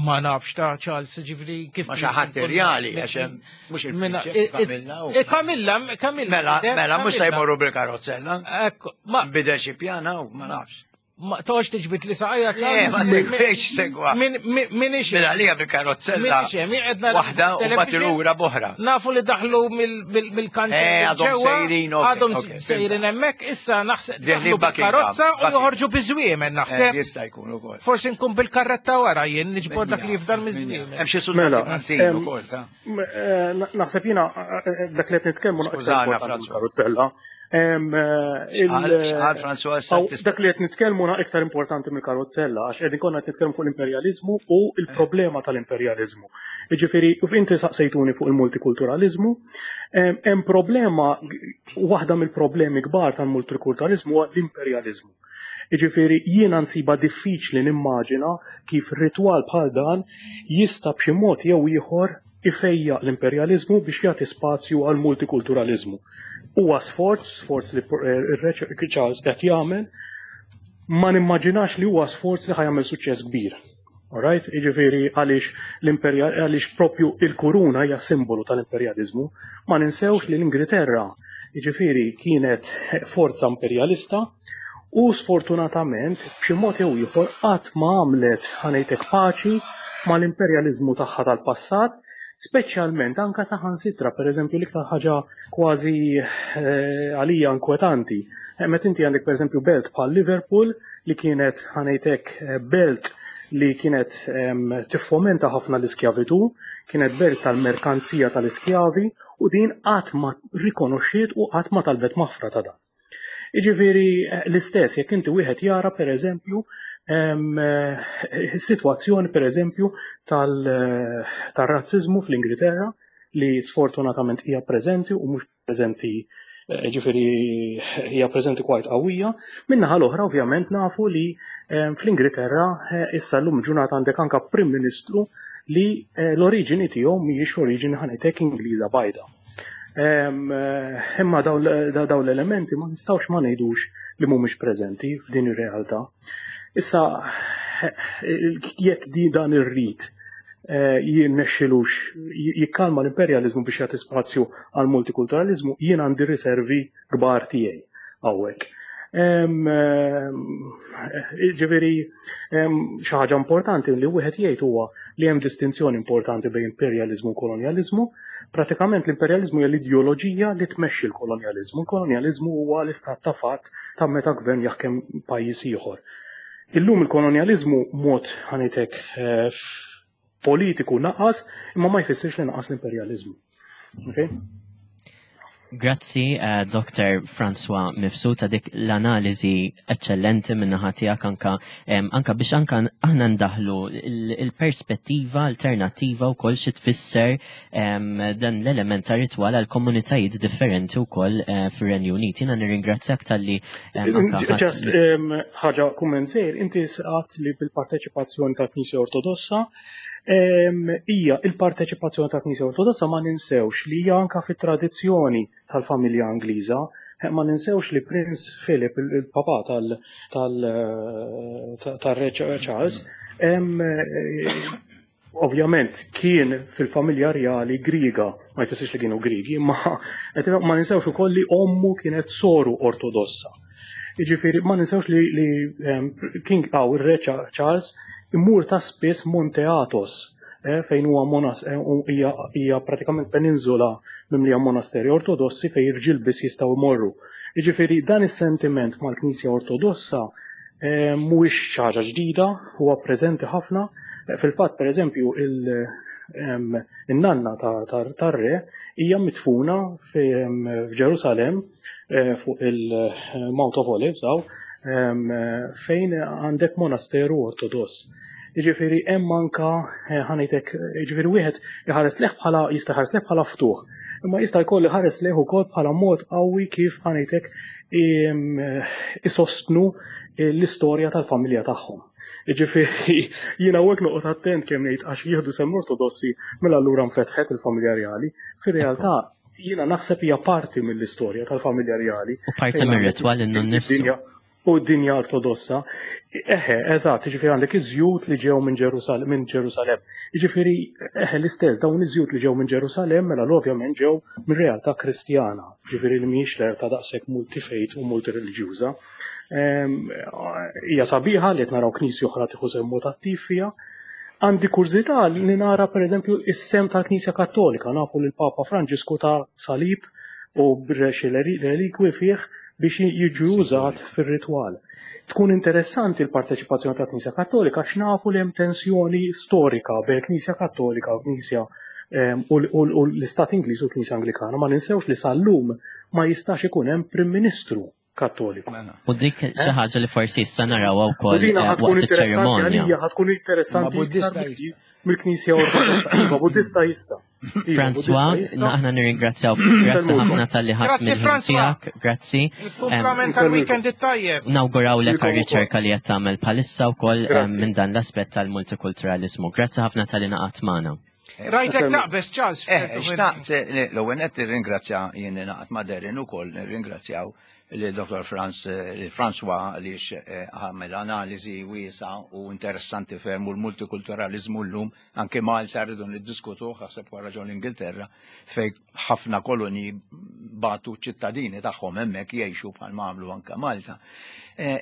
ma nafx ta' Charles ġifri kif. Ma xi ħadd irjali għax hemm mhux il Kamilla, Kamilla. Mela, mela mhux se jmorru bil-karozzella. Ekku, ma bidel xi pjana u ma nafx. Ma tox tiġbit li saqajja Le, ma segwiex segwa. Min ix. Mela għalija bil-karozzella. Waħda u mbagħad lura b'oħra. Nafu li daħlu mill-kantin. Eh, għadhom sejrin. Għadhom sejrin hemmhekk issa naħseb daħlu bil-karozza u joħorġu biż-żwiemen naħseb. Eh, jista' jkun ukoll. Forsi nkun bil-karretta wara jien niġbor dak li jifdal miż-żwiemen. Hemm xi suldati mela, Maltin ukoll ta' eh, Naħseb jiena dak li qed nitkellmu karozzella. Xqal François Dak li qed nitkellmu na iktar importanti mill-karozzella għax qegħdin konna qed nitkellmu fuq l-imperjaliżmu u l-problema tal-imperjaliżmu. Jiġifieri inti saqsejtuni fuq il-multikulturaliżmu, hemm problema waħda mill-problemi kbar tal-multikulturaliżmu huwa l-imperjaliżmu. Jiġifieri jiena nsibha diffiċli nimmaġina kif ritwal bħal dan jista' b'xi mod jew ieħor ifejjaq l-imperjaliżmu biex jagħti spazju għal multikulturaliżmu. Huwa sforz, sforz li r-Re Charles qed jagħmel, ma nimmaġinax li huwa sforz li ħa jagħmel suċċess kbir. Alright? Jiġifieri għaliex l-imperjal għaliex propju il-kuruna hija simbolu tal-imperjaliżmu. Ma ninsewx li l-Ingilterra jiġifieri kienet forza imperjalista u sfortunatament b'xi mod jew ieħor qatt ma għamlet ħa ngħidlek paċi mal-imperjaliżmu tagħha tal-passat, speċjalment anka saħansitra pereżempju l-iktar ħaġa kważi eh, għalija inkwetanti. Eh, meta inti għandek pereżempju belt bħal Liverpool li kienet ħa ngħidlek eh, belt li kienet tiffomenta ħafna l-iskjavitu, kienet belt tal-merkanzija tal-iskjavi u din qatt ma rikonoxxiet u qatt ma talbet maħfra ta' dan. Jiġifieri eh, l-istess jekk inti wieħed jara pereżempju eh, sitwazzjoni pereżempju tal-razziżmu fl-Ingilterra li sfortunatament hija preżenti u mhux preżenti eh, ġifieri hija preżenti kwajt qawwija. Min-naħa l-oħra ovvjament nafu li fl-Ingilterra issa llum ġurnata għandek anka Prim Ministru li l-oriġini tiegħu mhijiex oriġini ħa ngħidlek Ingliża bajda. Imma dawn l-elementi ma nistgħux ma ngħidux li mhumiex preżenti f'din ir-realtà. Issa jekk di dan ir-rit eh, jirnexxilux jikkalma l-imperjaliżmu biex jagħti spazju għal multikulturaliżmu, jien għandi riservi kbar tiegħi hawnhekk. Ġifieri xi ħaġa importanti li wieħed jgħid huwa li hemm distinzjoni importanti bejn imperjaliżmu u kolonjaliżmu. Pratikament l-imperjaliżmu hija l-ideoloġija li tmexxi l-kolonjaliżmu. Il-kolonjaliżmu huwa l-istat ta' fatt ta' meta gvern jaħkem pajjiż ieħor. Illum il-kolonjaliżmu mod ħa ngħidlek eh, politiku naqas, imma ma jfissirx li naqas l-imperjaliżmu. Okay? Grazzi, uh, eh, Dr. François Mifsud ta' dik l-analiżi eccellenti minna tiegħek anka um, anka biex anka aħna ndaħlu il-perspettiva alternattiva wkoll xi tfisser um, dan l-element ta' ritwal għal komunitajiet differenti wkoll uh, fir-Renju Unit. Jiena nirringrazzjak talli um, Just ħaġa kumment sejr, inti saqat li bil-parteċipazzjoni tal-Knisja Ortodossa hija il-parteċipazzjoni tal-Knisja Ortodossa ma ninsewx li hija anka fit-tradizzjoni tal-familja Ingliża. Ma ninsewx li Prince Philip, il-papa tal-Re Charles, ovvjament kien fil-familja rjali Griega, ma jfissirx li kienu Griegi, ma ma ninsewx ukoll li ommu kienet soru Ortodossa. Jiġifieri ma ninsewx li, li King aw ir-Re Charles imur ta' spiss Monte Athos eh, fejn huwa monas eh, hija pratikament peninsula mimlija monasteri ortodossi fejn irġiel biss jistgħu jmorru. Jiġifieri dan is-sentiment mal-Knisja Ortodossa eh, mhuwiex xi ħaġa ġdida, huwa preżenti ħafna. Fil-fatt, pereżempju, il-nanna tar-re hija midfuna f'Ġerusalemm Eh, fuq il-Mount of Olives daw, fejn għandek monasteru ortodoss. Jiġifieri hemm anka eh, ħanejtek, jiġifieri wieħed iħares leħ bħala jista' ħares leħ bħala ftuħ. Imma jista' jkollu ħares leħ ukoll bħala mod qawwi kif ħanejtek isostnu l-istorja tal-familja tagħhom. Jiġifieri jiena hawnhekk noqgħod attent kemm ngħid għax jieħdu sehem ortodossi mela allura nfetħet il-familja rjali. Fir-realtà jiena naħseb hija parti mill-istorja tal-familja rjali. U parti mir-ritwal innu nnifsu. U d-dinja ortodossa. Eħe, eżatt, jiġifieri għandek iż-żjut li ġew minn Ġerusalemm, minn Ġerusalemm. Jiġifieri, eħe, l-istess dawn iż-żjut li ġew minn Ġerusalemm mela ovvjament ġew minn realtà Kristjana, jiġifieri li mhijiex realtà daqshekk multifejt u multireliġjuża. Ehm, hija sabiħa li qed naraw knisja oħra tieħu sehem mod attiv fiha. Għandi kurżità li nara pereżempju is-sehem tal-Knisja Kattolika, nafu li l-Papa Franġisku ta salib u xi relikwi fih biex jiġu użat fir-ritwal. Tkun interessanti l-parteċipazzjoni tal-Knisja Kattolika għax nafu li hemm tensjoni storika bejn il-Knisja Kattolika u l-Knisja U l-Istat Ingliż u l-Knisja Anglikana ma ninsewx li sal-lum ma jistax ikun hemm Prim Ministru Kattoliku. Mela. U dik eh? xi ħaġa li forsi issa narawha wkoll eh, waqt iċ-ċerimonja. Ħa tkun interessanti mill-Knisja Ortodossa. Iva, Buddista jista'. Iva, François, aħna nirringrazzjaw grazzi ħafna tal-li ħadd mill tiegħek, grazzi. Kumplament tal-weekend it-tajjeb. Nawguraw lek għar-riċerka li qed tagħmel bħalissa wkoll minn dan l-aspett tal-multikulturalizmu. Grazzi ħafna tal-li naqat magħna. Rajtek taqbes ċans. Eh, xtaqt, eh, l-ewwel qed nirringrazzja jien naqat ma' Derin ukoll nirringrazzjaw li Dr. Franz eh, François għaliex għamel analiżi wiesa u interessanti ferm u l-multikulturalizmu llum anke Malta rridu niddiskutu ħaseb wara ġol Ingilterra fej ħafna koloni batu ċittadini tagħhom hemmhekk jgħixu bħal ma għamlu anke Malta.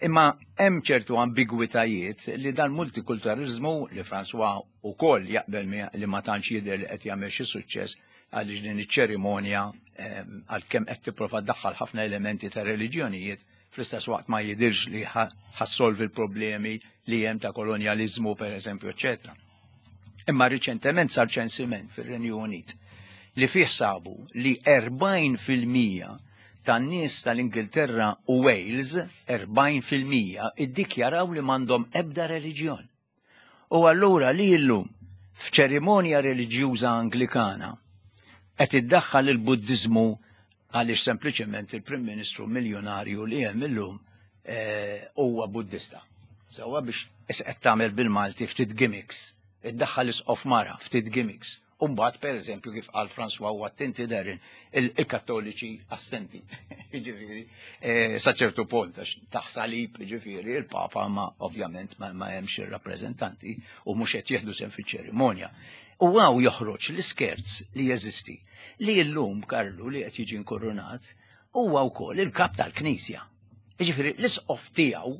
Imma hemm ċertu ambigwitajiet li dan multikulturalizmu li François ukoll jaqbel li ma tantx jidher li qed jagħmel xi suċċess għaliex din iċ-ċerimonja ehm, għalkemm qed tipprova ddaħħal ħafna elementi ta' reliġjonijiet fl-istess waqt ma jidirx li ħassolvi l-problemi li hemm ta' kolonjaliżmu pereżempju, eċetera. Imma riċentement sar ċensiment fir-Renju Unit li fih sabu li 40% tan-nies tal-Ingilterra u Wales 40% iddikjaraw li m'għandhom ebda reliġjon. U allura li illum f'ċerimonja reliġjuża Anglikana qed iddaħħal il-Buddiżmu għaliex sempliċement il-Prim Ministru miljonarju li hemm illum eh, huwa Buddista. Sewwa biex qed tagħmel bil-Malti ftit gimmicks, iddaħħal isqof mara ftit gimmicks. U mbagħad pereżempju kif qal François u attenti Darren, il-Kattoliċi assenti. Jiġifieri, eh, sa ċertu punt għax taħ salib jiġifieri il-Papa ma ovvjament ma hemmx ir-rappreżentanti u mhux qed jieħdu sehem fiċ-ċerimonja. U għaw joħroġ l-iskerz li jeżisti li llum Karlu li qed jiġi nkurunat huwa wkoll il-kap tal-Knisja. Jiġifieri l-isqof tiegħu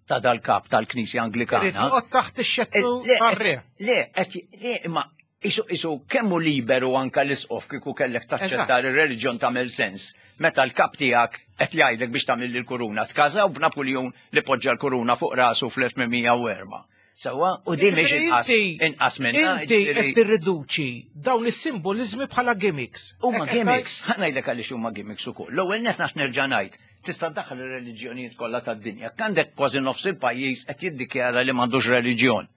ta' dal-kap tal-Knisja Anglikana. Irid taħt ix-xettru eh, eh, Le, le, imma isu isu kemmu liberu anka l-isqof kieku kellek taċċetta l-reliġjon tagħmel sens. Meta l-kap tiegħek qed jgħidlek biex tagħmel il-kuruna. Tkażaw b'Napuljun li poġġa l-kuruna fuq rasu fl-1804. Sewwa, u din mhix inqas inqas minn. Inti qed tirriduċi dawn is-simboliżmi bħala gimmicks. Huma gimmicks, ħa ngħidlek għaliex huma gimmicks ukoll. L-ewwel net naf nerġa' ngħid, tista' ddaħħal ir-reliġjonijiet kollha tad-dinja. Għandek kważi nofs il-pajjiż qed jiddikjara li m'għandux reliġjon.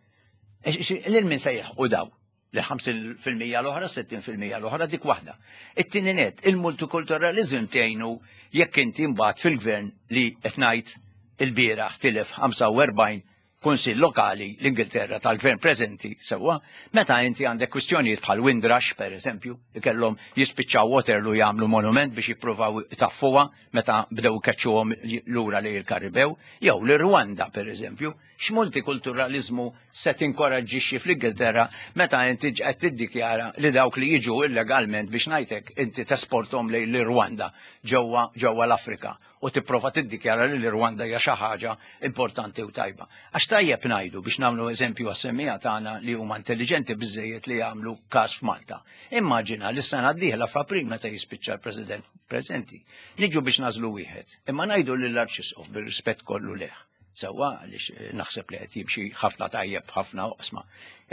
Lil min se jilħqu daw? Li 50% l-oħra, 60% l-oħra dik waħda. It-tieni net, il-multikulturalizm tgħinu jekk inti mbagħad fil-gvern li qed ngħid il-bieraħ tilef 45 kunsill lokali l-Ingilterra tal-gvern preżenti sewwa, meta inti għandek kwistjonijiet bħal Windrush per eżempju, li kellhom jispiċċaw Waterloo jagħmlu monument biex jippruvaw itaffuha meta bdew ikeċċuhom lura lejn il-Karibew, jew l-Rwanda per eżempju, X'multikulturaliżmu se tinkoraġġixxi fl-Ingilterra meta inti qed tiddikjara li dawk li jiġu illegalment biex ngħidlek inti tesporthom lejn l-Irwanda ġewwa ġewwa l-Afrika u tipprova tiddikjara li l-Irwanda hija xi ħaġa importanti u tajba. Għax tajjeb ngħidu biex nagħmlu eżempju għas-semmiegħa tagħna li huma intelliġenti biżżejjed li jagħmlu każ f'Malta. Immaġina li s-sena d-dieħla f'April meta jispiċċa l-President preżenti, niġu biex nagħżlu wieħed, imma ngħidu lill-Arċisqof bir-rispett kollu leh. Sewwa għaliex eh, naħseb li qed jimxi ħafna tajjeb ħafna oqsma.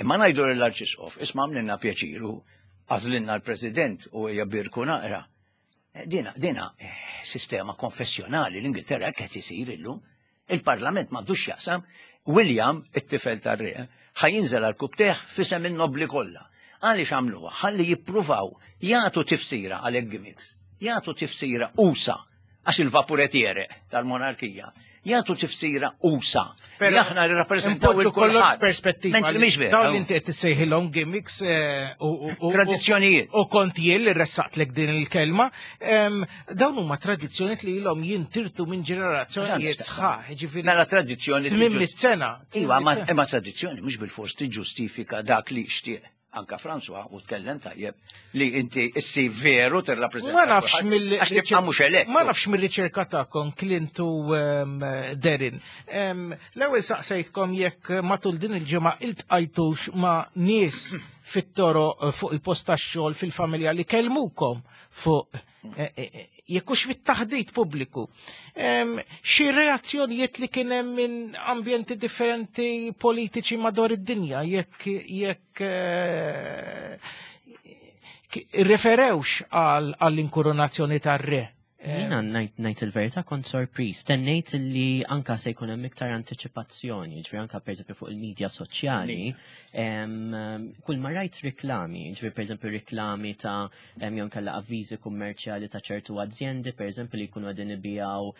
Imma ngħidu lill-Arċisqof, isma' għamlilna pjaċiru għażlilna l-President u hija birku naqra. Eh, dina, dina eh, sistema konfessjonali l-Ingilterra hekk qed isir illum. Il-Parlament m'għandux jaqsam. William, it-tifel tar-re, ħajinżel għal kubteħ fisem in-nobli kollha. Għaliex għamluha? Ħalli jippruvaw jagħtu tifsira għal gimmicks, jagħtu tifsira usa għax il-vapuretiere tal-monarkija jagħtu tifsira usa. Però aħna li rappreżentaw il kollox perspettiva. Mentri mhix vera. Dawn inti qed tissejħilhom gimmicks eh, u tradizzjonijiet. U kont jien li ressaqtlek din il-kelma, dawn huma tradizzjonijiet li ilhom jintirtu minn ġenerazzjonijiet sħaħ, ġifieri. Mela tradizzjoni. 800 sena. Iva, imma tradizzjoni mhux bil-fors tiġġustifika dak li xtieq anka François u tkellem tajjeb li inti issi veru tirrappreżenta. Ma nafx mill għax tibqa' mhux elett. Ma nafx mill-riċerka tagħkom Clint u ehm, Derin. Ehm, l-ewwel saqsejtkom jekk matul din il-ġimgħa iltqajtux ma' nies fit-toro eh, fuq il-post tax-xogħol fil-familja li kellmukom fuq Eh, eh, eh, jekk hux fit-taħdit pubbliku. Xi reazzjonijiet li kien hemm minn ambjenti differenti politiċi madwar id-dinja jekk jekk Referewx għall-inkurunazzjoni tar-re. Jiena ngħid il-verità kont sorpriż. Tennejt li anka se jkun hemm iktar antiċipazzjoni, ġifieri anka pereżempju fuq il-medja soċjali, kull ma rajt riklami, ġifieri pereżempju riklami ta' jew kellha avviżi kummerċjali ta' ċertu azjendi, pereżempju li jkunu qegħdin ibijaw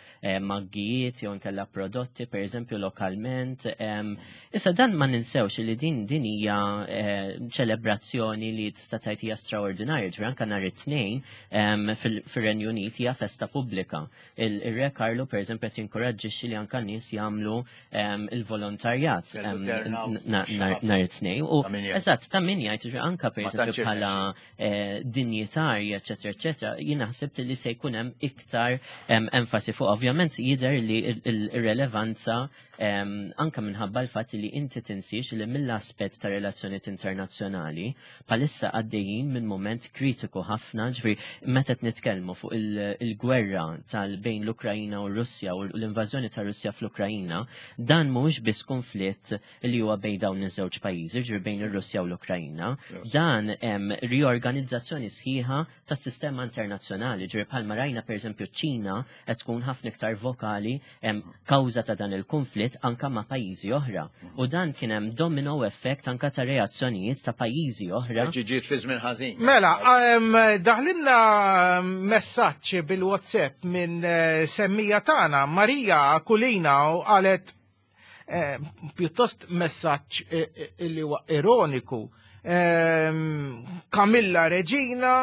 maggijiet jew nkella prodotti, pereżempju lokalment. Issa dan ma ninsewx li din din hija eh, ċelebrazzjoni li tista' tgħid hija straordinarja, ġifieri anka nhar it-tnejn fir-Renju Unit hija festa pubblika. Il-Re Karlu pereżempju qed jinkoraġġixxi li anke nies jagħmlu il-volontarjat nhar it-tnejn. U eżatt ta' min jgħid anke pereżempju bħala eh, dinjitarji, eċetera, eċetera, jien naħseb li se jkun hemm iktar enfasi fuq. Ovvjament jidher li l-relevanza anka minħabba l-fatt li inti tinsiex li mill-aspett ta' relazzjonijiet internazzjonali palissa għaddejjin minn moment kritiku ħafna, ġifieri meta qed nitkellmu fuq il-gwerra tal bejn l-Ukrajina u r-Russja u l-invażjoni ta' Russja fl-Ukrajina, dan mhuwiex biss konflitt li huwa bejn dawn iż-żewġ pajjiżi, ġifieri bejn ir-Russja u l-Ukrajina. Dan hemm riorganizzazzjoni sħiħa tas-sistema internazzjonali, ġifieri bħalma rajna pereżempju ċ-Ċina qed tkun ħafna iktar vokali kawża ta' dan il-konflitt anka ma' pajjiżi oħra. U dan kien hemm domino effect anka ta' reazzjonijiet ta' pajjiżi oħra. Ġiġiet fi żmien ħażin. Mela, daħlinna messaġġ bil-WhatsApp minn eh, semmija tagħna Marija Kulina u qalet eh, pjuttost messaġġ eh, illi huwa ironiku. Kamilla Reġina,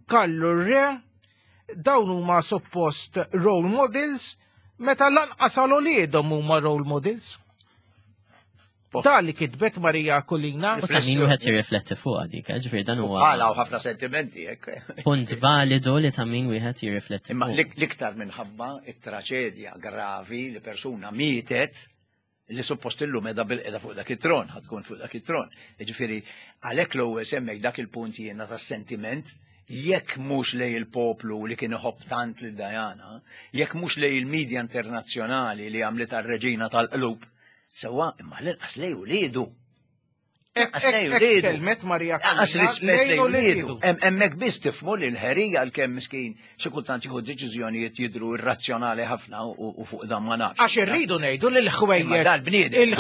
Kallu Re, dawn huma suppost role models meta lanqas għal uliedhom huma role models. Da li kitbet Marija Kulina. U ta' min wieħed jirrifletti fuq dik, eh, ġifieri dan huwa. Għala u ħafna sentimenti hekk. Punt validu li ta' min wieħed jirrifletti. Imma l-iktar minħabba it-traċedja gravi li persuna mietet li suppost illum edha bil-qeda fuq dak it-tron, ħatkun fuq dak it-tron. Ġifieri, għalhekk l-ewwel semmej dak il-punt jiena tas-sentiment jekk mhux lej il-poplu li kien iħobb tant lil Diana, jekk mhux lej il-medja internazzjonali li għamlet reġina tal-qlub, sewwa imma l-inqas lej uliedu. Kelmet Marija Għas rispett lejn uliedu. Hemmhekk biss tifhmu li l-ħerija għalkemm miskin xi kultant jieħu deċiżjonijiet jidhru irrazzjonali ħafna u fuq dan ma nafx. Għax irridu ngħidu li l-ħwejjeġ. Dal-bniedem.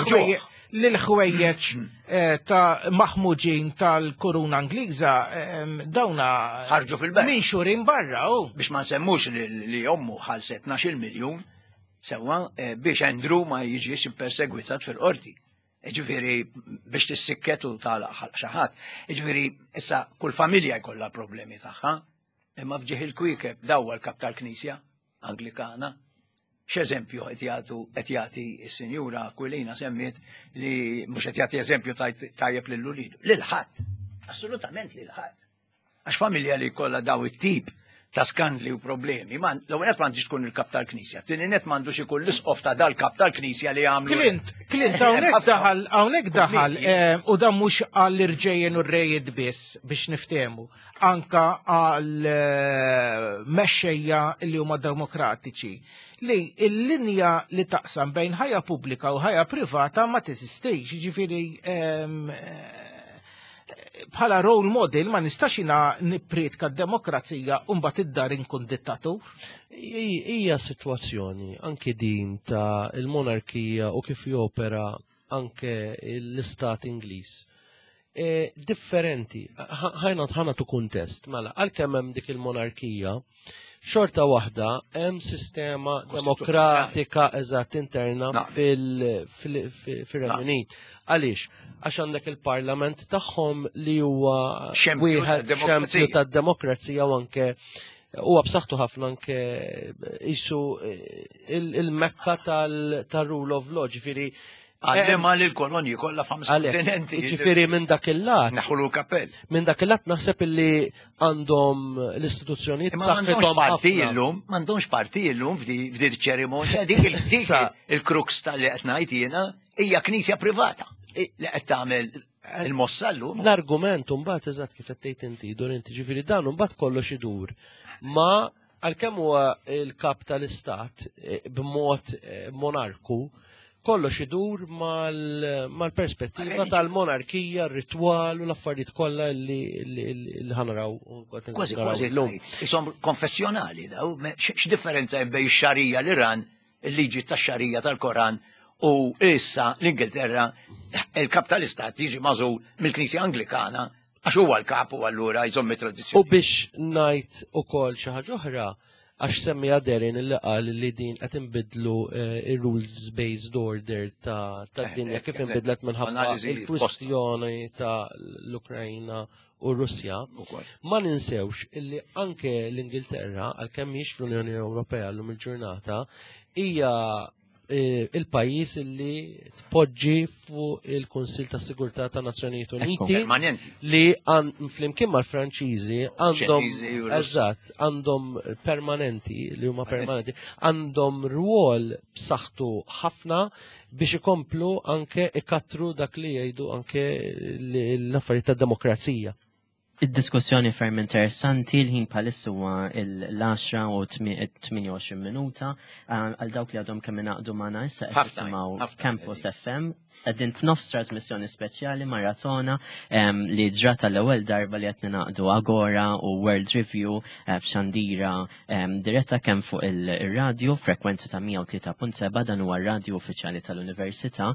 Li l-ħwejjeġ eh, ta' maħmuġin tal-kuruna Ingliża eh, dawna ħarġu fil-berra. Minn xurin barra. Biex ma nsemmux li ommu ħalset 12 miljun sewwa eh, biex Andrew ma jiġix perseguitat fil-qorti. Ġifieri biex tissikket u tagħlaq ħalq xi ħadd. Ġifieri issa kull familja jkollha problemi tagħha, imma f'ġieħ il-kwiekeb dawwa l-kap tal-Knisja Anglikana. X'eżempju qed jagħtu qed jagħti s-Sinjura Aquilina semmiet li mhux qed jagħti eżempju tajjeb lil ulidu. Lil ħadd. Assolutament lil ħadd. Għax familja li jkollha daw it-tip ta' skandli u problemi, l-ewwel nett m'għandix tkun il-kap tal-Knisja, tieni nett m'għandux ikun l-isqof ta' dal-kap tal-Knisja li għamlu. Clint, Clint, hawnhekk daħal, hawnhekk daħal, eh, u dan mhux għall-irġejjen u r-rejiet biss biex niftehmu, anka għal eh, mexxejja li huma demokratiċi li l-linja li taqsam bejn ħajja pubblika u ħajja privata ma teżistix, jiġifieri ehm, bħala role model ma nistax jina nippriedka d-demokrazija u mbagħad id-dar inkun dittatur. Hija sitwazzjoni anke din ta' il-monarkija u kif jopera anke l-istat Ingliż. E, differenti, ħajna ħana tu kuntest, mela, għalkemm hemm dik il-monarkija, xorta waħda hemm sistema demokratika eżatt interna fil-Renju Unit. Għaliex? Għax għandek il-parlament tagħhom li huwa wieħed xempju tad-demokrazija u anke huwa b'saħħtu ħafna anke isu il-mekka tal-rule of law, ġifieri Għallima li l-kolonji kollha f'ħames kontinenti. Ġifieri minn dak il-lat. Naħulu l-kappell. Minn dak il-lat naħseb illi għandhom l-istituzzjonijiet b'saħħithom parti illum, m'għandhomx parti illum f'di ċerimonja dik il-crux tal-li qed ngħid jiena hija knisja privata li qed tagħmel il-mossa llum. L-argument mbagħad eżatt kif qed tgħid inti, dur inti ġifieri dan mbagħad kollox idur ma għalkemm huwa l-kap tal-istat eh, b'mod eh, monarku, Kollox idur mal-perspettiva tal-monarkija, r-ritwal u l-affarijiet kollha li ħanaraw. Kważi kważi llum. Isom konfessjonali daw, x'differenza hemm bejn xarija l-Iran, il-liġi tax-xarija tal-Koran u issa l-Ingilterra il-kap tal-istat jiġi magħżul mill-Knisja Anglikana għax huwa l-kap u allura jżomm it-tradizzjoni. U biex ngħid ukoll xi ħaġa oħra, għax semmija Derin li qal li din qed inbidlu eh, ir-rules based order ta' tad-dinja eh, kif eh, inbidlet minħabba il-kwistjoni ta' l-Ukrajna u Russja. Ma ninsewx illi anke l-Ingilterra għalkemm mhix fl-Unjoni Ewropea llum il-ġurnata hija Eh, il-pajjiż li tpoġġi fuq il-Kunsill ta' Sigurtà ta' Nazzjonijiet Uniti li flimkien mal-Franċiżi għandhom eżatt għandhom permanenti li huma permanenti għandhom rwol b'saħħtu ħafna biex ikomplu anke ikattru dak li jgħidu anke l-affarijiet ta' demokrazija. Id-diskussjoni ferm interessanti, l-ħin bħalissa huwa l-10 u 28 minuta. Għal dawk li għadhom kemm ingħaqdu magħna issa qed tisimgħu Campus FM. Qegħdin f'nofs trasmissjoni speċjali maratona li ġrat l-ewwel darba li qed ningħaqdu Agora u World Review eh, f'xandira diretta kemm fuq il-radju frekwenza ta' 103.7 dan huwa r-radju uffiċjali tal-Università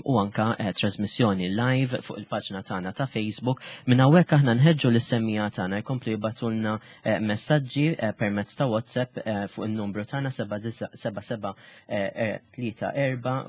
u anka eh, trasmissjoni live fuq il-paġna tagħna ta' Facebook. Minn hawnhekk aħna nħeġġu lis-semmija tagħna jkomplu jibatulna eh, messaġġi eh, permezz ta' WhatsApp fuq in-numru tagħna 77 34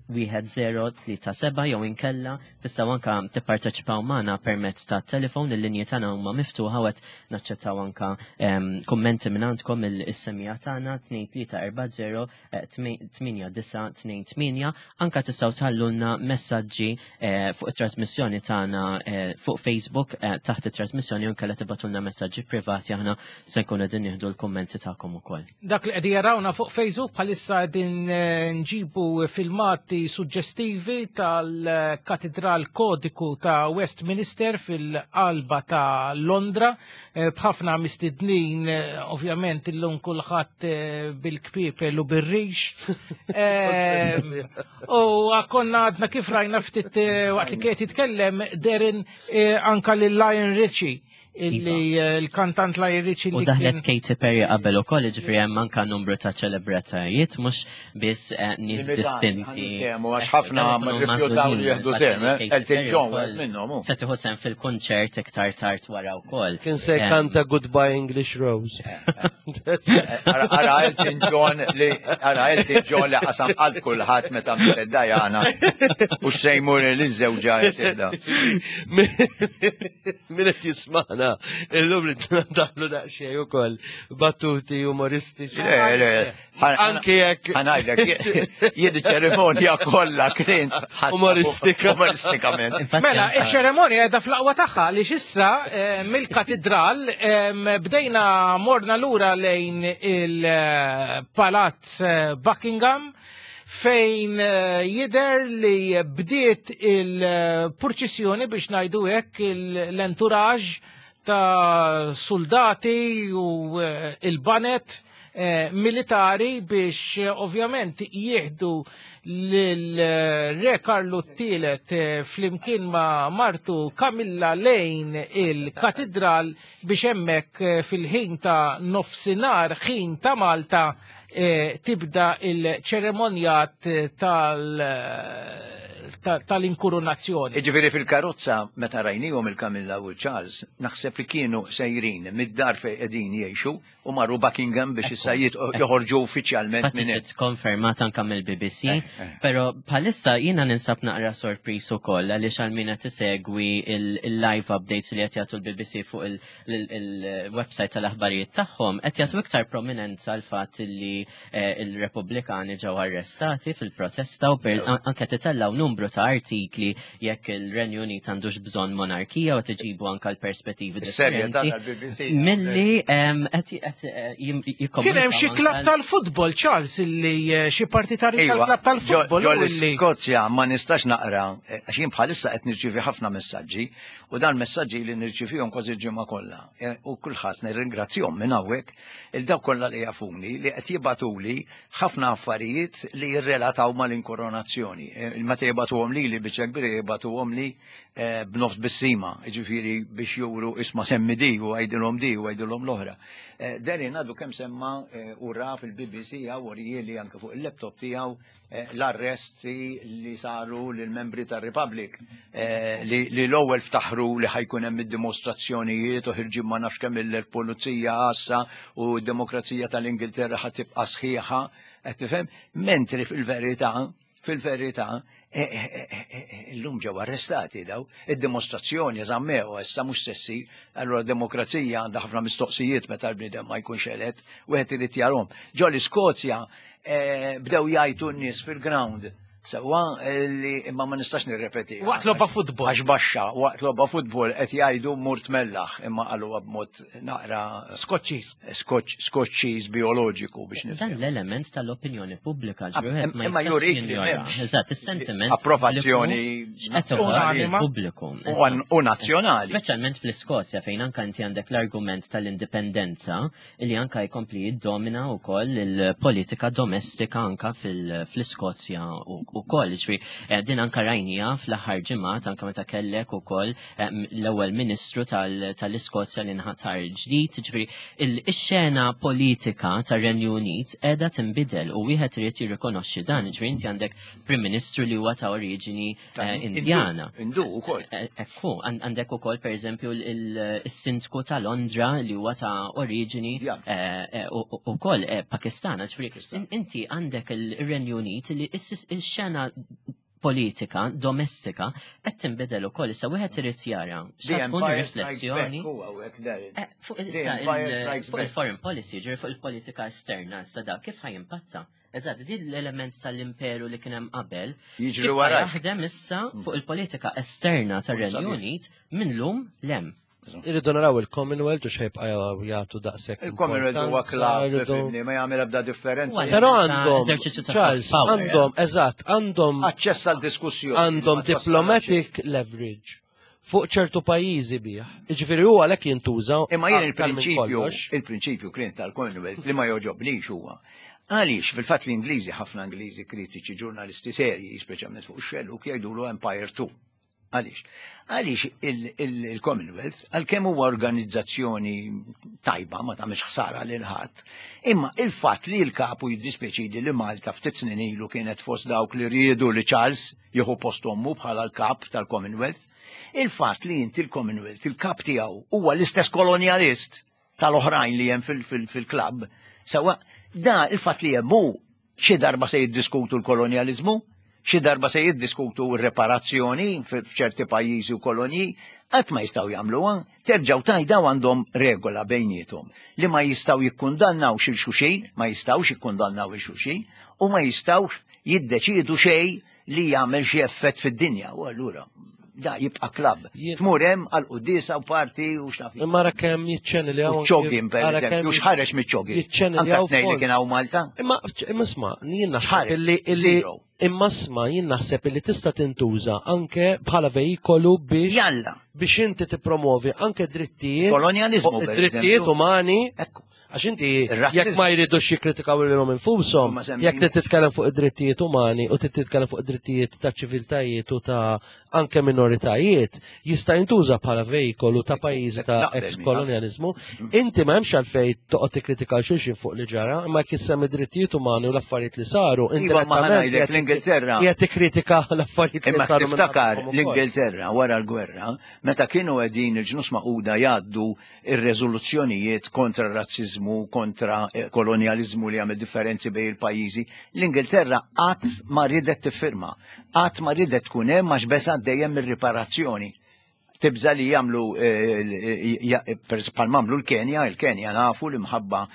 1037 jew inkella tistgħu anka tipparteċipaw magħna permezz ta' telefon il-linji tagħna huma miftuħa u qed naċċettaw anka ehm, kummenti minn għandkom il-semija tagħna 2340 8928 anka tistgħu tħallulna messaġġi eh, fuq it-trasmissjoni tagħna eh, fuq Facebook eh, taħt it-trasmissjoni u nkella tibatulna messaġġi privati aħna se nkunu qegħdin nieħdu l-kummenti tagħkom ukoll. Dak li qegħdin jarawna fuq Facebook bħalissa qegħdin eh, nġibu filmati suġġestivi tal-Katidral Kodiku ta' Westminster fil-qalba ta' Londra eh, b'ħafna mistednin eh, ovvjament illum kulħadd bil-kpiepel u bir-rix. U konna għadna kif rajna ftit waqt li kienet jitkellem Derin anka lil Lion Ritchie illi iva. eh, l-kantant la jirriċi U daħlet Katy Perry qabel ukoll, ġifieri hemm anka numru ta' ċelebratajiet mhux biss eh, nies distinti. Għax ħafna ma rrifjutaw li jieħdu sehem, eh, Elton John wieħed minnhom. Se tieħu sehem fil-kunċert iktar tard wara wkoll. Kien se kanta Goodbye English Rose. Ara Elton John li ara Elton John li qasam qalb kulħadd meta mietet Diana u xejmur li żewġa tibda. Min qed jismana illum li daħlu daqsxejn ukoll battuti umoristiċi. Le, le, Anki jekk. Ħanajdlek, jien iċ-ċerimonja kollha kien Umoristika. Umoristikament. Mela, iċ-ċerimonja qiegħda fl-aqwa tagħha li xissa eh, mill-katidral bdejna morna lura lejn il-Palazz eh, Buckingham fejn eh, jidher li bdiet il-purċissjoni biex ngħidu hekk l-entourage ta' soldati u eh, il-banet eh, militari biex ovvjament jieħdu l-Re Karlu t-tielet flimkien ma' martu Kamilla lejn il-katedral biex hemmhekk fil-ħin ta' nofsinhar ħin ta' Malta Eh, tibda il-ċeremonjat tal-inkurunazzjoni. Iġifieri fil-karozza meta rajnihom il-Kamilla u Charles, naħseb li kienu sejrin mid-dar fejn qegħdin jgħixu u marru Buckingham biex issa joħorġu uffiċjalment minn hemm. Konfermat anka mill-BBC, eh, eh. però bħalissa jiena ninsab naqra sorpriż ukoll għaliex għal min qed isegwi il-live updates li qed jagħtu l-BBC fuq il- il-website tal-aħbarijiet tagħhom qed jagħtu iktar prominenza l fatt li eh, il-Repubblikani ġew arrestati fil-protesta u anke titellaw numru numru ta' artikli jekk il-Renju Unit għandux bżonn monarkija u tiġibu anka l-perspettivi differenti. Milli qed eh, jikkomunikaw. Kien hemm xi klabb tal-futbol, Charles, illi eh, xi partitarji iva, tal-klabb tal-futbol. Ġol-Skozja ma nistax naqra, eh, għax jien bħalissa qed nirċievi ħafna messaġġi u dan messaġġi li nirċivihom kważi l-ġimgħa kollha. U kulħadd nirringrazzjahom minn hawnhekk il dawk kollha li jafuni li qed jibgħatuli ħafna affarijiet li jirrelataw mal-inkoronazzjoni. Eh, meta jibatuhom li li biċċa kbira jibatuhom li eh, b'nofs bissima, ġifieri biex juru isma' semmi di u għajdilhom di u għajdilhom l-oħra. Eh, Derin għadu kemm semma u ra fil-BBC għaw li anke fuq il-laptop tiegħu l-arresti li saru lill-membri tar-Republic li l-ewwel ftaħru li ħajkun hemm id-dimostrazzjonijiet u ħirġin ma nafx kemm il-pulizija għassa u d-demokrazija tal-Ingilterra ħa tibqa' sħiħa, qed tifhem? Mentri fil-verità, fil-verità, illum ġew arrestati daw, id-dimostrazzjoni żammew issa mhux se ssir, allura d-demokrazija għandha ħafna mistoqsijiet meta l-bniedem ma jkunx elett, wieħed irid jarhom. Ġo l-Iskozja Eh, bdew jgħajtu n-nies fil-ground. Sewwa eh, li imma ma nistax nirrepeti. Waqt logħba futbol. Għax baxxa, waqt logħba futbol qed jgħidu murt mellaħ imma qaluha b'mod naqra Skoċċiż. Skoċċiż bioloġiku biex nifhem. Dan l-element tal-opinjoni pubblika ah, ġruħet ma imma jurik li Eżatt, is-sentiment. Approvazzjoni pubbliku. U nazzjonali. Speċjalment fl-Iskozja fejn anke inti għandek l-argument tal-indipendenza li anka jkompli jiddomina wkoll il-politika domestika anka fl-Iskozja wkoll. Ġifieri eh, din anka rajnija fl-aħħar ġimgħat anka meta kellek ukoll eh, l-ewwel Ministru tal-Iskozja li nħatar ġdid, ġifieri il-xena politika tar-Renju Unit qiegħda tinbidel u wieħed irid jirrikonoxxi dan, ġifieri inti għandek Prim Ministru li huwa ta' oriġini Eh, Indjana. Indu ukoll. Eh, ekku, għandek ukoll pereżempju il-sindku ta' Londra li huwa ta' oriġini eh, ukoll Pakistana. Ġifieri inti għandek il-Renju Unit li x-xena politika domestika qed tinbidel ukoll issa wieħed irid jara x'tkun riflessjoni fuq il-foreign policy, ġifieri fuq il-politika esterna issa da kif ħajimpatta. Eżatt, din l-element tal-imperu li kien hemm qabel. Jiġri wara. Jaħdem issa fuq il-politika esterna tar-Renju Unit minn lum lem. Irridu naraw il-Commonwealth u xejbqa jagħtu daqshekk. Il-Commonwealth huwa klabb, ma jagħmel ebda differenza. Però għandhom Charles, għandhom, eżatt, għandhom aċċess għal diskussjoni. Għandhom diplomatic leverage fuq ċertu pajjiżi bih. Jiġifieri hu għalhekk jintuża. Imma jien il-prinċipju, il-prinċipju kien tal-Commonwealth li ma joġobnix huwa. Għaliex fil-fatt l-Ingliżi ħafna Ingliżi kritiċi ġurnalisti serji, speċjalment fuq ix-xellug jgħidulu Empire 2. Għaliex? Għaliex il-Commonwealth, għalkemm huwa organizzazzjoni tajba ma tagħmilx ħsara lil ħadd, imma il-fatt li l-kapu jiddispjaċini li Malta ftit snin ilu kienet fost dawk li riedu li Charles jieħu post ommu bħala l-kap tal-Commonwealth, il-fatt li inti l-Commonwealth, il-kap tiegħu huwa l-istess kolonjalist tal-oħrajn li hemm fil-klabb, sewa da il-fatt li hemm hu xi darba se jiddiskutu l-kolonjaliżmu, xi darba se jiddiskutu r-reparazzjoni f'ċerti pajjiżi u kolonji, qatt ma jistgħu jagħmluha, terġgħu tajdaw għandhom regola bejniethom li ma jistgħu jikkundannaw xil xulxin, ma jistgħux jikkundannaw il xulxin u ma jistgħux jiddeċiedu xejn li jagħmel xi effett fid-dinja u allura da jibqa' klabb. Tmur hemm għal quddiesa u parti u x'naf. Imma ra kemm jiċċeniljaw. Ċogin pereżempju, x'ħareġ miċ-ċogin. Jiċċeniljaw. Anke li kien hawn Malta. Imma imma isma' jien naħseb illi illi imma isma' jien naħseb illi tista' tintuża anke bħala veikolu biex Jalla. biex inti tippromovi anke drittijiet. Kolonjaliżmu. Drittijiet umani. Ekku. Għax inti jekk ma jridux jikkritikaw lilhom infushom, jekk trid titkellem fuq id-drittijiet umani u trid titkellem fuq id-drittijiet ta' ċiviltajiet u ta' anke minoritajiet, jista' jintuża bħala vejkolu ta' pajjiżi ta' ex-kolonjaliżmu. Inti ma hemmx għalfejn toqgħod tikkritika xulxin fuq li ġara, imma jekk issemmi drittijiet umani u l-affarijiet li saru, iva, indirettament l-Ingilterra. Qiegħed tikkritika l-affarijiet li saru. Imma tiftakar l-Ingilterra wara l-gwerra, meta kienu qegħdin il-ġnus maquda jgħaddu ir-reżoluzzjonijiet kontra r-razziżmu, kontra eh, kolonjaliżmu li għamel differenzi bejn il-pajjiżi, l-Ingilterra qatt ma ridet tiffirma, qatt ma ridet tkun hemm għax beżgħet dejjem mir-riparazzjoni. Tibża li jagħmlu eh, bħal mamlu l-Kenja, il-Kenja nafu li mħabba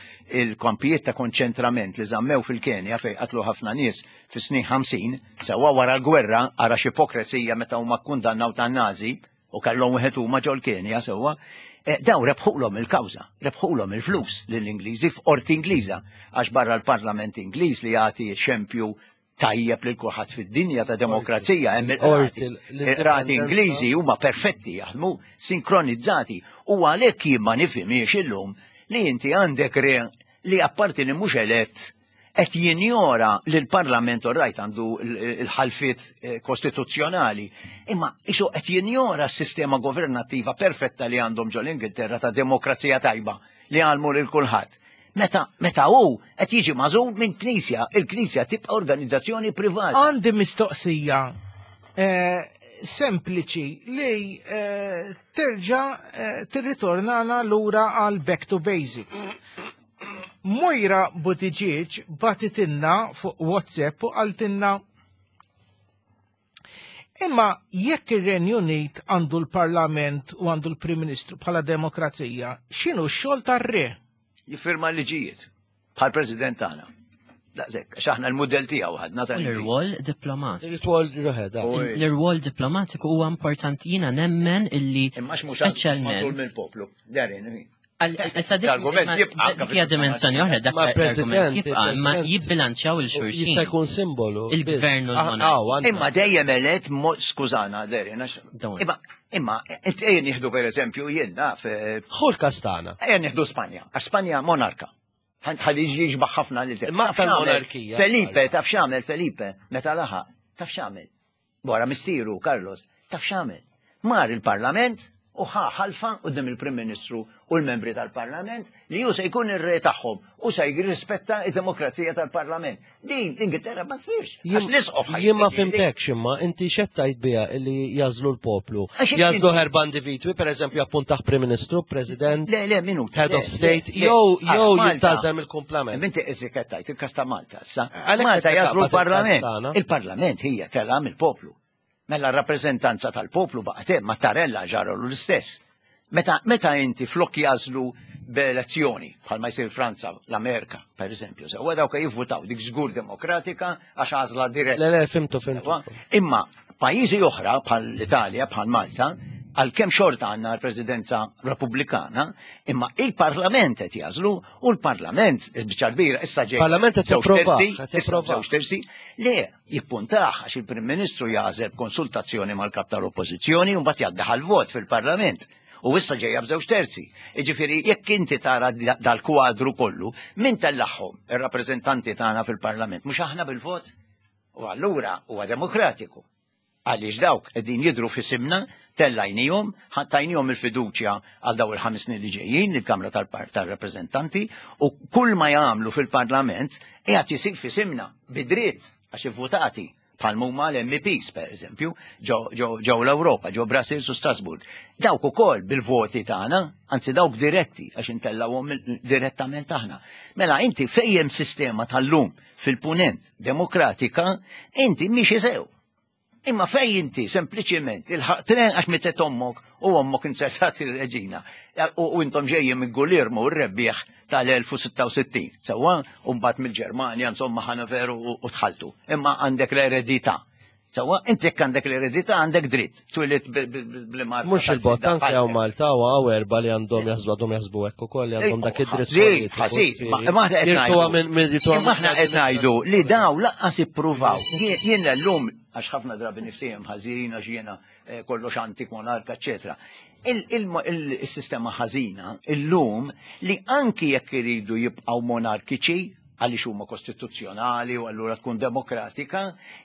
il-kampijiet ta' konċentrament li żammew fil-Kenja fejn qatlu ħafna nies fis-snin 50, sewwa wara l-gwerra ara x'ipokrezija meta huma kkundannaw tan-Nazi u kellhom wieħed huma ġol-Kenja sewwa, eh, daw rebħulhom il-kawża, rebħulhom il-flus lill-Ingliżi f'qorti Ingliża għax barra l-Parlament Ingliż li jagħti xempju tajjeb lil kulħadd fid-dinja ta' demokrazija hemm il-qrati. Il-qrati Ingliżi huma perfetti jaħdmu sinkronizzati u għalhekk jien ma nifhimiex illum li inti għandek re li apparti li mhux elett qed jinjora li l-Parlament orrajt għandu l-ħalfiet eh, kostituzzjonali, imma isu qed jinjora s-sistema governattiva perfetta li għandhom ġol Ingilterra ta' demokrazija tajba li għalmu lil kulħadd. Meta, meta hu qed jiġi magħżul minn knisja, il-knisja tibqa' organizzazzjoni privata. Għandi mistoqsija eh, sempliċi li eh, terġa' eh, tirritornana lura għal back to basics. Moira Buttigieg batitinna fuq WhatsApp u qaltilna Imma jekk ir-Renju Unit għandu l-Parlament u għandu l-Prim Ministru bħala demokrazija, x'inhu x-xogħol tar-re? Jiffirma l-liġijiet bħal President tagħna. Daqshekk, għax aħna l-mudell tiegħu ħadna tal L-irwol diplomatiku. L-irwol ruħeda. L-irwol diplomatiku huwa importanti jiena nemmen illi speċjalment mill-poplu. Darin, L-argument jibqa' hija dimensjoni oħra dak l-argument jibqa' imma jibbilanċjaw il-xulxin. Jista' jkun simbolu. Il-gvern u l-monarka. Imma dejjem elett skużana, Derin, imma imma ejja nieħdu pereżempju jien naf. Eh, Ħu l-kastana. Ejja nieħdu Spanja, għax Spanja monarka. Ħalli jiġbaħ ħafna li Imma tal-monarkija. Felipe, taf x'għamel Felipe, meta laħaq, taf x'għamel. Wara missieru Carlos, taf x'għamel? Mar il-Parlament u ħa ħalfa quddiem il-Prim Ministru u l-membri tal-Parlament li hu se jkun ir-re tagħhom u se jirrispetta d-demokrazija tal-Parlament. Din l-Ingilterra ma ssirx. Għax l-isqof Jien ma fimtekx imma inti x'qed biha li jażlu l-poplu. Jażlu erba' individwi, pereżempju appuntaħ Prim Ministru, President, Le, le, minuta. Head of State, jew jew jintażel mill-kumplament. Inti qed tajt il-każ ta' Malta. Issa, Malta jażlu l-Parlament. Il-Parlament hija tela mill-poplu. Mela r-rappreżentanza tal-poplu baqgħet hemm, Mattarella ġaralu l-istess. Meta, meta inti flok jażlu b'elezzjoni, bħalma jsir Franza, l-Amerika, per eżempju, sewwa dawk jivvutaw dik żgur demokratika għax għażla diretta. Le, le, fimtu, fimtu. Imma pajjiżi oħra bħal l-Italja, bħal Malta, għalkemm xorta għandna l-presidenza repubblikana, imma il-Parlament qed jażlu U l-Parlament, il-biċċa kbira, issa ġej. Parlament qed japprova. Żewġ terzi, le, jippuntaħ għax il-Prim Ministru jażel konsultazzjoni mal-kap tal-Oppożizzjoni u mbagħad jgħaddi vot fil-Parlament. U issa ġejja b'żewġ terzi. Jiġifieri jekk inti tara dal-kwadru kollu, min tellagħhom ir-rappreżentanti tagħna fil-Parlament, mhux aħna bil-vot? U allura huwa demokratiku. Għaliex dawk qegħdin jidhru f'isimna, tellajnihom, tajnihom il-fiduċja għal daw il-ħames snin li ġejjin lill-Kamra tar-Rappreżentanti u kull ma jagħmlu fil-Parlament qiegħed isir f'isimna bi dritt għax ivvutati bħal huma l-MEPs per eżempju ġew l-Ewropa, ġew Brussels u Strasbourg. Dawk ukoll bil-voti tagħna, anzi dawk diretti għax intellawhom direttament aħna. Mela inti fejjem sistema tal-lum fil-punent demokratika, inti mhix sew. Imma fej inti sempliċiment il-ħaq tren għax mitet ommok u ommok insertat il-reġina u intom ġejjin minn Gulirmu r-rebbieħ tal-1066. Sewwa, u mbagħad mill-Ġermanja insomma ħana veru u tħaltu. Imma għandek l-eredità. Sewwa, inti jekk għandek l-eredità għandek dritt. Twilit bl-imar. Mhux il-bot anke hawn Malta u hawn erba' li għandhom jaħsbu għadhom jaħsbu hekk ukoll li għandhom dak id-dritt. Ħażin, ma aħna qed ngħidu. Imma aħna qed ngħidu li daw laqqas ippruvaw. Jien llum għax ħafna drabi nifsijem ħażin għax jiena eh, kollox antik monarka, eċetera. Il-sistema ħażina illum li anki jekk iridu jibqgħu monarkiċi, għaliex huma kostituzzjonali u allura tkun demokratika,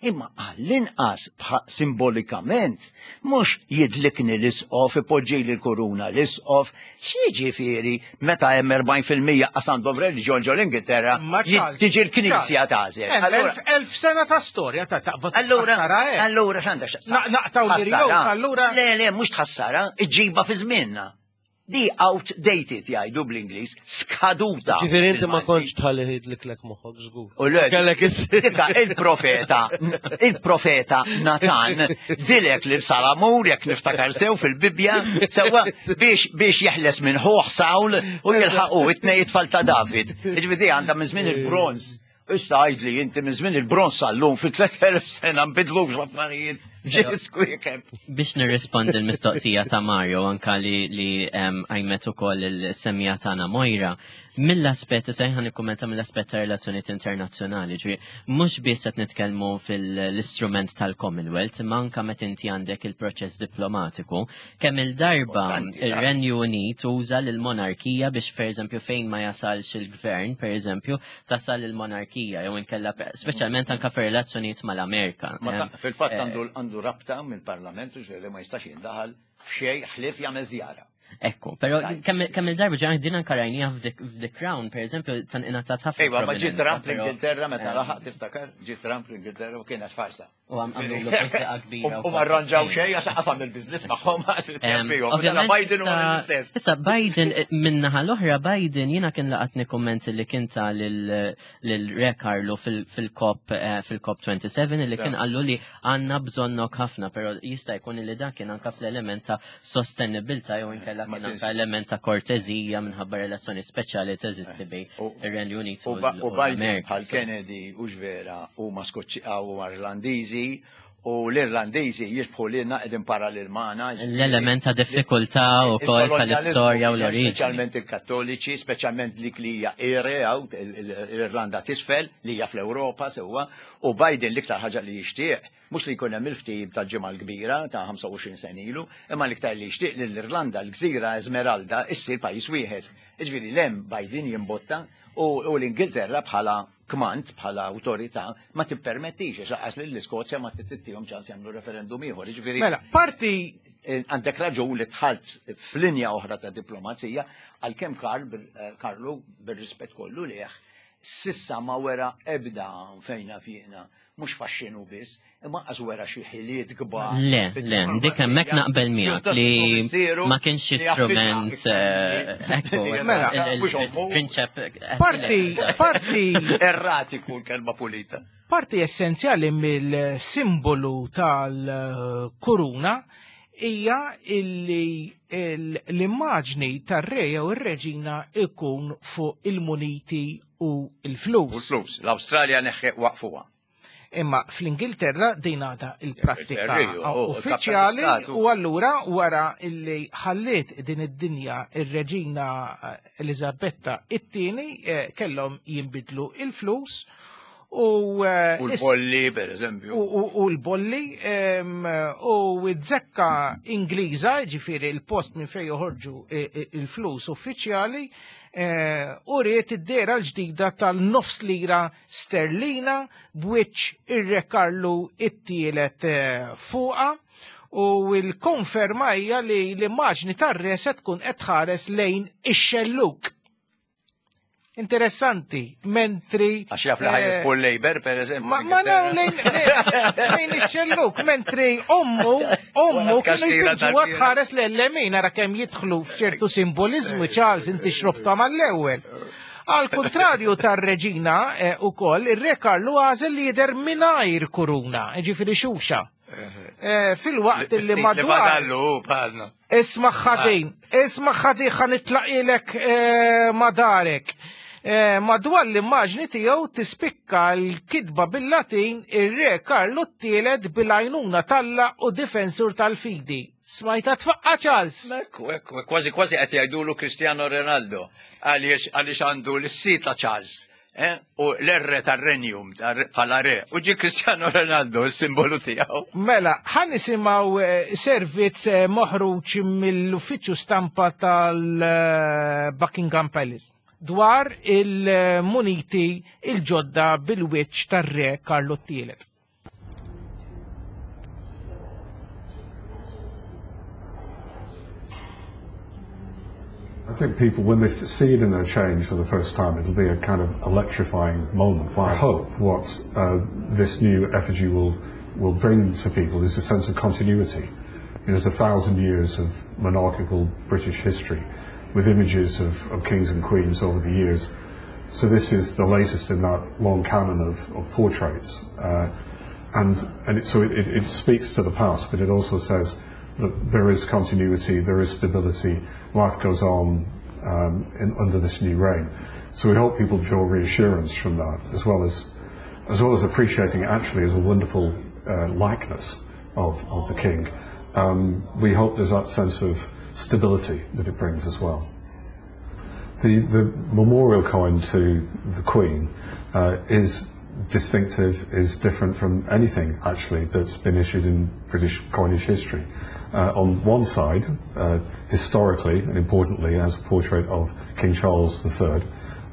imma għall-inqas simbolikament mhux jidlikni l-isqof, ipoġġi l-kuruna l-isqof, x'jiġifieri meta hemm 40% qas għandhom reliġjon ġol Ingilterra, tiġi l-Knisja tagħżel. Elf sena ta' storja ta' taqbad. Allura, eh. allura x'għandha x'taqsam? Naqtaw l allura. Le, le, mhux tħassara, iġġiba fi żmienna. Di outdated jgħidu bl-Ingliż, skaduta. Ġifieri inti ma kontx tħalli jidliklek moħħok żgur. U le, Kellek is Dika il-profeta, il-profeta Natan dilek lil Salamur jekk niftakar sew fil-Bibbja sewwa biex biex jeħles minn ħuh Sawl u jilħaqu it-tnej tfal ta' David. Ġifieri għandha minn żmien il-bronż. Issa għidli inti minn żmien il-bronż sal-lum fi 3000 sena nbidlux l-affarijiet. Ġisku jekk. Biex nirrispondi l-mistoqsija ta' Mario anka li li għajmet ukoll il-semmija tagħna Moira, mill-aspett issa ħan nikkummenta mill-aspett ta' relazzjonijiet internazzjonali, ġifieri mhux biss qed nitkellmu fil-istrument tal-Commonwealth, imma anka meta inti għandek il-proċess diplomatiku, kemm il-darba ir-Renju Unit uża lill-monarkija biex pereżempju fejn ma jasalx il-gvern, pereżempju, tasal il-monarkija jew inkella speċjalment anka fir-relazzjonijiet mal-Amerika. Fil-fatt eh, għandu rabta mill-Parlament li ma jistax jindaħal f'xejn ħlief jagħmel żjara. Ekku, pero kemm il-darba ġan din anka rajnija f'The Crown, per eżempju, tan ingħatat ħafna. Ejwa, ma ġi Trump l-Ingilterra meta eh. laħaq tiftakar, ġi Trump l-Ingilterra u kienet farsa. U għam għamlu l-posta kbira. U ma rranġaw xej, għax qasam il-biznis magħhom għax Biden u l-istess. Issa Biden, eh, minnaħa l-oħra Biden jiena kien laqatni kommenti li kien ta' lil-Re Carlo fil-COP eh, fil-COP 27 li kien qallu li għandna bżonnok ħafna, però jista' jkun li dak kien anka fl-element ta' sostenibilità jew inkella kien anka element ta' kortezija minħabba relazzjoni speċjali teżisti bej ir-Renju Unit u Biden bħal Kennedy u ġvera huma Skoċċi u Irlandiżi u l-Irlandiżi jisbħu lilna qegħdin parallel magħna. L-element ta' diffikultà wkoll tal-istorja u l-oriġini. Speċjalment il-Kattoliċi, speċjalment dik li hija Ire l-Irlanda t'isfel li hija fl-Ewropa sewwa, u Biden l-iktar ħaġa li jixtieq Mhux li jkun hemm il-ftehim tal-Ġimgħa l-Kbira ta' 25 sena ilu, imma l-iktar li jixtieq li l-Irlanda, l-gżira Esmeralda, issir pajjiż wieħed. Jiġifieri 'l hemm Biden jimbotta u l-Ingilterra bħala kmand, bħala awtorità, ma tippermettix għax lanqas lill-Iskozja ma tittihom ċans jagħmlu referendum ieħor. Jiġifieri Mela, parti għandek raġun li dħalt f'linja oħra ta' diplomazija għalkemm Karl Karlu bir-rispett kollu lejh sissa ma wera ebda fejn naf jiena mhux faxxinu biss, imma qas wera xi ħiliet kbar. Le, le, dik hemmhekk naqbel miegħek li ma kienx strument eh, ekku. Mela, prinċep. Eh, parti, parti. Erratiku l-kelma pulita. Parti essenzjali mill-simbolu tal-kuruna hija illi l-immaġni tar-re jew ir-reġina ikun fuq il-muniti u l-flus. U l-flus. L-Awstralja neħħe waqfuha. Imma fl-Ingilterra din għadha il-prattika uffiċjali u allura wara illi ħalliet din id-dinja ir-reġina eh, Elizabetta it-tieni eh, kellhom jinbidlu il-flus u eh, U l-bolli, per eżempju. U l-bolli u z-zekka Ingliża, ġifieri il-post minn fejn joħorġu il-flus uffiċjali, Eh, u riet id-dera l-ġdida tal-nofs lira sterlina b'wiċċ ir-Re Karlu it-tielet eh, fuqa u l-konferma hija li l-immaġni tar-re se tkun qed tħares lejn ix-xelluk. Interessanti, mentri. Għax jaf li ħajr eh, Labor, per eżempju. Ma ma lejn lejn ix-xelluk, mentri ommu, ommu kienu jpinġuha tħares l-lemin ara kemm jidħlu f'ċertu simbolizmu Charles inti xrobta mal-ewwel. Għal kontrarju tar-reġina eh, ukoll, ir-re Karlu għażel li jidher mingħajr kuruna, ġifieri xuxa. Eh, fil-waqt li madwar. Isma' ħadin, isma' ħadin ħa nitlaqilek eh, madarek. Eh, madwar l-immaġni tiegħu tispikka l-kitba bil-Latin ir-Re Karlu t-tielet bil-għajnuna talla u difensur tal-fidi. Smajta tfaqqa Charles. Ekku, ekku, kważi kważi qed jgħidulu Cristiano Ronaldo għaliex għaliex għandu l-sit ta' Charles. Eh, u l-erre tar-renjum bħala re, u ġi Cristiano Ronaldo s-simbolu tiegħu. Mela, ħan nisimgħu eh, servizz eh, moħruġ mill-uffiċċju stampa tal-Buckingham Palace dwar il-muniti il-ġodda bil-wiċċ tar-re Karlo Tielet. I think people, when they see it in their change for the first time, it'll be a kind of electrifying moment. I hope what uh, this new effigy will, will bring to people is a sense of continuity. You know, there's 1,000 years of monarchical British history with images of kings and queens over the years. So this is the latest in that long canon of portraits. And so it speaks to the past, but it also says that there is continuity, there is stability, life goes on under this new reign. So we hope people draw reassurance from that, as well as appreciating it actually as a wonderful likeness of the king. We hope there's that sense of stability that it brings as well. The memorial coin to the Queen is distinctive, is different from anything actually that's been issued in British coinage history. On one side, historically and importantly, has a portrait of King Charles III,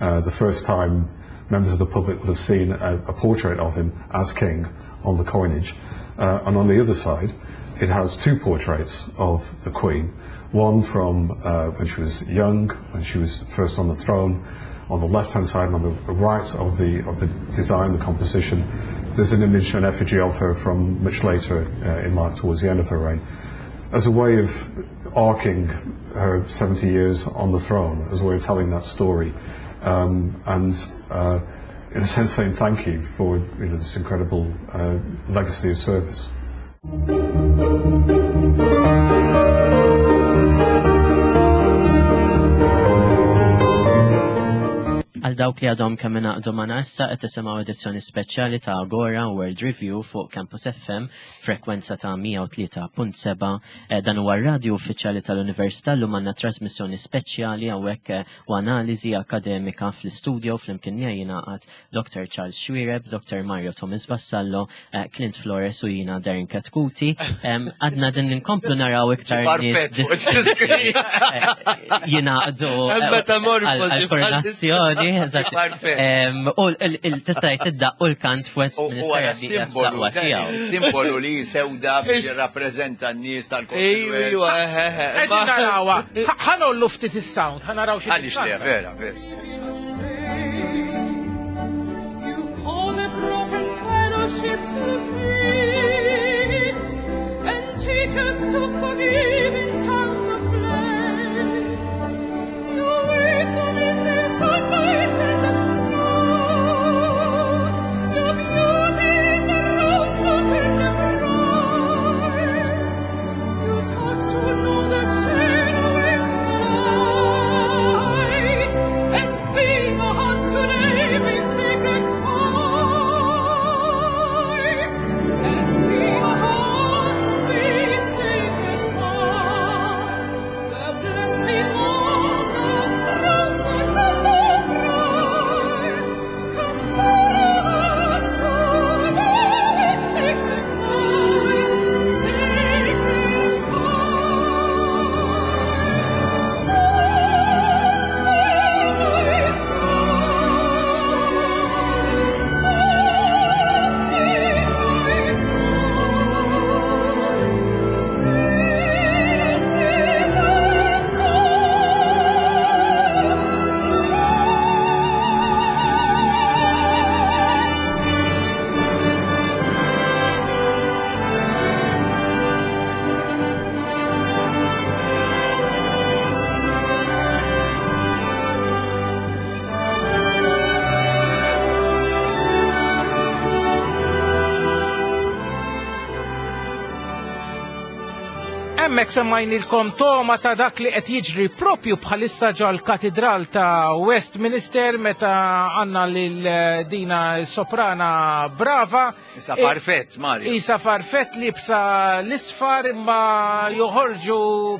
the first time members of the public would have seen a portrait of him as king on the coinage. And on the other side, it has two portraits of the Queen, one from when she was young, when she was first on the throne, on the left-hand side and on the right of the design, the composition, there's an image, an effigy of her from much later in life, towards the end of her reign, as a way of arcing her 70 years on the throne, as a way of telling that story, and in a sense saying thank you for this incredible legacy of service. Għal dawk li għadhom kemm ingħaqdu magħna issa, qed tisimgħu edizzjoni speċjali ta' Agora World Review fuq Campus FM, frekwenza ta' 103.7. Dan huwa r-radju uffiċjali tal-Università. Llum għandna trasmissjoni speċjali hawnhekk u analiżi akademika fl-istudio. Flimkien miegħi jingħaqad Dr. Charles Xuereb, Dr. Mario Thomas Vassallo, Clint Flores u jiena Darren Chetcuti. Għadna din inkomplu naraw iktar jingħaqdu għal-koronazzjoni. U tista' tidda u l-kant f'Westminster. Simbolu, simbolu li sewda biex jirrappreżenta n-nies tal-Commonwealth. Ejwa, Qegħdin narawha. Ħa ngħollu ftit is-sound, ħa naraw xi. Għaliex le, vera, vera. You call the broken fellowship to feast and teach us to forgive in tongues of flame. Your wisdom is the sunlight and the snow. Your beauty is the rose and the bride. You taught to know the shadow and the light, and fill the hearts today with sacred fire. And fill the hearts with sacred fire. The blessing of the cross that the bride. Come follow us today with sacred fire, sacred Hemmhekk semmajnilkom togħma ta' dak li qed jiġri propju bħalissa ġol-katedral ta' Westminster meta għandna lil dina soprana brava. Isa farfett, Mario. Isa farfett liebsa l-isfar imma joħorġu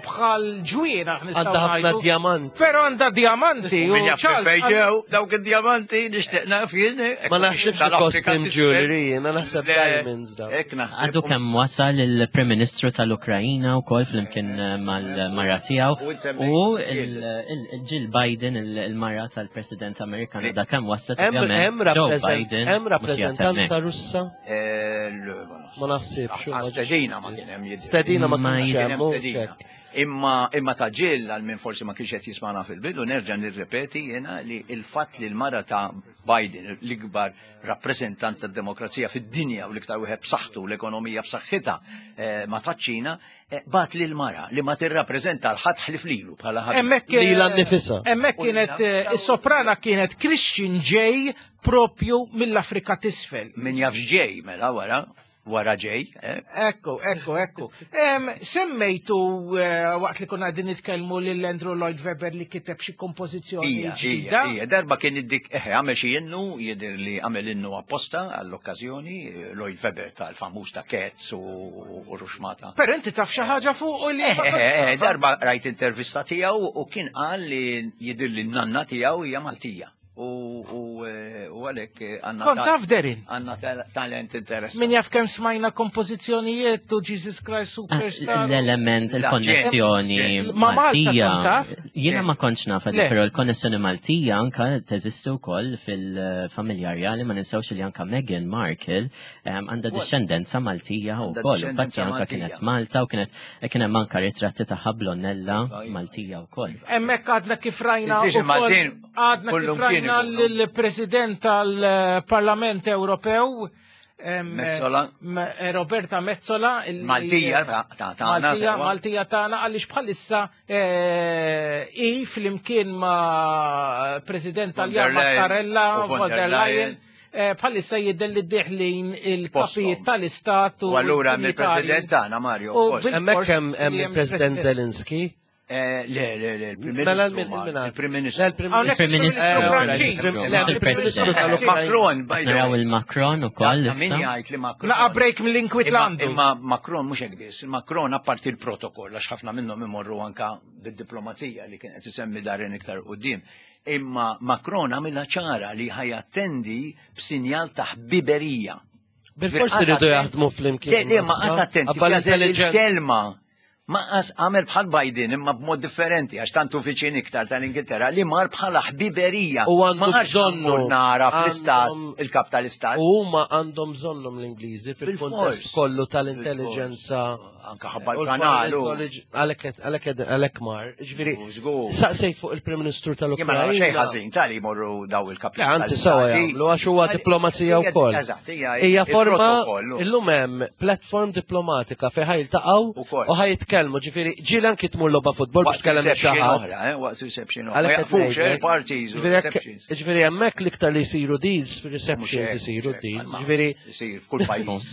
bħal ġwienaħ nistgħu Għandha ħafna ngħidu. diamanti. Però għandha diamanti. U Min jaf Charles fejn ġew dawk id-diamanti, nixtieq naf jien. Ma naħsibx costume jewelry, jiena naħseb diamonds daw. Hekk naħseb. Għadu kemm wasal il-Prim Ministru tal-Ukrajina u kol flimkien mal-mara tiegħu u il-Jill Biden, il-mara tal-President Amerikan, da kemm waslet Hemm ovvjament hemm Joe rappreżent- Biden hemm mhux qiegħed rappreżentanza hemmhekk. Russa? Le, ma Ma naħsibx. nafx. Stedina ma kien hemm jidher. Stedina ma Ma kienx kien hemm, hemm mhux stedina. hekk. Imma imma ta' Jill għal min forsi ma kienx qed jismagħna fil-bidu nerġa' nirrepeti jiena li l-fatt li l-mara ta' Biden l-ikbar rappreżentant tad-demokrazija fid-dinja u l-iktar wieħed b'saħħtu l-ekonomija b'saħħitha eh, ma taċ-Ċina eh, bat lil mara li ma tirrappreżenta l-ħadd ħlif lilu bħala ħadd. Hemmhekk eh, Lilha nnifisha. Hemmhekk kienet is-soprana kienet Christian J propju mill-Afrika t'isfel. Min jaf ġej mela wara wara ġej. Eh? Ekku, ekku, ekku. Semmejtu eh, waqt li konna għadin nitkellmu lil Andrew Lloyd Webber li kiteb xi kompożizzjoni ġdida. Ija, darba kien id-dik, eh, għamel xi innu, jidher li għamel innu apposta għall-okkażjoni, Lloyd Webber tal-famuż ta' Cats u Ruxmata. Però inti taf xi ħaġa fuq u li. Eh, darba rajt intervista tiegħu u kien qal li jidher li n-nanna tiegħu hija Maltija. U eh, għalek eh, għanna. Kont taf Derin. Għanna talent interessanti. Min jaf kem smajna kompożizzjonijiet u Jesus Christ ah, Superstar. L-element, il-konnessjoni Maltija. Jiena ma kontx naf, però l-konnessjoni Maltija anka teżisti wkoll fil-familja rjali ma ninsewx li anka Meghan Markle għandha discendenza Maltija wkoll. Infatti anka kienet Malta u kienet kien hemm anka ritratti ta' Blonnella Maltija wkoll. Hemmhekk għadna kif rajna. Għadna kif rajna l-President tal-Parlament Ewropew, Metsola. Eh, Roberta Metsola. Maltija ta' tagħna. Maltija tagħna għaliex bħalissa eh, i flimkien ma' President Taljan Mattarella, von der Leyen, eh, bħalissa jidher li deħlin il-kapijiet tal-istat u. Allura mill-President tagħna Mario. Hemmhekk hemm il-President Zelensky. Eh, le, le, le, il-Prim Mela Ministru. Il-Prim Ministru. Il-Prim Ministru. Il-Prim Ministru. Macron, by the Naraw way. il-Macron u koll. Min jgħid li Macron. Naqa break mill-inkwit Imma imma Macron mhux hekk biss, Macron apparti l-protokoll għax ħafna minnhom imorru anka bid-diplomazija li kien qed isemmi darin iktar qudiem. Imma Macron għamilha ċara li ħajattendi b'sinjal ta' ħbiberija. Bil-forsi rridu jaħdmu flimkien. Le, le, ma qgħad attenti. Il-kelma Maqas għamel bħal Biden imma b'mod differenti għax tantu viċin iktar tal-Ingilterra li mar bħala ħbiberija. U għandu bżonnu. Nara fl-istat, il-kap tal-istat. U huma għandhom bżonnhom l-Ingliżi fil-kontest kollu tal-intelligenza. Anka ħabba l-kanal. Għalhekk għalhekk mar. Ġifieri, saqsejt fuq il-Prim Ministru tal-Ukrajna. Jien xejn ħażin tal jmorru daw il-kap. Anzi sewa jagħmlu għax huwa diplomazija wkoll. Hija forma illum hemm platform diplomatika fejn ħajltaqgħu u ħajitkellmu, ġifieri ġieli anki tmur logħba futbol biex tkellem xi ħadd. Eh, waqt reception oħra. Jaqfux, eh, parties. Ġifieri hemmhekk l-iktar li jsiru deals fir-receptions isiru deals. Ġifieri isir f'kull pajjiż.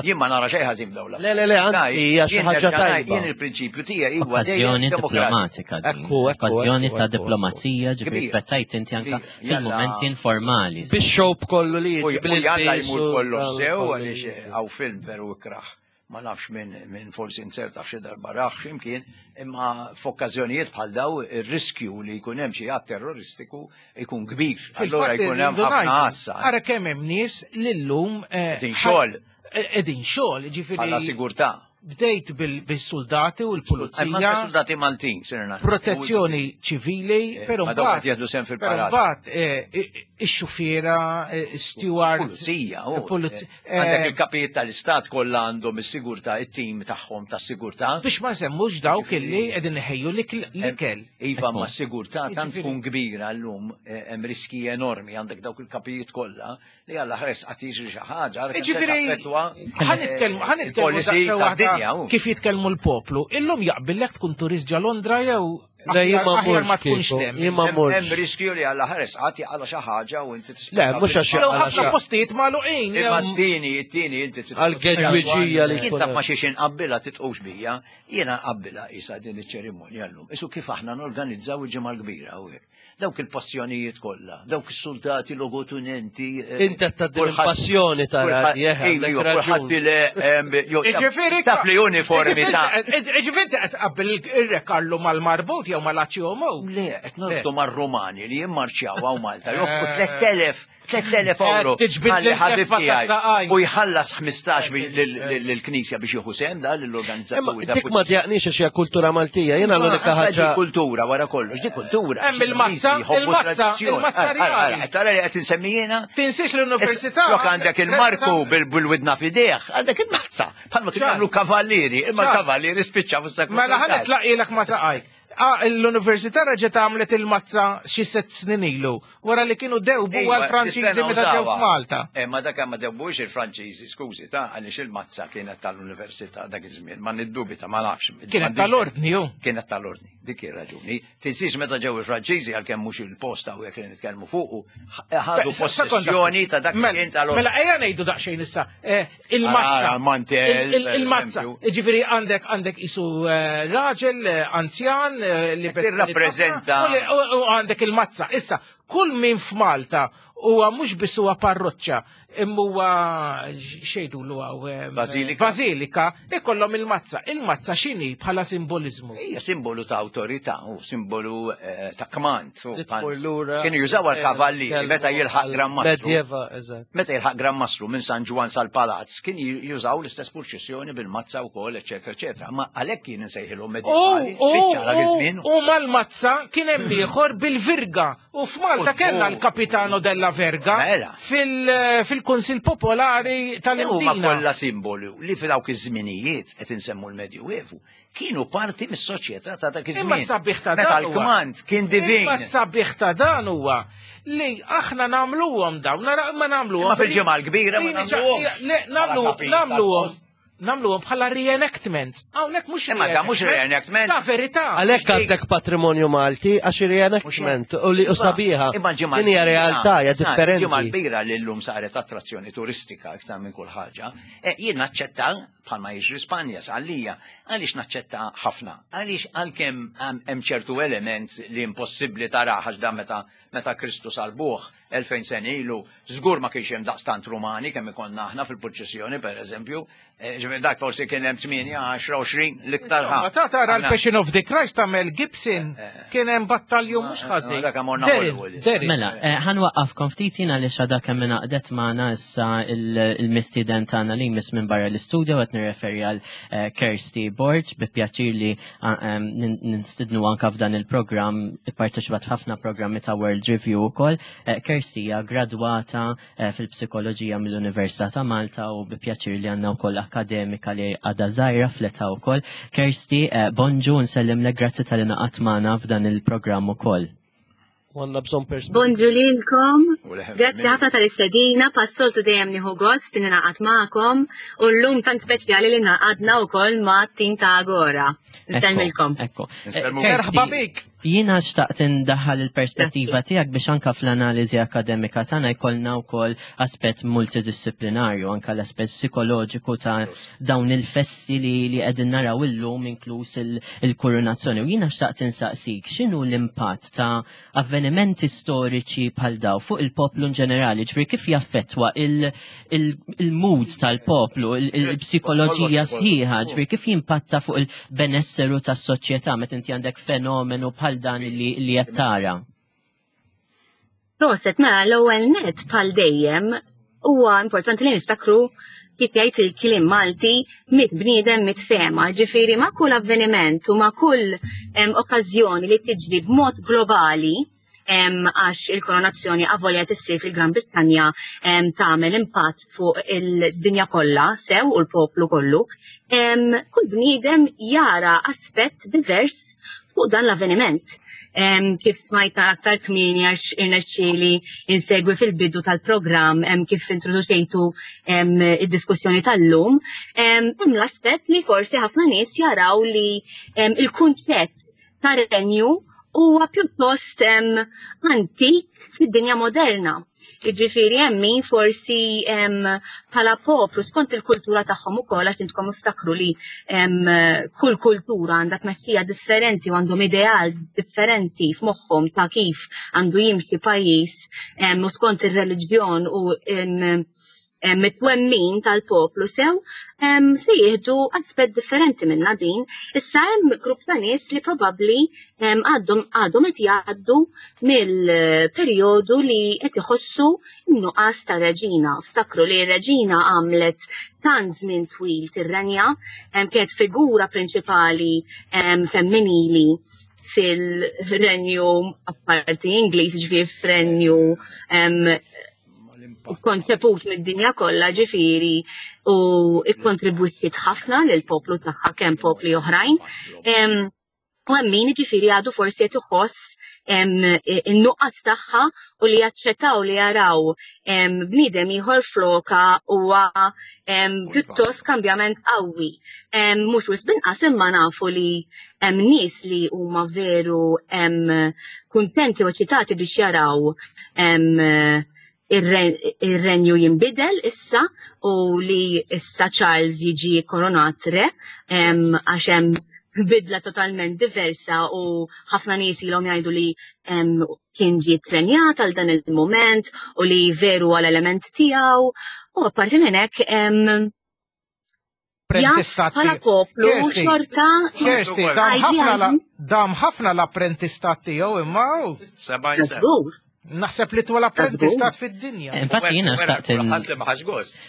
Jien ma nara xejn ħażin dawla. Le le le, anzi hija xi ħaġa tajba. Jien il-prinċipju tiegħi huwa Okkażjoni diplomatika. Okkażjoni ta' diplomazija ġifieri trattajt inti anka fil-momenti informali. Bix-xogħol kollu li jiġi bil-jalla jmur kollox sew għaliex hawn film veru ikraħ ma nafx minn min forsi nzertax xi darba raħ x'imkien, imma f'okkażjonijiet bħal daw ir-riskju li jkun hemm xi att terroristiku jkun kbir. Allura jkun hemm ħafna għassa. Ara kemm hemm nies li llum eh, din xogħol. Qegħdin xogħol, ġifieri. Bħala sigurtà. Bdejt bil-soldati u l-pulizija. Soldati Maltin, sirna. Protezzjoni ċivili, eh, però mbagħad jieħdu sem fil-parata. Mbagħad eh, ix-xufiera, eh, stewards. Pulizija, pulizija. Għandek il-kapijiet tal-istat kollha għandhom is-sigurtà, it-tim tagħhom tas-sigurtà. Biex ma semmux dawk illi qegħdin iħejju l-ikel. Iva, ma s-sigurtà tant tkun kbira llum hemm riski enormi għandek dawk il-kapijiet kollha Li għalla ħres qatt jiġri xi ħaġa. Ġifieri ħanitkellmu ħanitkellmu kif jitkellmu l-poplu. Illum jaqbillek tkun turist ġa Londra jew Le jien ma ma tkunx hemm. Jien ma murx. Hemm riskju li għalla ħares qatt jaqala xi ħaġa u inti Le, mhux għax jaqala. Ħafna postijiet magħluqin. Imma t-tieni, t-tieni inti Għal-gedwiġija li jkun. Taf ma xiex inqabbilha titqux bija, jiena nqabbilha isa din iċ-ċerimonja llum. Isu kif aħna norganizzaw il-ġimgħa l-kbira hawnhekk. Dawk il-passjonijiet kollha, dawk is-soldati logotunenti. Eh, Inti qed tgħaddi il-passjoni tara. Kulħadd le Ġifieri taf li uniformi ta' Ġifieri qed tqabbel ir-Re Karlu mal-marbut jew mal-Aċjomo. Le, qed norbtu mar-Rumani li jimmarċjaw hawn Malta, joffru 3000 3000 euro. Tiġbid ħabib tiegħi. U jħallas 15 lill-Knisja biex jieħu sehem da lill-organizzaturi. Dik ma djaqniex għax hija kultura Maltija, jiena l-unika ħaġa. Kultura wara kollox, di kultura. Hemm il-mazza Il-mazza, il-mazza, il-mazza reali. Tara li qed insemmi jiena? Tinsiex l-università. Lok għandek il-Marku bil-widna fidejh, għandek il-mazza. Bħalma kienu jagħmlu kavallieri, imma l-kavallieri spiċċa fis-seklu. Mela ħa nitlaqilek ma saqajk. Ah, l-università reġgħet għamlet il-mazza xi sett snin ilu, wara li kienu dewbu għal-Franċiżi meta ġew f'Malta. Eh, ma dak ma dewbux il-Franċiżi, skużi, ta' għaliex il-mazza kienet tal-università dak iż-żmien, ma niddubita, ma nafx. Kienet tal-ordni, ju. Kienet tal-ordni, dik ir-raġuni. Tinsiex meta ġew il-Franċiżi għalkemm mhux il-post hawnhekk li nitkellmu fuqu, ħadu possessjoni ta' dak li kien tal Mela ejja ngħidu daqsxejn issa, eh, il-mazza. Il-mazza. Ġifieri għandek għandek isu eh, raġel eh, anzjan li tirrappreżenta. U għandek il-mazza. Issa, kull min f'Malta huwa mhux biss huwa parroċċa, imma huwa xejdu l hawn Bażilika. Bażilika, ikollhom il-mazza. Il-mazza x'inhi bħala simboliżmu? Hija simbolu ta' awtorità u simbolu eh, ta' kmand. Kienu jużaw għal-kavallieri eh, meta jilħaq Gran Mastru. Meta jilħaq Gran Mastru minn San Ġwan sal-Palazz kien jużaw l-istess purċissjoni bil-mazza wkoll, eċetera, eċetera. Ma għalhekk kien insejħilhom medjevali. U mal-mazza kien hemm ieħor bil-virga U f'Malta kellna l-Kapitano della Verga mela. fil-Kunsil Popolari tal-Imdina. Huma kollha simbolu li f'dawk iż-żminijiet qed insemmu l-Medjuevu kienu parti mis-soċjetà ta' dak iż-żmien. Imma sabiħ ta' dan. l-kmand kien divin. Imma sabiħ ta' dan huwa li aħna nagħmluhom dawn, nara ma nagħmluhom. Ma fil-ġimgħa l-kbira ma nagħmluhom. Nagħmluhom namluhom bħala reenactments. Hawnhekk mhux Imma da mhux reenactment. Ta' verità. Għalhekk għandek patrimonju Malti għax reenactment u li u sabiħa. Imma ġimgħa Din hija realtà hija differenti. Ġimgħa kbira li llum saret attrazzjoni turistika iktar minn kull ħaġa. E, jien naċċetta bħalma jiġri Spanja sqallija, għaliex naċċetta ħafna? Għaliex għalkemm hemm ċertu element li impossibbli taraħ għax dan meta meta Kristu salbuh 2000 sena ilu, żgur ma kienx hemm daqstant Rumani kemm ikollna aħna fil-purċissjoni pereżempju. Eh, ġifieri dak forsi kien hemm 8, 10, 20 l-iktar ħa. Ta' tara l-Passion of the Christ ta' Mel Gibson eh, eh. kien hemm battalju mhux ħażin. Dak morna Hollywood. Mela, ħanwaqqafkom ftit jiena li xada kemm ingħaqdet magħna issa il-mistieden tagħna li jmiss minn barra l-istudio qed nirreferi għal Kirsty Borg bi pjaċir li Ninstidnu anka f'dan il-programm, ipparteċipat ħafna programmi ta' World Review ukoll. Eh, Kirsty hija gradwata eh, fil-psikoloġija mill-Università ta' Malta u bi pjaċir li għandna wkoll akademika li għadha żgħira fl-età wkoll. Kirsty, eh, bonġu nsellimlek grazzi tal-li naqat magħna f'dan il-programm ukoll. U għandna bżonn perspettiva. Bonġu lilkom. Grazzi ħafna tal-istedina, passoltu dejjem nieħu gost li ningħaqad magħkom u llum tant speċjali li ngħaqadna wkoll ma' tim ta' Agora. Nsellmilkom. Ekku. Merħba bik. Jiena xtaqt indaħħal il-perspettiva tiegħek biex anka fl-analiżi akademika tagħna jkollna wkoll aspett multidisciplinarju, anka l-aspett psikoloġiku ta' dawn il-festi li li qegħdin naraw illum inkluż il-kurunazzjoni. U jiena xtaqt insaqsik x'inhu l-impatt ta' avvenimenti storiċi bħal daw fuq il-poplu in ġenerali, ġifieri kif jaffettwa il-mood tal-poplu, il-psikoloġija sħiħa, ġifieri kif jimpatta fuq il-benesseru tas-soċjetà meta inti għandek fenomenu bħal dan li qed tara. Proset, mela l-ewwel net bħal dejjem huwa importanti li niftakru kif jgħid il-kliem Malti mit bniedem mit fema, ġifieri ma' kull avveniment u ma' kull okkażjoni li tiġri b'mod globali għax il-koronazzjoni avolja tissir fil-Gran Brittanja tagħmel impatt fuq il-dinja kollha sew u l-poplu kollu. Kull bniedem jara aspett divers fuq dan l-avveniment. Kif smajta aktar kmieni għax irnexxieli insegwi fil-bidu tal-programm kif introduċejtu id-diskussjoni tal-lum, hemm l-aspett li forsi ħafna nies jaraw li il-kunċett ta' renju huwa pjuttost antik fid-dinja moderna. Jiġifieri hemm min forsi bħala poplu skont il-kultura tagħhom ukoll għax intkom iftakru li kull kultura għandha tmexxija differenti u għandhom ideal differenti f'moħħhom ta' kif għandu jimxi pajjiż u skont ir-reliġjon u mit-twemmin tal-poplu sew se jieħdu aspett differenti minna din. Issa hemm grupp ta' nies li probabbli għadhom għadhom qed jgħaddu mill-perjodu li qed iħossu n-nuqqas ta' reġina. Ftakru li r-reġina għamlet tant żmien twil tirrenja, kienet figura prinċipali femminili fil-renju apparti Ingliż, ġifieri f'renju konċeput mid-dinja kollha ġifieri u ikkontribwiet ħafna lil poplu tagħha kemm popli oħrajn. U hemm min ġifieri għadu forsi qed iħoss in-nuqqas tagħha u li jaċċettaw li jaraw bniedem ieħor floka huwa pjuttost kambjament qawwi. Mhux wisq binqas imma nafu li hemm nies li huma veru kuntenti u eċitati biex jaraw ir-renju jinbidel issa u li issa Charles jiġi koronat re għax hemm bidla totalment diversa u ħafna nies ilhom jgħidu li kien ġie trenjat għal dan il-moment u li veru għal element tiegħu u apparti minn hekk apprentistat. Bħala poplu xorta. Kirsti, dam ħafna l-apprentistat tiegħu imma. Żgur. Naħseb li twal apprentistat fid-dinja. Infatti jiena xtaqt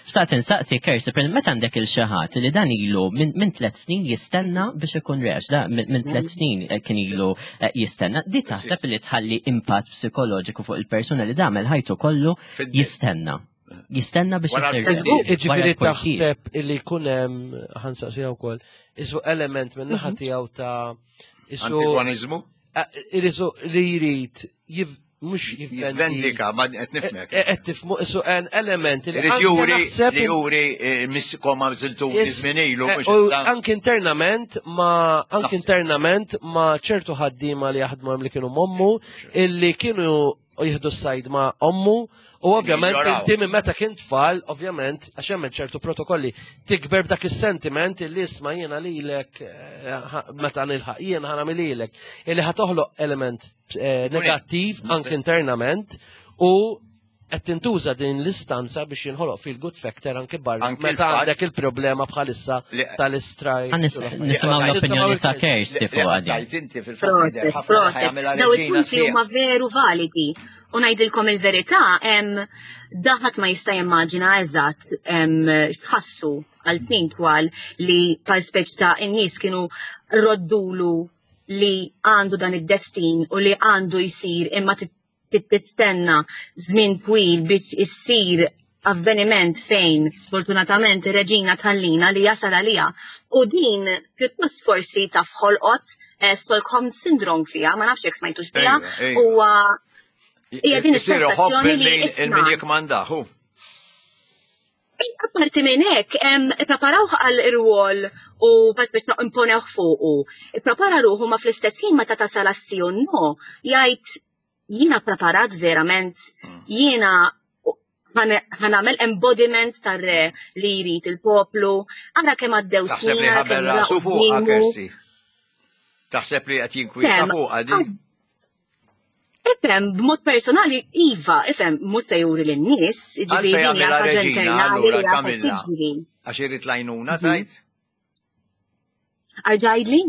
xtaqt insaqsi Kirsti, per meta għandek il xi ħadd li dan ilu minn tliet snin jistenna biex ikun rex, da minn tliet snin eh, kien ilu eh, jistenna, di taħseb li tħalli impatt psikoloġiku fuq il-persuna li damel ħajtu kollu jistenna. Jistenna biex isir. Iġifieri taħseb illi jkun hemm ħansaqsiha wkoll, isu element minn naħa mhm. tiegħu ta' isu Antigonizmu? Isu li jrid mhux jivvendika, ma qed nifhmek. E, e, qed tifhmu isu en element li jrid juri li juri e, missikom ma żiltu żmien ilu Anke internament ma anke internament ma ċertu ħaddiema li jaħdmu hemm li kienu mommu illi kienu u jieħdu s-sajd ma' ommu u ovvjament inti minn meta kien tfal, ovvjament, għax hemm ċertu protokolli, tikber b'dak is-sentiment illi isma' jiena lilek eh, meta nilħaq jiena ħana lilek, illi ħa toħloq element eh, negattiv anke internament u qed tintuża din l-istanza biex jinħoloq fil good factor anke barra meta għandek il-problema bħalissa tal-istrajk. Nisimgħu l-opinjoni ta' Kirsty fuq għadi. Proset, proset. Daw il-punti huma veru validi. U ngħidilkom il-verità, daħat ma jista' jimmaġina eżatt x'ħassu għal snin twal li pal speċ ta' in-nies kienu roddulu li għandu dan id-destin u li għandu jsir imma tistenna żmien twil biex issir avveniment fejn sfortunatament ir-reġina tħallina li jasal għaliha. U din pjuttost forsi taf ħolqot eh, Stockholm syndrome fiha, ma nafx jekk smajtux biha, huwa hija din is-sensazzjoni li il-min jikmandahu. Apparti minn hekk, ippreparawh għal irwol u bas biex imponewh fuqu. Ipprepara ruħu ma fl-istess ħin meta tasal għas-si u no, jgħid jiena preparat verament, hmm. jiena ħanamel embodiment tar-re li jrid il-poplu, ara kemm għaddew snin. Taħseb li ħabel rasu fuqha Kersi. Taħseb li qed jinkwieta fuqha din. Ifhem, b'mod personali, iva, ifhem, mhux se juri lin-nies, jiġifieri din hija ħaġa internali li għandha tiġri. Għax irid l-għajnuna mhm. tajt? Arġajdli?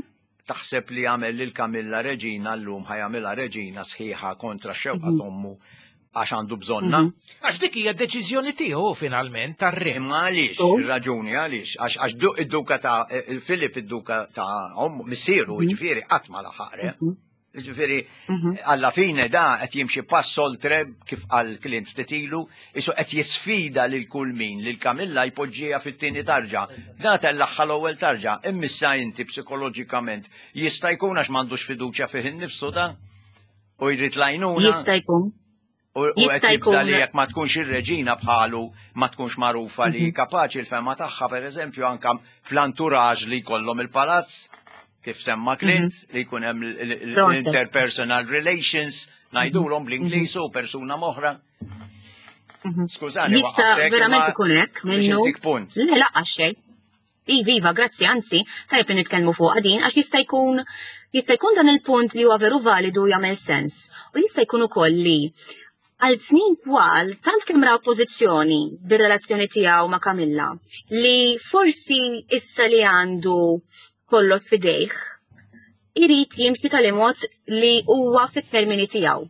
Taħseb li għamel lil Kamilla reġina llum ħajamilha reġina sħiħa kontra xewqa mhm. tommu għax għandu bżonna. Mhm. Għax dik hija deċiżjoni tiegħu finalment tar-re. Imma għaliex, oh. ir-raġuni għaliex, għax id-duka ta' Filip id-duka ta' ommu missieru jiġifieri qatt ma laħaq re. Ġifieri, mhm. alla fine da qed jimxi pass oltre kif qal Clint ftit ilu, isu qed jisfida lil kull min lil Kamilla jpoġġiha fit-tieni tarġa. Da tellaħħa l-ewwel tarġa, immissa inti psikoloġikament jista' jkun għax m'għandux fiduċja fih innifsu da u jrid lajnuna. Jista' jkun. U qed jibża' li jekk ma tkunx ir-reġina bħalu ma tkunx magħrufa li mhm. kapaċi l-fema tagħha pereżempju anke fl-anturaġ li jkollhom il-palazz kif semma Clint mhm. li jkun hemm l-interpersonal relations ngħidulhom bl-Ingliż u persuna moħra. Mhm. Skużani, Jista' verament ikun hekk minnu. Le laqgħa xejn. Iva, iva, grazzi, anzi, tajjeb li nitkellmu fuqha din għax jista' jkun jista' jkun dan il-punt li huwa veru validu jagħmel sens. U jista' jkun ukoll li għal snin twal tant kemm ra oppożizzjoni bir-relazzjoni tiegħu ma' Kamilla li forsi issa li għandu kollox f'idejh irid jimxi tali mod li huwa fit-termini tiegħu.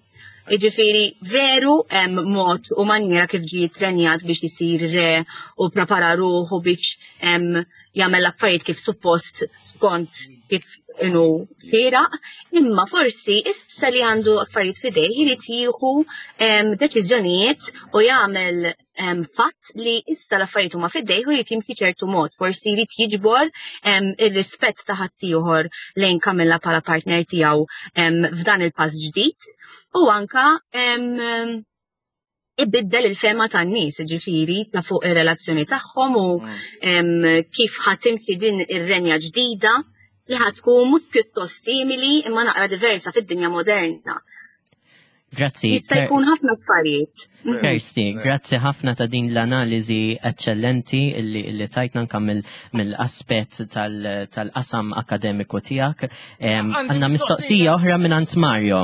Jiġifieri veru hemm mod u manjera kif ġie ttrenjat biex isir re u prepara ruħu biex jagħmel l-affarijiet kif suppost skont kif inhu xieraq, imma forsi issa li għandu affarijiet f'idejh irid jieħu deċiżjonijiet u jagħmel fatt li issa l-affarijiet huma f'idejh u jrid jimxi ċertu mod, forsi jrid jiġbor ir-rispett ta' ħaddieħor lejn Camilla bħala partner tiegħu f'dan il-pass ġdid u anka ibiddel il-fema tan-nies, ġifieri ta' fuq ir-relazzjoni tagħhom u mm. kif ħatimxi din ir-renja ġdida li ħatkun mhux pjuttost simili imma naqra diversa fid-dinja moderna. Grazzi. Jista' jkun ħafna affarijiet. Mm. Kirsty, grazzi ħafna ta' din l-analiżi eccellenti li tajtna anka mill-aspett tal-qasam akademiku tiegħek. Għandna mistoqsija oħra minn Mario.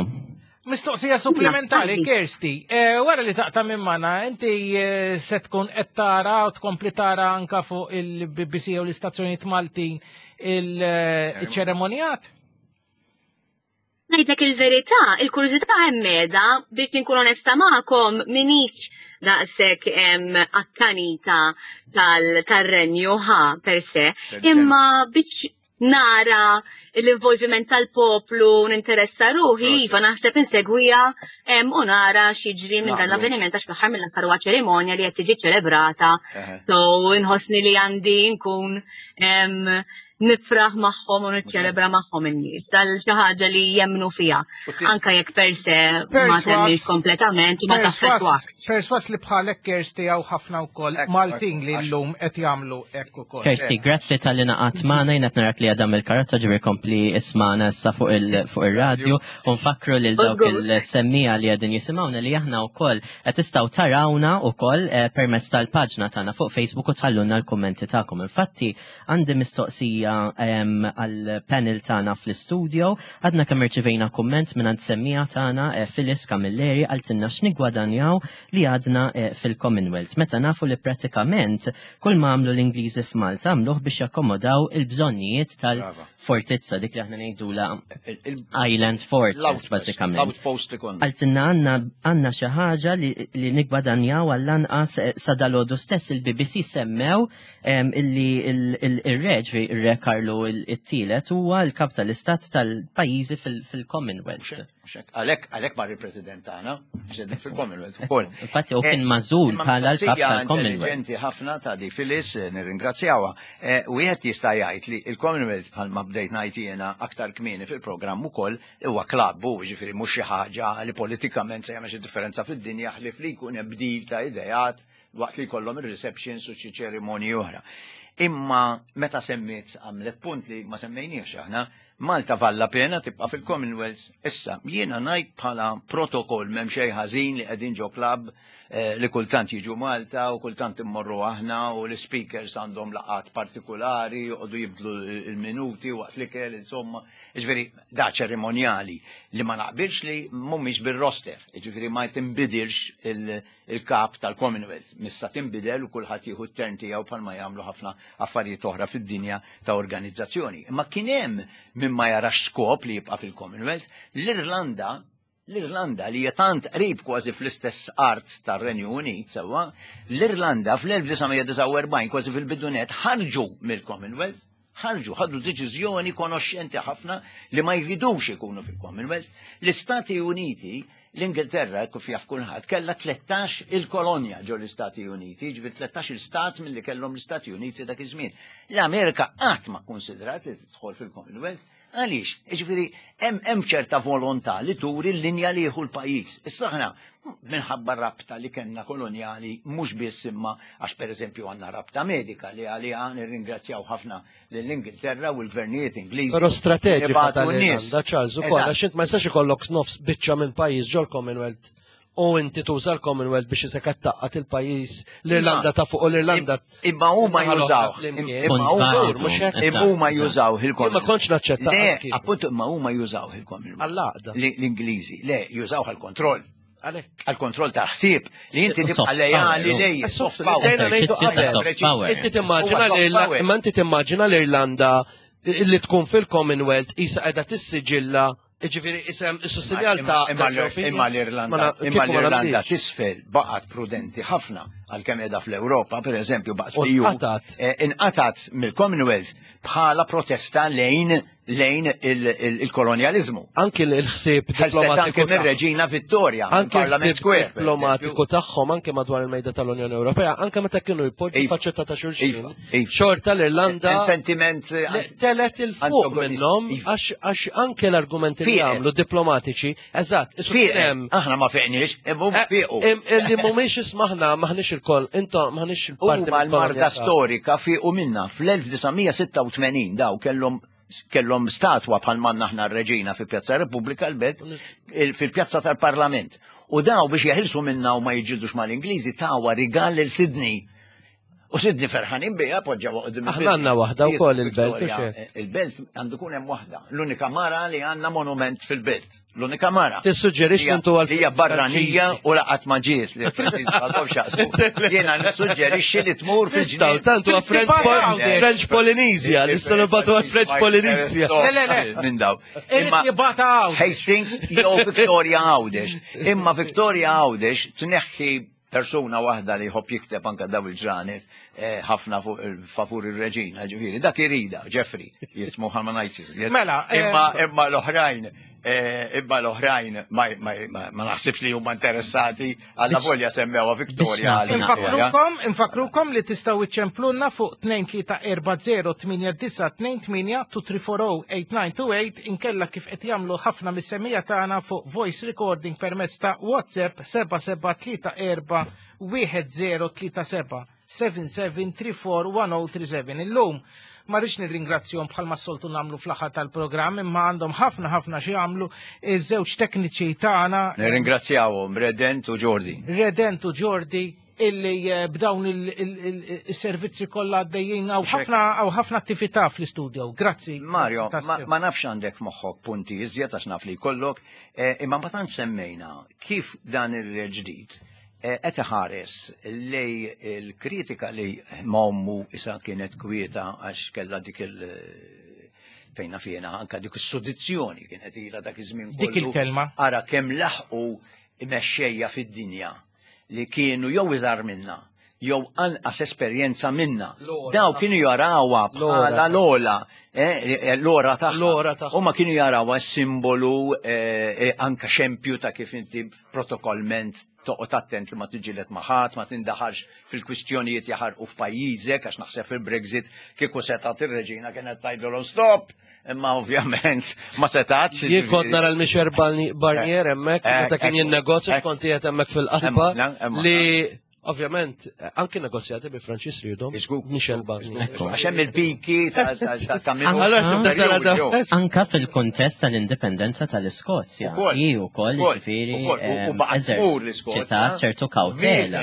Mistoqsija supplementari, Kirsti, eh, wara li taqta' minn mana, inti eh, se tkun qed tara u tkompli tara anka fuq il-BBC u l-istazzjonijiet Maltin il-ċeremonjat? Ngħidlek il-verità, il-kurżità hemm qiegħda biex inkun onesta magħkom minix daqshekk akkanita tal-renju ħa per se, imma biex nara l-involviment tal-poplu ninteressa ruħi, iva naħseb insegwija u nara x'jiġri minn dan l-avveniment għax fl-aħħar mill-aħħar huwa ċerimonja li qed tiġi ċelebrata. So inħossni li għandi nkun nifraħ magħhom u niċċelebra magħhom in-nies għal xi ħaġa li jemmnu fiha. Anka jekk per se ma temmix kompletament u ma taffettwak. Perswas li bħalek Kersti hawn ħafna wkoll Maltin li llum qed jagħmlu hekk ukoll. Kersti, grazzi tal-li naqat magħna jien qed narak li għadam il-karozza ġifieri kompli ismana issa fuq ir-radju u nfakru lil dawk il-semmija li qegħdin jisimgħuna li aħna wkoll qed tistgħu tarawna wkoll eh, permezz tal-paġna tagħna fuq Facebook u tħallulna l-kummenti tagħkom. Infatti għandi mistoqsija għall-panel tagħna fl-istudio. Għadna kemm irċivejna kumment minn semmija tagħna eh, Phyllis Camilleri għaltinna x'nigwadanjaw li għadna eh, fil-Commonwealth. Meta nafu li pratikament kull ma għamlu l-Ingliżi f'Malta għamluh biex jakkomodaw il-bżonnijiet tal-fortizza dik li aħna ngħidula Island Fortress bażikament. L-outpost li konna. Għaltinna għandna xi ħaġa li nigwadanjaw għall-anqas eh, sa dalodu stess il-BBC semmew illi il-re, ġifieri ir-re Karlu it-tielet huwa l-kap tal-istat tal-pajjiżi fil-Commonwealth. Għalhekk għalhekk mar il-President tagħna, għax fil-Commonwealth ukoll. Infatti u kien eh, mażul bħala l-kap tal-Commonwealth. Intelligenti ħafna ta' di Phyllis, eh, nirringrazzjawha. Eh, wieħed jista' jgħid li il-Commonwealth bħalma bdejt ngħid jiena aktar kmieni fil-programm ukoll huwa klabb u ġifieri mhux xi ħaġa li politikament se jagħmel xi differenza fid-dinja ħlief li jkun hemm bdil ta' ideat waqt li jkollhom ir-receptions u xi ċerimonji oħra. Imma meta semmiet għamlet punt li ma semmejniex aħna, Malta valla pena tibqa' fil-Commonwealth. Issa, jiena ngħid bħala protokoll m'hemm xejn ħażin li qegħdin ġo klabb eh, li kultant jiġu Malta u kultant immorru aħna u l-speakers għandhom laqat partikolari, joqogħdu jibdlu il-minuti waqt l-ikel, insomma. Ġifieri, da ċerimonjali li ma naqbilx li mhumiex bil-roster, ġifieri ma tinbidilx il- il-kap tal-Commonwealth. Missa tinbidel u kulħadd jieħu t-tern tiegħu bħalma jagħmlu ħafna affarijiet oħra fid-dinja ta' organizzazzjoni. Imma kien hemm min ma jarax skop li jibqa' fil-Commonwealth, l-Irlanda l-Irlanda li hija tant qrib kważi fl-istess art tar-Renju Unit sewwa, l-Irlanda fl-1949 kważi fil-bidunet ħarġu mill-Commonwealth, ħarġu, ħadu deċiżjoni konoxxenti ħafna li ma jridux ikunu fil-Commonwealth. L-Istati Uniti, l-Ingilterra, kif jaf kulħadd, kellha 13 il-kolonja ġo l-Istati Uniti, ġifier 13 il-stat milli kellhom l-Istati Uniti dak iż-żmien. L-Amerika qatt ma kkunsidrat li tidħol fil-Commonwealth. Għaliex? Jiġifieri hemm hemm ċerta volontà li turi l-linja li jieħu l-pajjiż. Issa aħna minħabba rabta li kellna kolonjali mhux biss imma għax pereżempju għandna rabta medika li għaliha nirringrazzjaw ħafna lill-Ingilterra u l-gvernijiet Ingliżi. Però strateġika tal-Irlanda, Charles, ukoll għax int ma jistax ikollok nofs biċċa minn pajjiż ġol Commonwealth u inti tuża l-Commonwealth biex isek taqqat il-pajjiż l-Irlanda ta' fuq u l-Irlanda. Imma huma jużaw. Imma huma jużaw il-Commonwealth. Ma kontx naċċetta. Le, appuntu imma huma jużaw il-Commonwealth. Għall-għaqda. L-Ingliżi, le, jużaw għall-kontroll. Għal-kontroll ta' ħsieb li inti tibqa' lejali lej. Soft power. Inti timmaġina imma inti timmaġina l-Irlanda li tkun fil-Commonwealth isa qiegħda tissiġilla Ġifieri isem is-sussidjal ta' Imma l-Irlanda, imma l-Irlanda tisfel baqgħet prudenti ħafna għalkemm qiegħda fl-Ewropa, pereżempju baqgħet fl-EU. Eh, inqatat mill-Commonwealth bħala protesta lejn lejn il-kolonjalizmu. Anki l-ħsieb diplomatiku. Anki mir-Reġina Vittoria, anki Parlament Square. Diplomatiku tagħhom anke madwar il-mejda tal-Unjoni Ewropea, anke meta kienu jpoġġu iva. faċċetta ta' xulxin. Iva, iva. Xorta l-Irlanda. Sentiment eh, telet il-fuq minnhom iva. għax anke l-argumenti li għamlu diplomatiċi, eżatt, Aħna ma fiqniex, imma eh, fiqu. Li mhumiex ismaħna maħniex il-koll, intom maħniex il-parti. Huma l-marda storika fiqu minna fl-1986 daw kellhom kellhom statwa bħal manna aħna r-reġina fi Pjazza Repubblika l-Belt fil-Pjazza tal-Parlament. U daw biex jeħilsu minna u ma jiġġildux mal-Ingliżi tawa rigal lil Sydney. U Sydney ferħanin biha poġġaw qudiem. Aħna għandna waħda wkoll il-belt. Eh, il-belt għandu kun hemm waħda. L-unika mara li għandna monument fil-belt. L-unika mara. Tissuġġerix intu għal. Hija barranija u laqat ma ġiet li Francis għandhom xaqsmu. Jiena nissuġġerixxi li tmur fil-ġnien. Tantu French Polynesia, nistgħu nibgħatu għal French Polynesia. Le, le, le. Minn daw. Imma Hastings jew Victoria Għawdex. Imma Victoria Għawdex tneħħi persuna waħda li jħobb jikteb anka daw il-ġranet eh, ħafna favur ir-reġina, ġifieri, dak irida, Jeffrey, jismu ħalma ngħidx Mela, eh, imma imma l-oħrajn eh, imma l-oħrajn ma naħsibx li huma interessati għalla volja semmewha Victoria. Infakrukom, infakrukom li tistgħu iċċemplunna fuq 2340 8928 2340 8928 inkella kif qed jagħmlu ħafna mis-semija tagħna fuq voice recording permezz ta' WhatsApp 7734 1037 77341037. Illum ma rridx nirringrazzjahom bħalma soltu nagħmlu fl-aħħar tal-programm imma għandhom ħafna ħafna xi jagħmlu iż-żewġ tekniċi tagħna. Nirringrazzjawhom Redent u Jordi. Redent u Jordi illi eh, b'dawn il-servizzi kollha għaddejjin hawn ħafna hawn ħafna attività fl-istudio. Grazzi. Mario, ma nafx għandek moħħok punti iżjed għax naf li jkollok, eh, imma ma tantx semmejna kif dan il-ġdid eh, qed iħares lej il-kritika li ma ommu isa kienet kwieta għax kellha dik il- fejna fjena anka dik is-sodizzjoni kienet ilha dak iż-żmien Dik il-kelma. Ara kemm laħqu mexxejja fid-dinja li kienu jew iżgħar minna jew anqas esperjenza minna. Daw kienu jarawha bħala l-ola, eh, eh, l-ora tagħha. Huma kienu jarawha simbolu eh, anka xempju ta' kif inti protokollment toqgħod attent li ma tiġilet ma' ħadd, ma tindaħalx fil-kwistjonijiet jaħarqu f'pajjiżek għax naħseb fil-Brexit kieku setgħet ir-reġina kienet tgħidilhom stop. Imma ovvjament ma setax. Jien kont nara l-Michel Barnier hemmhekk meta kien jinnegozja kont qiegħed hemmhekk fil-qalba li ovvjament anki negozjati bi Franċis rridhom Michel Barnier. Għax hemm il-piki ta' Anka fil-kuntest tal-indipendenza tal-Iskozja. Hi wkoll ġifieri. U baqgħet tmur l-Iskozja. ċertu kawtela.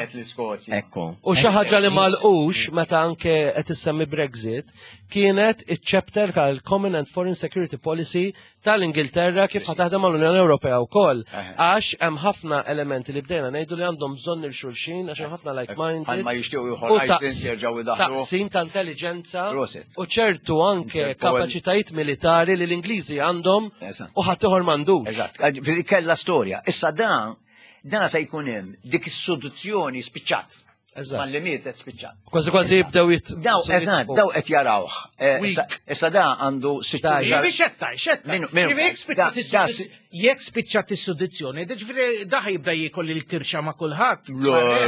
Ekku. U xi ħaġa li malqux meta anke qed issemmi Brexit kienet iċ-chapter tal-Common and Foreign Security Policy tal-Ingilterra kif ħataħdem mal-Unjoni Ewropea wkoll. Għax hemm ħafna elementi li bdejna ngħidu li għandhom bżonn il xulxin għax hemm ħafna like-minded. Ma jixtiequ jerġgħu idaħħlu. Taqsim ta' intelligenza u ċertu anke kapaċitajiet militari li l-Ingliżi għandhom u ħadd ieħor m'għandux. Eżatt, kellha storja. Issa dan dan se jkun hemm dik is-soluzzjoni spiċċat. Malli mietet spiċċat. Kważi kważi jibdew jit. Daw, eżatt, daw qed jarawh. Eh, issa da għandu sitt. Xetta, xetta. Jekk spiċċat is-sudizzjoni, ġifieri da jibda jiekol il-kirxa ma' kulħadd.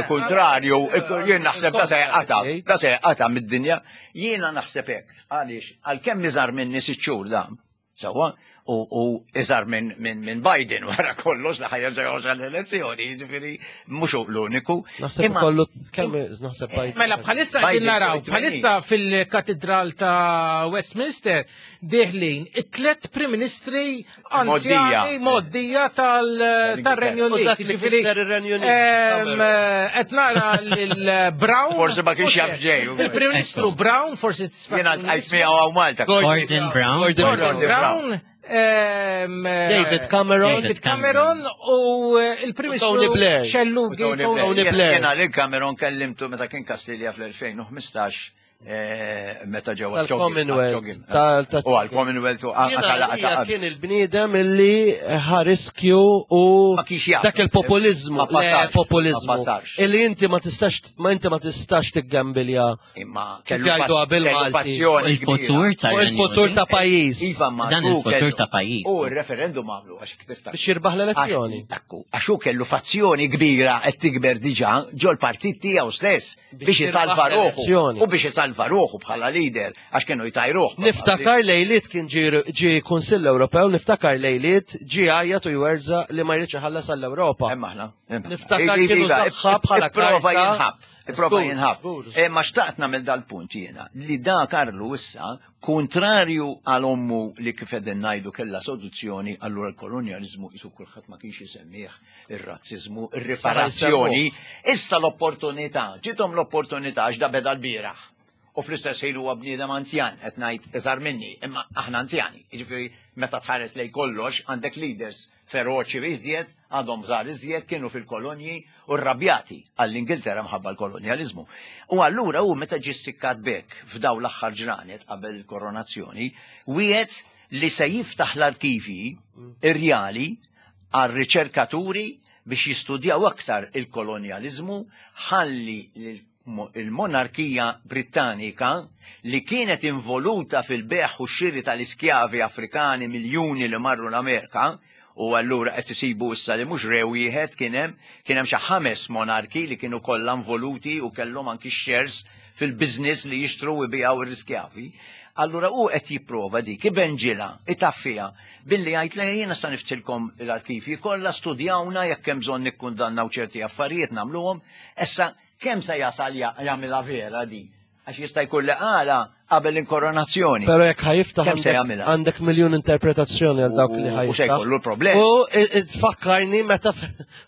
Kontrarju, jien naħseb da se jqata, da se jqata mid-dinja. Jiena naħseb hekk, għaliex għalkemm iżgħar minni sitt xhur da. Sewwa, u iżgħar minn Biden wara kollox li ħajja ġew l-elezzjoni, jiġifieri mhux hu l-uniku. Naħseb kollu kemm naħseb Biden. Mela bħalissa qegħdin naraw, bħalissa fil-katedral ta' Westminster deħlin it-tlet Prim Ministri anzjani moddija tal-Renju Unit. Jiġifieri qed nara lil Brown. Forsi ma kienx jaf ġej. Il-Prim Ministru Brown forsi Jena għajt miegħu għaw Malta. Gordon Brown. Gordon Brown. David Cameron. David Cameron u eh, il-Prim Tony Blair. Xellugi. Tony Blair. Jena li Cameron kellimtu meta kien Kastilja fl-2015. Eh, meta ġew Tal-Commonwealth. U għal-Commonwealth u għal Kien il-bniedem illi ħa riskju u dak il-populizmu. Populizmu. Illi inti ma tistax ma inti ma tistax tiggambilja. Imma kellu jgħidu qabel passjoni. Il-futur ta' il-futur ta' pajjiż. Iva ma dan il-futur ta' pajjiż. U il-referendum għamlu għax tiftakar. Biex jirbaħ l-elezzjoni. Għax hu kellu fazzjoni kbira qed tikber diġà ġol-partit tiegħu stess. biex isalva ruħu u biex isalva ruħu bħala leader għax kienu jtajruh. Niftakar lejliet kien ġi Kunsill Ewropew, niftakar lejliet ġi għajjat u jwerza li ma jridx iħallas għall-Ewropa. Hemm aħna. Niftakar kienu saħħa bħala prova jinħab. Prova jinħab. E, ma xtaqt nagħmel dal-punt jiena li da Karlu issa kontrarju għal ommu li kif qegħdin ngħidu kellha soluzzjoni allura l-kolonjaliżmu isu kulħadd ma kienx isemmih ir-razziżmu, ir-riparazzjoni, issa l-opportunità, ġiethom l-opportunità għax da beda l-bieraħ. U fl-istess ħin huwa bniedem anzjan, qed ngħid iżgħar minni, imma aħna anzjani. Jiġifieri meta tħares lej kollox għandek leaders feroċi iżjed, għadhom żgħar iżjed, kienu fil-kolonji u rrabjati għall-Ingilterra mħabba l-kolonjaliżmu. U allura hu meta ġie ssikkat b'hekk f'dawn l-aħħar ġranet qabel il-koronazzjoni, wiegħed li se jiftaħ l-arkivji irjali għar-riċerkaturi biex jistudjaw aktar il-kolonjaliżmu ħalli l-monarkija Brittanika li kienet involuta fil-bejgħ u x-xiri tal-iskjavi Afrikani miljuni li marru l-Amerika u allura qed isibu issa li mhux re wieħed kien hemm, kien hemm xi ħames monarki li kienu kollha involuti u kellhom anki shares fil-business li jixtru u jbigħu l-iskjavi. Allura hu qed jipprova dik ibenġilha, itaffiha Billi jgħid le jiena sa niftilkom l-arkivji kollha studjawna jekk hemm bżonn nikkundannaw ċerti affarijiet nagħmluhom, issa kemm se jasal jagħmilha vera di? Għax jista' jkun li qala qabel l-inkoronazzjoni. Però jekk ħajiftaħ għandek miljun interpretazzjoni għal dawk li ħajiftaħ. U se jkollu l-problemi. U tfakkarni meta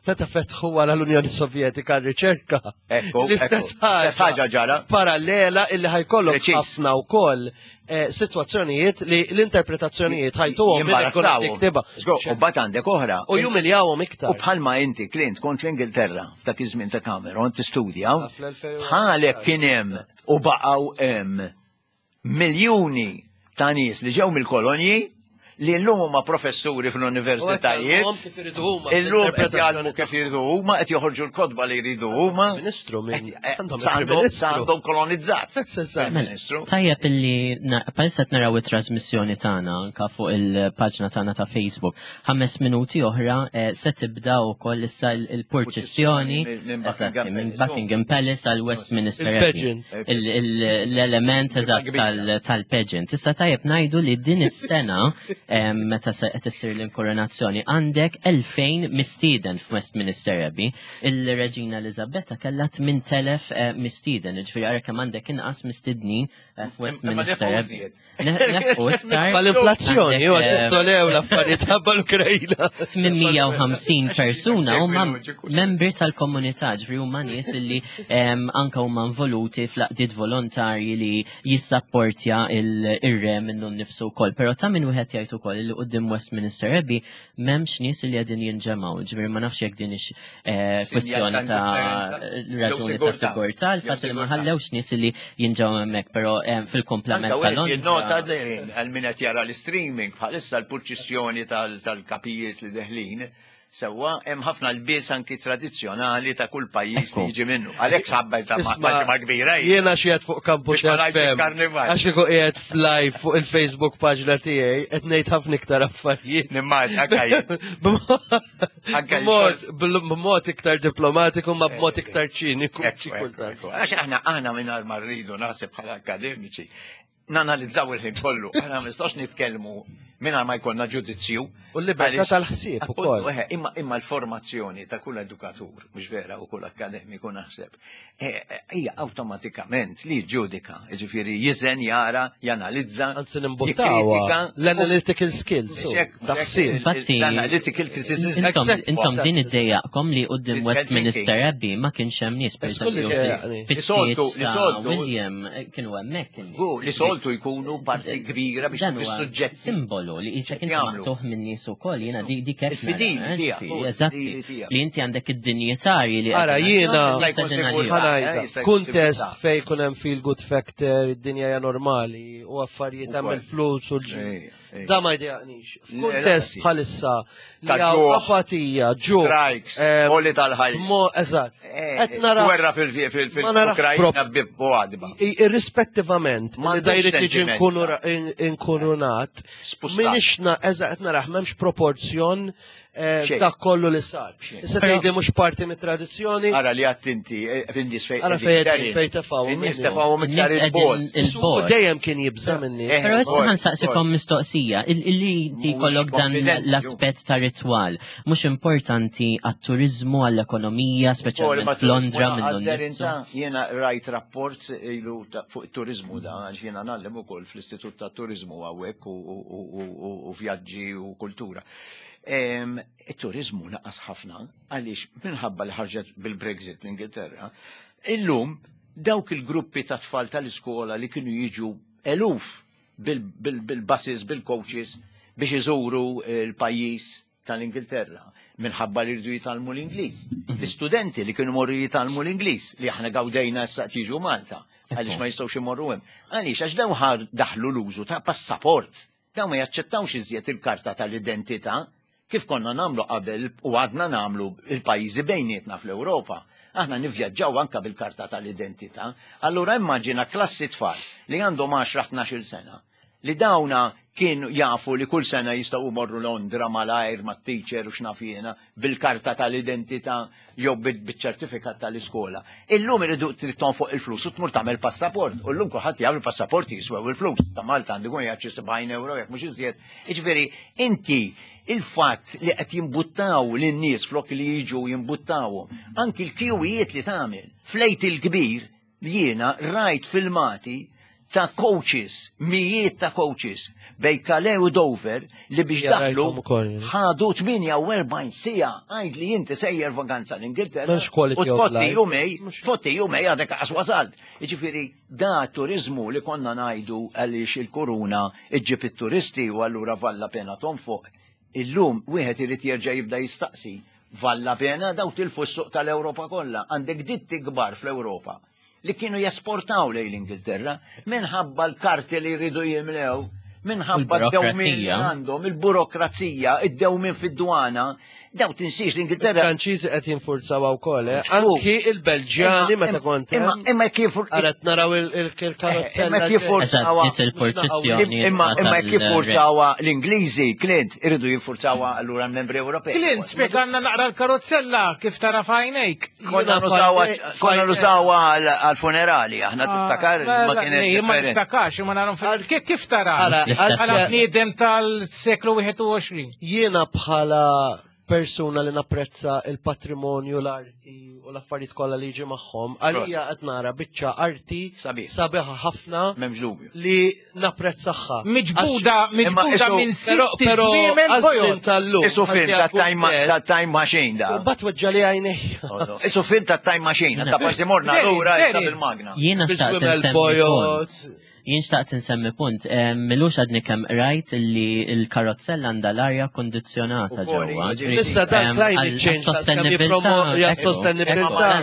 meta fetħu wara l-Unjoni Sovjetika r-riċerka. Ekku, l-istess ħaġa ġara. Parallela illi ħajkollok ħafna wkoll Eh, situazzjonijiet li l-interpretazzjonijiet ħajtuhom jimbarazzaw. U bat għandek oħra. U jumiljawhom iktar. U bħalma inti Clint kont l-Ingilterra f'dak iż-żmien ta' Cameron tistudja, bħalek kien hemm u baqgħu hemm miljuni ta' nies li ġew mill-kolonji li llum huma professuri fl-universitajiet. Illum qed jgħallmu kif jridu huma, qed joħorġu l-kotba li jridu huma. Ministru minn eh, għandhom kolonizzat. Mela, tajjeb illi palissa qed naraw it-trasmissjoni tagħna anka fuq il-paġna tagħna ta' Facebook. 5 minuti oħra eh, se tibda wkoll issa il-purċissjoni minn Buckingham Palace għal Westminster L-element eżatt tal-pageant. Issa tajjeb ngħidu li din is-sena meta se qed issir l-inkoronazzjoni għandek 2000 mistieden f'Westminster Abbey. Il-Reġina Eliżabetta kellha 8000 eh, mistieden, jiġifieri ara kemm għandek inqas mistednin eh, f'Westminster Abbey. Mal-inflazzjoni, u għax solew l-affarijiet ħabba l-Ukrajna. 850 persuna huma membri tal-komunità, ġifieri huma nies li anka huma involuti fl-aqdiet volontarji li jissapportja il-re minnu nnifsu wkoll. Però ta' min wieħed jgħid ukoll li quddiem Westminster Abbey m'hemmx nies li qegħdin jinġemgħu, ġifieri ma nafx jekk din ix eh, kwestjoni ta' raġuni ta' sigurtà, il-fatt li ma ħallewx nies li jinġemgħu hemmhekk, però eh, fil-komplement tal Nota għal min qed jara l-streaming bħalissa l-purċissjoni tal-kapijiet li deħlin Sewwa, hemm ħafna lbies anki tradizzjonali ta' kull pajjiż li jiġi minnu. Għalhekk ħabba ta' ġimgħa kbira. Jiena xi qed fuq Campus FM. Għax kieku qiegħed f'live fuq il-Facebook paġna tiegħi qed ngħid ħafna iktar affarijiet. Nimmaġ, anke B'mod iktar diplomatiku ma b'mod iktar ċiniku. Għax aħna aħna mingħajr ma rridu naħseb bħala akademiċi nanalizzaw il-ħin kollu, aħna ma nistax nitkellmu mingħajr ma jkollna ġudizzju. U l-libertà tal-ħsieb ukoll. Imma imma l-formazzjoni ta' kull edukatur, mhux vera, u kull akkademiku naħseb, eh, eh, hija awtomatikament li ġudika, jiġifieri jiżen, jara, janalizza. Anzi nimbuttawha l-analytical skills. Taħsib. L-analytical criticism. Intom din iddejjaqkom li qudiem Westminster Abbey ma kienx hemm nies pereżempju. Li soltu William eh, kienu hemmhekk. Li soltu jkunu parti kbira biex suġġett. Simbolu. simbolu li qisek inti maqtugħ minn nies ukoll jiena dik hekk. Il-fidili tiegħek. Eżatti. Li inti għandek id-dinjitarji li Ara jiena kuntest fejn kun hemm feel good factor, id-dinja hija normali u affarijiet hemm il-flus u l-ġid. Da ma jdejaqnix. F'kuntest bħalissa li hawn apatija, ġuħ. Strikes, għoli tal-ħajja. Eżatt. Qed nara. Gwerra fil-Ukrajna bibbu għadba. Irrispettivament li da jrid jiġi inkurunat, minix eżatt qed naraħ m'hemmx proporzjon dak kollu li sar. Issa tgħidli mhux parti mit-tradizzjoni. Ara li għadt inti fin-nies fejn. Ara fejn fejn tefgħu. In-nies tefgħuhom iktar il-bogħod. Dejjem kien jibża' minni. Però issa ħa nsaqsikom mistoqsija, illi inti jkollok dan l-aspett ta' ritwal, mhux importanti għat-turiżmu, għall-ekonomija, speċjalment f'Londra minnu nnifsu. Jiena rajt rapport ilu fuq it-turiżmu da, għax jiena ngħallem ukoll fl-Istitut tat-Turiżmu hawnhekk u vjaġġi u kultura. It-turizmu naqas ħafna għaliex minħabba li ħarġet bil-Brexit l-Ingilterra, illum dawk il-gruppi ta' tfal tal-iskola li kienu jiġu eluf bil-buses, bil-coaches biex iżuru l-pajjiż tal-Ingilterra minħabba li rridu jitgħallmu l-Ingliż. L-istudenti li kienu morru jitgħallmu l-Ingliż li aħna gawdejna issa jiġu Malta għaliex ma jistgħux imorru hemm. Għaliex għax dawn daħlu l-użu ta' passaport. Dawn ma jaċċettawx iżjed il-karta tal-identità kif konna nagħmlu qabel u għadna nagħmlu il-pajjiżi bejnietna fl-Ewropa. Aħna nivvjaġġaw anka bil-karta tal-identità. Allura immaġina klassi tfal li għandhom 10-12 sena li dawna kienu jafu li kull sena jistgħu jmorru Londra malajr mat-teacher u x'naf jiena bil-karta tal-identità jew biċ-ċertifikat tal-iskola. Illum iridu trid tonfoq il-flus u tmur tagħmel passaport. U llum kulħadd jaf il-passaporti jiswew il-flus. Ta' Malta għandu jkun jgħid xi 70 euro jekk mhux iżjed. Jiġifieri inti il-fatt li qed jimbuttaw lin-nies flok li jiġu jimbuttawhom, anki l-kjuwijiet li tagħmel fl-Għid il-Kbir Jiena rajt filmati ta' coaches, mijiet ta' coaches, bej Calais u Dover li biex daħlu ħadu 48 sija għajd li inti sejjer vaganza l-Ingilterra u tfotti jumej, tfotti jumej għadek għas wasalt. Jiġifieri da turizmu li konna ngħidu għaliex il-kuruna iġġib it-turisti u allura valla pena tonfoq. Illum wieħed irid jerġa' jibda jistaqsi Valla pena daw tilfu s-suq tal-Ewropa kollha. Għandek ditti kbar fl-Ewropa li kienu jesportaw lejn l-Ingilterra minħabba l-karti li jridu jimlew, minħabba d-dewmien li għandhom, il-burokrazija, id-dewmien fid-dwana. Daw tinsiex l-Ingilterra. Franċiżi qed jinfurzaw wkoll, eh? Anki il-Belġjani meta kont. Imma kif Qaret naraw il-karozzella. Imma kif forzawa. Imma imma kif forzawa l-Ingliżi, Clint, iridu jinfurzawa allura l-membri Ewropej. Clint, spjegalna naqra l-karozzella kif tara f'għajnejk. Konna nużawha għal-funerali, aħna ah, tiftakar ma kienet. Ma niftakarx, ma narom kif tara? Bħala bniedem tal-seklu 21. Jiena bħala persuna li napprezza il-patrimonju, l-arti u l-affarijiet kollha li jiġi magħhom, għalija qed nara biċċa arti sabiħa ħafna li napprezzaha. Miġbuda, miġbuda minn sitt żwiemel bojod. tal-lum. Isu film ta' time machine da. U bat weġġa li għajnejja. Isu film ta' time machine, ta' parsi morna lura issa bil-magna. Jiena xtaqt insemmi Jien xtaqt insemmi punt, milux għadni kemm rajt li l-karozzella għandha l-arja kondizzjonata ġewwa. Issa dan climate change sostenibilità.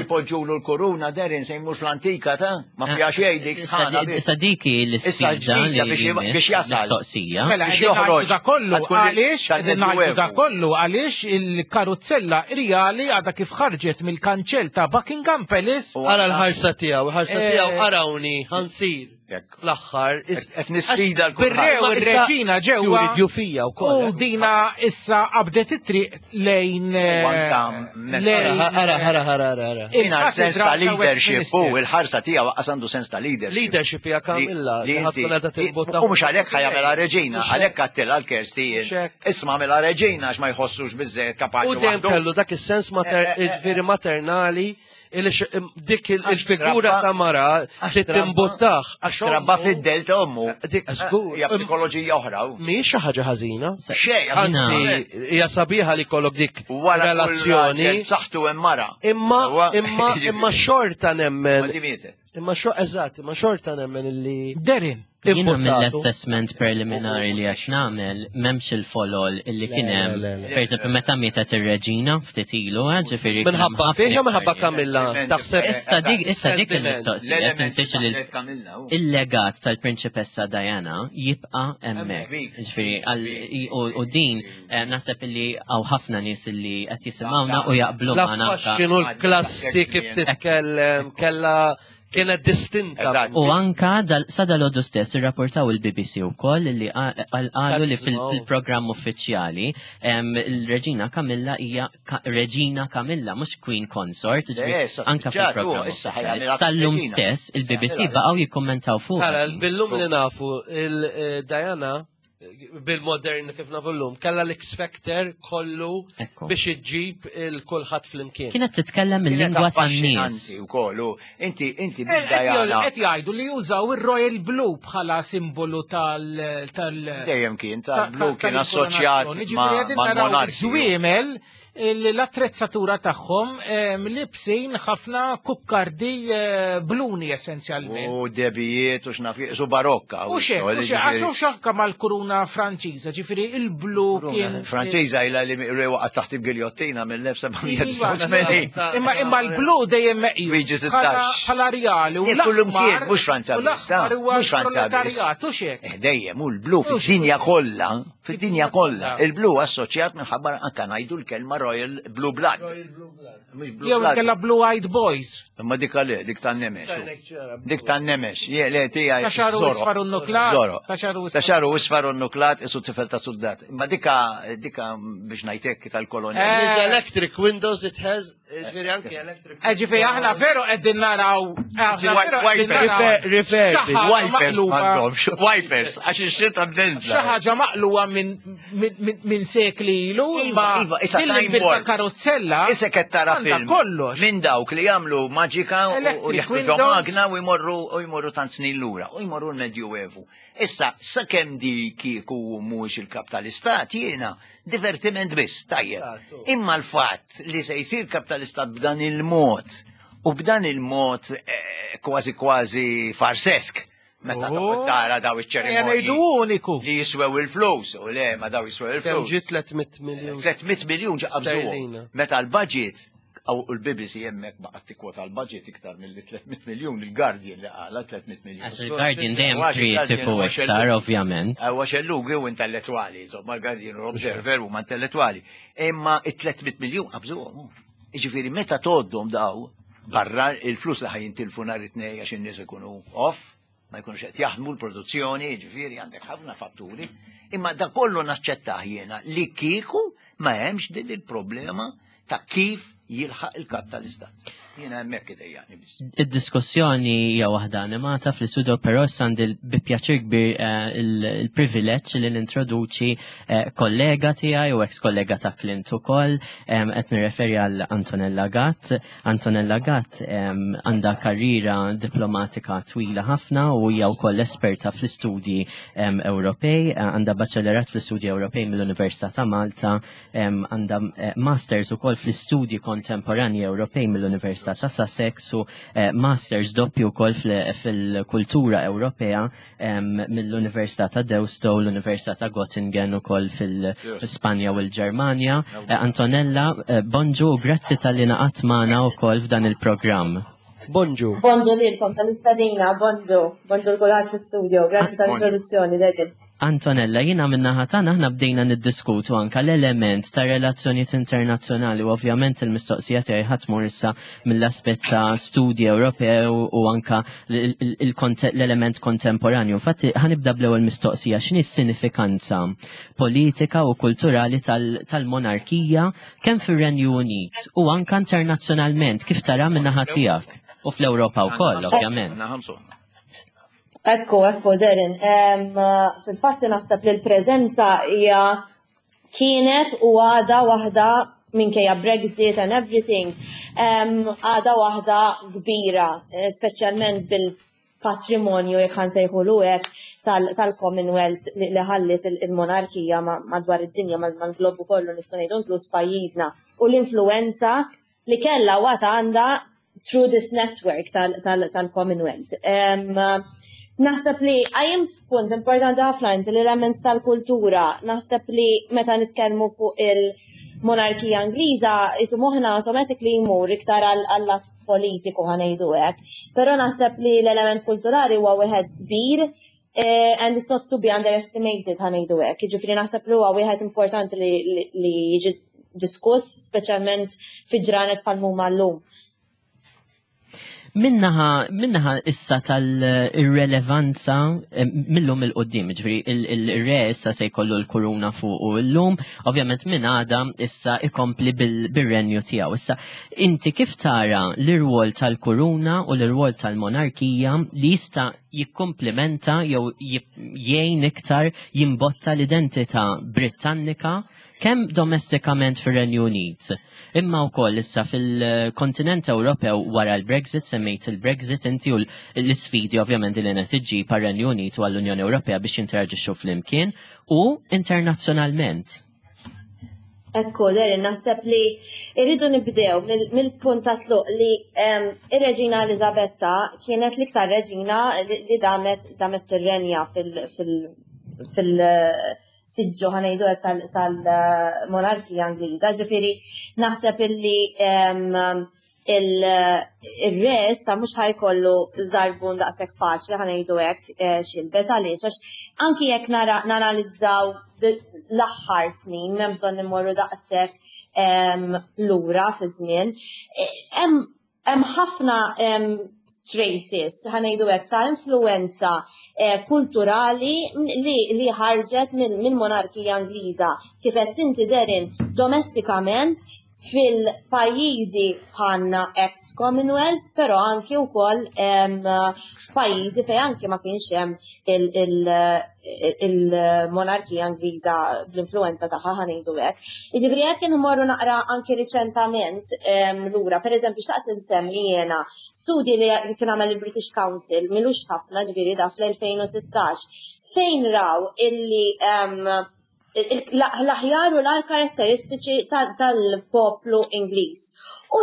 Poġġulu l-kuruna derin se jmur fl-antika ta' ma fiha xejn dik sħana. Issa dik hi l-isfida li biex jasal. Mistoqsija. Mela biex joħroġ. Da kollu għaliex ngħidu da kollu għaliex il-karozzella rjali għadha kif ħarġet mill-kanċell ta' Buckingham Palace. Ara l-ħarsa tiegħu, ħarsa tiegħu arawni ħansir. Fl-aħħar. Qed nisfida l Bir-re u r-reġina ġewwa. Jufija wkoll. U dina issa qabdet it-triq lejn. Eh, ara, ara, ara, ara. Il-sens ta' leadership u il-ħarsa tiegħu waqqas għandu sens ta' leadership. Leadership hija Kamilla li ħatkun qiegħda timbutta. U mhux għalhekk ħajamela reġina, għalhekk għattilha l-Kersti. Isma' għamilha reġina għax ma jħossux biżżejjed kapaċi. U dejjem kellu dak is-sens eh, eh, maternali dik il-figura ta' mara li timbuttaħ. Għax trabba fid-del ta' ommu. Dik żgur. Hija psikoloġija oħra. Mhijiex xi ħaġa ħażina. Xejn. Hija sabiħa li kollok dik relazzjoni. Saħtu hemm mara. Imma imma imma xorta nemmen. Imma xo eżatt, imma xorta nemmen illi. Derin. Jiena mill-assessment preliminari li għax nagħmel m'hemmx il-folol illi kien hemm. Per eżempju, meta mietet ir-reġina ftit ilu, eh, ġifieri. Minħabba fih jew minħabba Kamilla? Taħseb. Issa dik issa dik il-mistoqsija tinsiex li il-legat tal-Prinċipessa Diana jibqa' hemmhekk. Ġifieri u din eh, naħseb illi hawn ħafna nies illi qed jisimgħuna u jaqblu magħna. X'inhu l-klassi kif titkellem kellha Kienet distinta. U anka sa dal-għodu stess irrapportaw il-BBC wkoll li qalu li fil-programm uffiċjali il-Reġina Kamilla hija Reġina Kamilla mhux Queen Consort, anka fil-programm. Sal-lum stess il-BBC baqgħu jikkummentaw fuq. Ara, bil-lum li nafu il-Diana bil-modern kif nafu llum, kellha l-X Factor kollu biex iġġib il-kulħadd flimkien. Kienet titkellem il-lingwa tan-nies. Ukoll, inti inti biex Diana. Qed jgħidu li jużaw ir-Royal Blue bħala simbolu tal Dejjem kien tal-blu kien assoċjat ma' Żwiemel l-attrezzatura tagħhom libsin ħafna kukkardi eh, bluni essenzjalment. U debijiet u x'naf su barokka. U xek, u xek, għax u xanka mal-kuruna Franċiża, ġifieri il-blu kien. Franċiża ilha li waqgħet taħt il-giljottina mill-1789. Imma imma l-blu dejjem meqjus. Bħala rjali u l kien mhux Franza biss, mhux Franza biss. Eh, dejjem u l-blu fid-dinja kollha Fid-dinja kollha, il-blu assoċjat minħabba anka ngħidu l-kelma Royal Blue Blood. Mhux Blue Blood. Jew Blue Eyed Boys. Imma dik għal dik tan-nemex. Dik tan-nemex, je le tiegħi. Ta' xaru isfar u nuklat. Ta' xaru isfar u nuklat isu tifel ta' soldat. Imma dika dika biex ngħidlek tal-kolonja. Eh. Electric windows it has Ġifieri anke electric. Eh, ġifieri aħna veru qegħdin naraw. Wipers m'għandhomx, wipers, għax ix-xita bdenza. Xi ħaġa maqluwa minn sekli ilu, iva, iva, issa time karozzella. Issa qed tara film. Kollox. Minn dawk li jagħmlu maġika u jaħdu magna u jmorru u jmorru tant snin lura u jmorru l-Medjuevu. Issa, sakemm di kieku mhuwiex il-kap tal-istat jiena divertiment biss, tajjeb. Imma l-fatt li se jsir kap tal-istat b'dan il-mod u b'dan il-mod eh, kważi kważi farsesk meta oh. tara daw iċ-ċerimonji. uniku. Li jiswew il-flus, u le, ma daw jiswew il-flus. Kemm ġi 300 miljun. 300 miljun ġaqabżu. Meta l-budget Aw il-BBC hemmhekk baqgħet tikkwota l-budget iktar milli 300 miljun il-Guardian li qala 300 miljun. Għax il-Guardian dejjem kritiku iktar ovvjament. Huwa xellugi u intellettwali, insomma l-Guardian u l-Observer huma intellettwali. Imma it-300 miljun qabżuhom. Jiġifieri meta tgħoddhom daw barra il-flus li ħajintilfu nhar it-tnejn għax in-nies ikunu off, ma jkunux qed jaħdmu l-produzzjoni, jiġifieri għandek ħafna fatturi, imma da kollu naċċettah jiena li kieku ma hemmx din il-problema ta' kif jilħaq il-kap tal-istat. Jiena hemmhekk idejjaqni biss. Id-diskussjoni hija waħda animata fl-istudio, però issa għandi bi pjaċir kbir eh, il-privileġġ li nintroduċi eh, kollega tiegħi u ex kollega ta' Clint ukoll, qed nirreferi għal Antonella Gatt. Antonella Gatt għandha karriera diplomatika twila ħafna u hija wkoll esperta fl-istudji Ewropej, għandha baċellerat fl-istudji Ewropej mill-Università ta' Malta, għandha eh, masters ukoll fl-istudji kontemporanji Ewropej mill-Università ta' Sussex u eh, masters doppju wkoll fil-kultura Ewropea mill-Università ta' Deusto, l-Università ta' Göttingen ukoll fil-Spanja u l-Ġermanja. Eh, Antonella, eh, bonġu u grazzi tal-li naqat magħna wkoll f'dan il-programm. Bonġu. Bonġu lilkom tal-istadina, bonġu. Bonġu l-kulħadd fl-studio, grazzi tal-introduzzjoni, David. Antonella, jina minnaħa tagħna aħna bdejna niddiskutu anka l-element ta' relazzjonijiet internazzjonali u ovvjament il-mistoqsija tiegħi ħadd tmur issa mill-aspett ta' studji Ewropew u anka l-element kontemporanju. Infatti ħanibda bl-ewwel mistoqsija x'inhi s-sinifikanza politika u kulturali tal-monarkija kemm fir-Renju Unit u anka internazzjonalment kif tara min-naħa tiegħek u fl-Ewropa wkoll ovvjament. Ekku, ekku, Darren. Fil-fatt naħseb li l-preżenza hija kienet u għada waħda minkejja Brexit and everything, għada waħda kbira, eh, speċjalment bil-patrimonju jekk ħansejħulu hekk tal-Commonwealth li ħallit il-monarkija madwar id-dinja mal-globu kollu nistgħu ngħidu inkluż pajjiżna u l-influenza li kellha u għad għandha through this network tal-Commonwealth. Naħseb li għajimt punt importanti ħafna inti l-element tal-kultura. Naħseb li meta nitkellmu fuq il-monarkija Ingliża, isu moħħna automatically jmur iktar għall-lat politiku ħanejdu hekk. Però naħseb li l-element kulturali huwa wieħed kbir eh, and it's not to be underestimated ħanejdu hekk. Jiġifieri naħseb li huwa wieħed importanti li jiġi diskuss, speċjalment fi ġranet bħal huma llum. Minnaħa, minnaħa issa tal-irrelevanza eh, millum il-qoddim, ġviri il-re issa se jkollu l-kuruna fuq u l-lum, ovvjament minn għada issa ikompli bil-renju tiegħu. Issa, inti kif tara l-irwol tal-kuruna u l-irwol tal-monarkija li jista' jikkomplementa jew jgħin iktar jimbotta l-identità Britannika kemm domestikament fir-Renju Unit, imma wkoll issa fil-kontinent Ewropew wara l-Brexit, semmejt il-Brexit inti u l-isfidi ovvjament li qed iġġib għar-Renju Unit u għall-Unjoni Ewropea biex jinteraġixxu flimkien u internazzjonalment. Ekku, Darren, naħseb li irridu nibdew mill-punt ta' tluq li ir-Reġina Eliżabetta kienet l-iktar reġina li damet damet tirrenja fil-siġġu ħanejdu hekk tal-monarkija Ingliża. Ġifieri naħseb illi il-re issa mhux ħajkollu żarbun daqshekk faċli ħanejdu hekk eh, xilbes għaliex għax anki jekk nanalizzaw l-aħħar snin m'hemm bżonn immorru daqshekk lura fi żmien. Eh, hemm ħafna traces, ħanejdu hekk, ta' influenza eh, kulturali li, li ħarġet mill-monarkija Ingliża kif qed inti derin domestikament fil-pajjiżi bħalna ex-Commonwealth, però anki wkoll f'pajjiżi fejn anki ma kienx hemm il-monarkija Ingliża bl-influenza tagħha ħanejdu hekk. Jiġifieri jekk inmorru naqra anki riċentament lura, pereżempju xtaqt insemmi jiena studji li kien għamel il-British Council milux ħafna ġifieri da fl-2016 fejn raw illi l-aħjar u l-agħar karatteristiċi tal-poplu Ingliż. U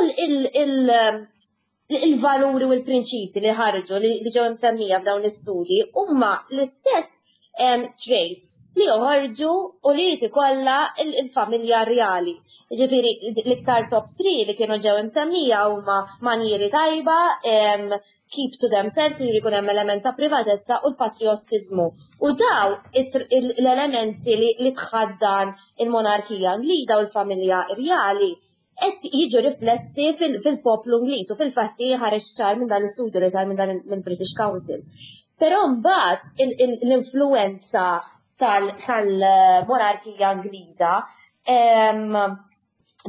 il-valuri u l-prinċipi li ħarġu li ġew imsemmija f'dawn l-istudji huma l-istess traits li joħorġu u li jrid ikollha il-familja rjali. Ġifieri l-iktar top 3 li kienu ġew imsemmija huma manjieri tajba, keep to themselves, jiġifieri jkun hemm element ta' privatezza u l-patriottiżmu. U daw l-elementi li tħaddan il-monarkija Ingliża u l-familja rjali qed jiġu riflessi fil-poplu Ingliż u fil-fatti ħareġ ċar minn dan l-istudju li sar minn dan mill-British Council. Però mbagħad l-influenza tal-monarkija Ingliża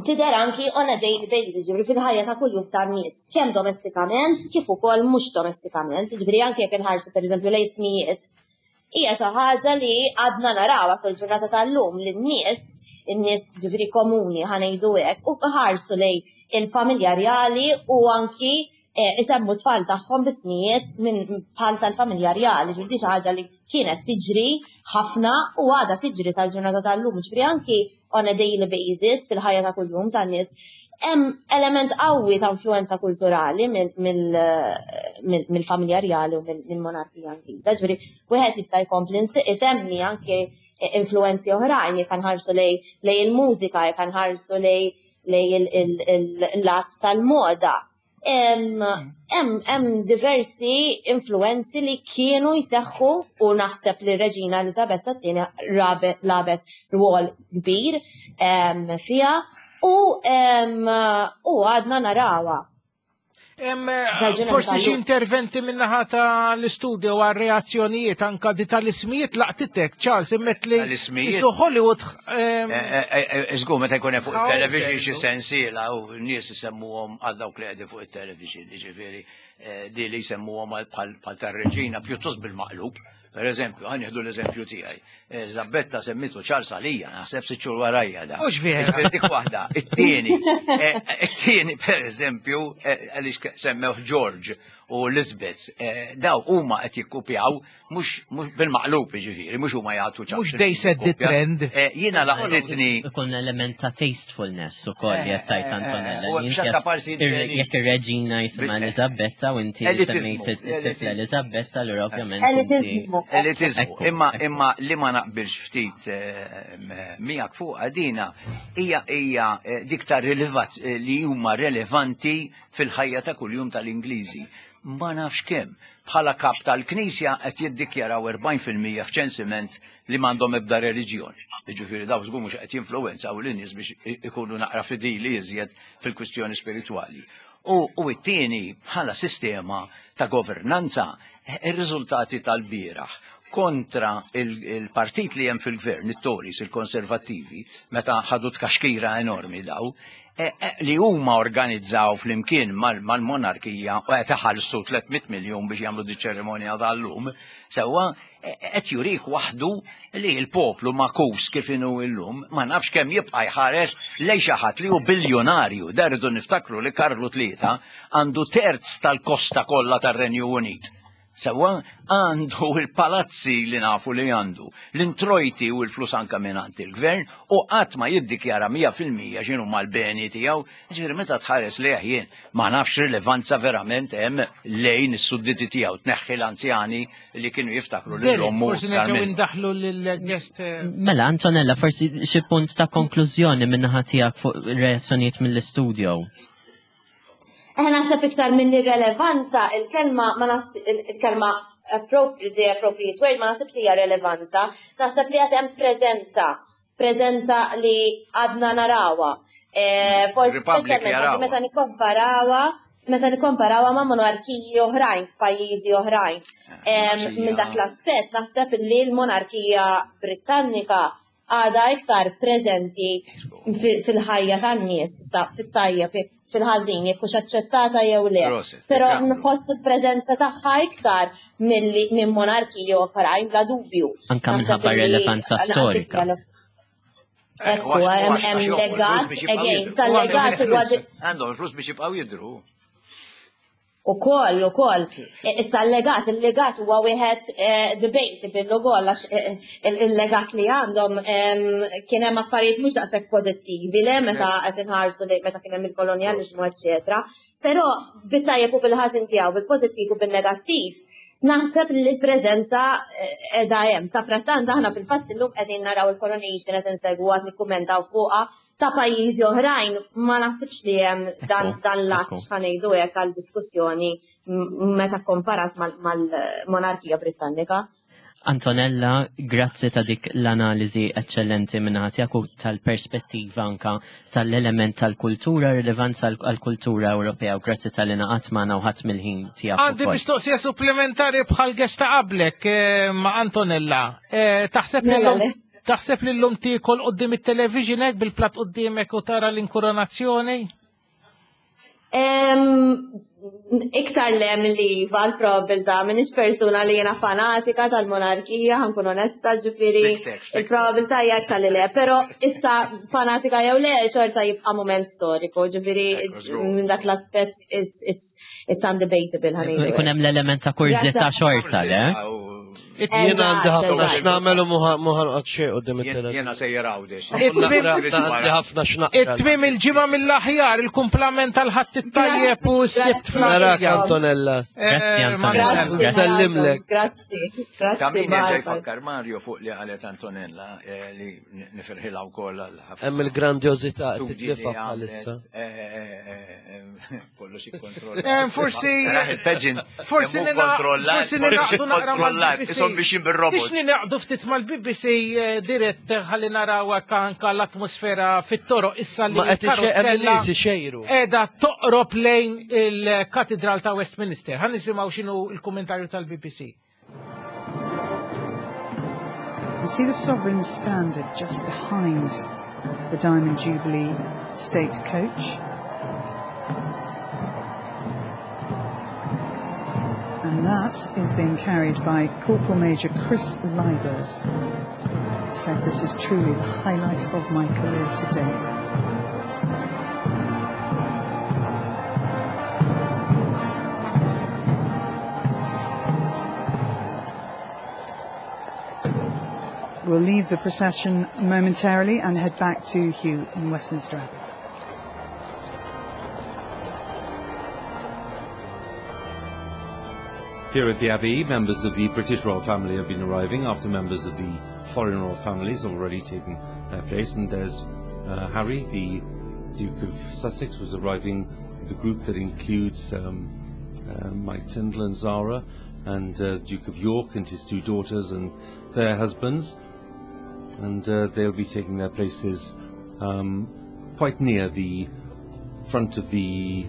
tidher anki on a daily basis, ġifieri fil-ħajja ta' kuljum tan-nies, kemm domestikament kif ukoll mhux domestikament, ġifieri anke jekk inħarsu pereżempju lejn ismijiet, hija xi ħaġa li għadna narawha sal-ġurnata tal-lum li n-nies, in-nies ġifieri komuni ħanejdu hekk, u ħarsu lejn il-familja rjali u anki eh, isemmu tfal tagħhom b'ismijiet minn bħal tal-familja rjali, ġifieri xi ħaġa li kienet tiġri ħafna u għadha tiġri sal-ġurnata tal-lum, ġifieri anki on a daily basis fil-ħajja ta' kuljum tan-nies, hemm element qawwi ta' influenza kulturali mill-familja rjali u mill-monarkija Ingliża. Ġifieri wieħed jista' jkompli isemmi anke influenzi oħrajn jekk nħarsu lej il-mużika, jekk nħarsu lej il-lat tal-moda. Hemm diversi influenzi li kienu jseħħu u naħseb li r-Reġina Eliżabetta t-tieni lagħbet rwol kbir fiha u għadna narawha. Forsi xi interventi min-naħa tal-istudio għal reazzjonijiet anka di tal-ismijiet laqtitek, Charles, immet li Tal-ismijiet. Hollywood. Eh, eh, eh, Żgur meta jkun hemm fuq il-television xi sensiela u n-nies isemmuhom għal dawk li qegħdin fuq il-television, jiġifieri di li jsemmuhom bħal tar-reġina pjuttost bil-maqlub. Per eżempju, ħa nieħdu l-eżempju tiegħi. Eh, Zabbetta semmitu Charles għalija, naħseb sitt xhur warajja da. Mhux vera. Ġifieri Dik waħda. It-tieni, eh, it-tieni per eżempju, eh, għaliex semmewh George u Elizabeth, eh, daw huma qed jikkupjaw mhux bil-maqlub jiġifieri, mhux huma jagħtu ċans. Mhux they set the trend. Eh, jiena laqtitni. Ikun element ta' tastefulness ukoll li qed tgħid Antonella. Eh, eh, eh, parsi Jekk ir-reġina jisimha Elizabetta u inti semmejt it-tifla Elizabetta, allura ovvjament. Elitizmu. Elitizmu. Imma imma li ma naqbilx ftit miegħek fuq għadina hija hija dik ta' li huma relevanti fil-ħajja ta' kuljum tal-Ingliżi. Ma nafx kemm. Bħala kap tal-Knisja qed jiddikjaraw 40% f'ċensiment li m'għandhom ebda reliġjon. Jiġifieri dawn żgur mhux qed jinfluwenzaw lin-nies biex ikunu naqra fidili iżjed fil-kwistjoni spiritwali. U, u t-tieni bħala sistema ta' governanza, ir-riżultati tal-bieraħ kontra il-partit li hemm fil-gvern, it-Tories, il-Konservattivi, meta ħadu tkaxkira enormi daw, Eh, eh, li huma organizzaw flimkien mal-monarkija u qed iħallsu 300 miljun biex jagħmlu di ċerimonja tal-lum, sewwa eh, qed jurik waħdu li l-poplu makus kif inhu llum, ma nafx kemm jibqa' jħares lejn xi ħadd li hu biljonarju. Dar irridu niftakru li Karlu Tlieta għandu terz tal-kosta kollha tar-Renju Unit. Sewwa għandu il-palazzi li nafu li għandu, l-introjti u l-flus anka mingħand il-gvern u qatt ma jiddikjara 100% x'inhu mal-beni tiegħu. Ġifieri meta tħares lejh jien ma nafx rilevanza verament hemm lejn is-sudditi tiegħu tneħħi l-anzjani li kienu jiftakru lil ommu. Forsi nerġgħu indaħlu lill-guest. Eh, mela Antonella, forsi xi punt ta' konklużjoni min-naħa tiegħek fuq reazzjonijiet mill-istudio. Eh, naħseb iktar minn irrelevanza, il-kelma ma il-kelma appropriate, the appropriate word ma naħsibx li hija relevanza, naħseb li għad hemm preżenza, preżenza li għadna narawha. Eh, forsi speċjalment meta nikkomparawha meta nikkomparawha ma' monarkiji oħrajn f'pajjiżi oħrajn. Eh, minn dak l-aspett naħseb li l-monarkija Britannika għadha iktar preżenti fil-ħajja tan-nies sa fit-tajjeb fil-ħażin jekk hux aċċettata jew le. Però nħoss il-preżenza tagħha iktar milli minn monarkiji oħrajn bla dubju. Anka minħabba relevanza storika. Ekku, hemm legat, again, sal-legat huwa. Għandhom il-flus biex jibqgħu jidhru. Ukoll, ukoll. E, issa l-legat, il-legat huwa wieħed e, debatable ukoll għax e, il-legat li għandhom kien hemm affarijiet mhux daqshekk pożittivi le meta qed inħarsu li meta kien hemm il-kolonjaliżmu eċċetera. Però bit-tajjeb u bil-ħażin tiegħu, bil-pożittiv u bil-negattiv, naħseb li l-preżenza qiegħda hemm. Sa frattant aħna fil-fatt illum qegħdin naraw il-coronation qed insegwu għad nikkummentaw fuqha ta' pajjiżi oħrajn ma naħsibx li hemm dan dan l-għatx ħa ngħidu hekk għal diskussjoni meta komparat mal-monarkija Britannika. Antonella, grazzi ta' dik l-analiżi eccellenti minnaħa tiegħek u tal-perspettiva anka tal-element tal-kultura, rilevanza għal-kultura Ewropea u grazzi tal-li naqat magħna u ħadd mill-ħin tiegħek. Għandi mistoqsija supplementari bħal gesta qablek eh, ma' Antonella. Eh, taħseb li mela, Taħseb li llum tiekol quddiem it-television hekk bil-platt quddiemek u tara l-inkuronazzjoni? Iktar le milli iva l-probabilità, m'iniex persuna li jiena fanatika tal-monarkija, ħankun onesta, ġifieri il-probabilità hija iktar li le, però issa fanatika jew le xorta jibqa' mument storiku, ġifieri minn dak l-aspett it's, it's, it's undebatable ħanejdu. Ikun hemm l-element ta' kurżità xorta, le? Jien għandi ħafna x'nagħmel u muħanqod xejn qudiem it-televizjon. Jiena sejjer Għawdex. Għandi ħafna x'naqra. It-tmiem il-ġimgħa mill-aħjar, il-kumplament tal-ħadd it-tajjeb u s-sibt fl Narak Antonella. Grazzi eh, Antonella. Sellimlek. Grazzi. Grazzi. Kamini ġej fakkar Mario fuq li qalet Antonella eh, li nifirħilha wkoll għal ħafna. Hemm il-grandjożità qed titlifa bħalissa. Eh, Kollox ikkontrollat. Eh, forsi. Il-pageant. Forsi Forsi ninaqdu naqra mal-BBC. Isom biex bil-robot. Biex ninaqdu ftit mal-BBC eh, dirett eh, ħalli naraw anka l-atmosfera fit-toroq issa li Ma qed karozella xejru. Eda toqrob lejn il-Katedral ta' Westminster. Ħan nisimgħu x'inhu l-kummentarju tal-BBC. You see the sovereign standard just behind the Diamond Jubilee state coach. And And that is being carried by Corporal Major Chris Liburd. He said this is truly the highlight of my career to date. We'll leave the procession momentarily and head back to Hugh in Westminster Abbey. Here at the Abbey, members of the British royal family have been arriving after members of the foreign royal families have already taken their place. And there's uh, Harry, the Duke of Sussex, was arriving with a group that includes um, uh, Mike Tyndall and Zara, and uh, Duke of York and his two daughters and their husbands. And uh, they'll be taking their places um, quite near the front of the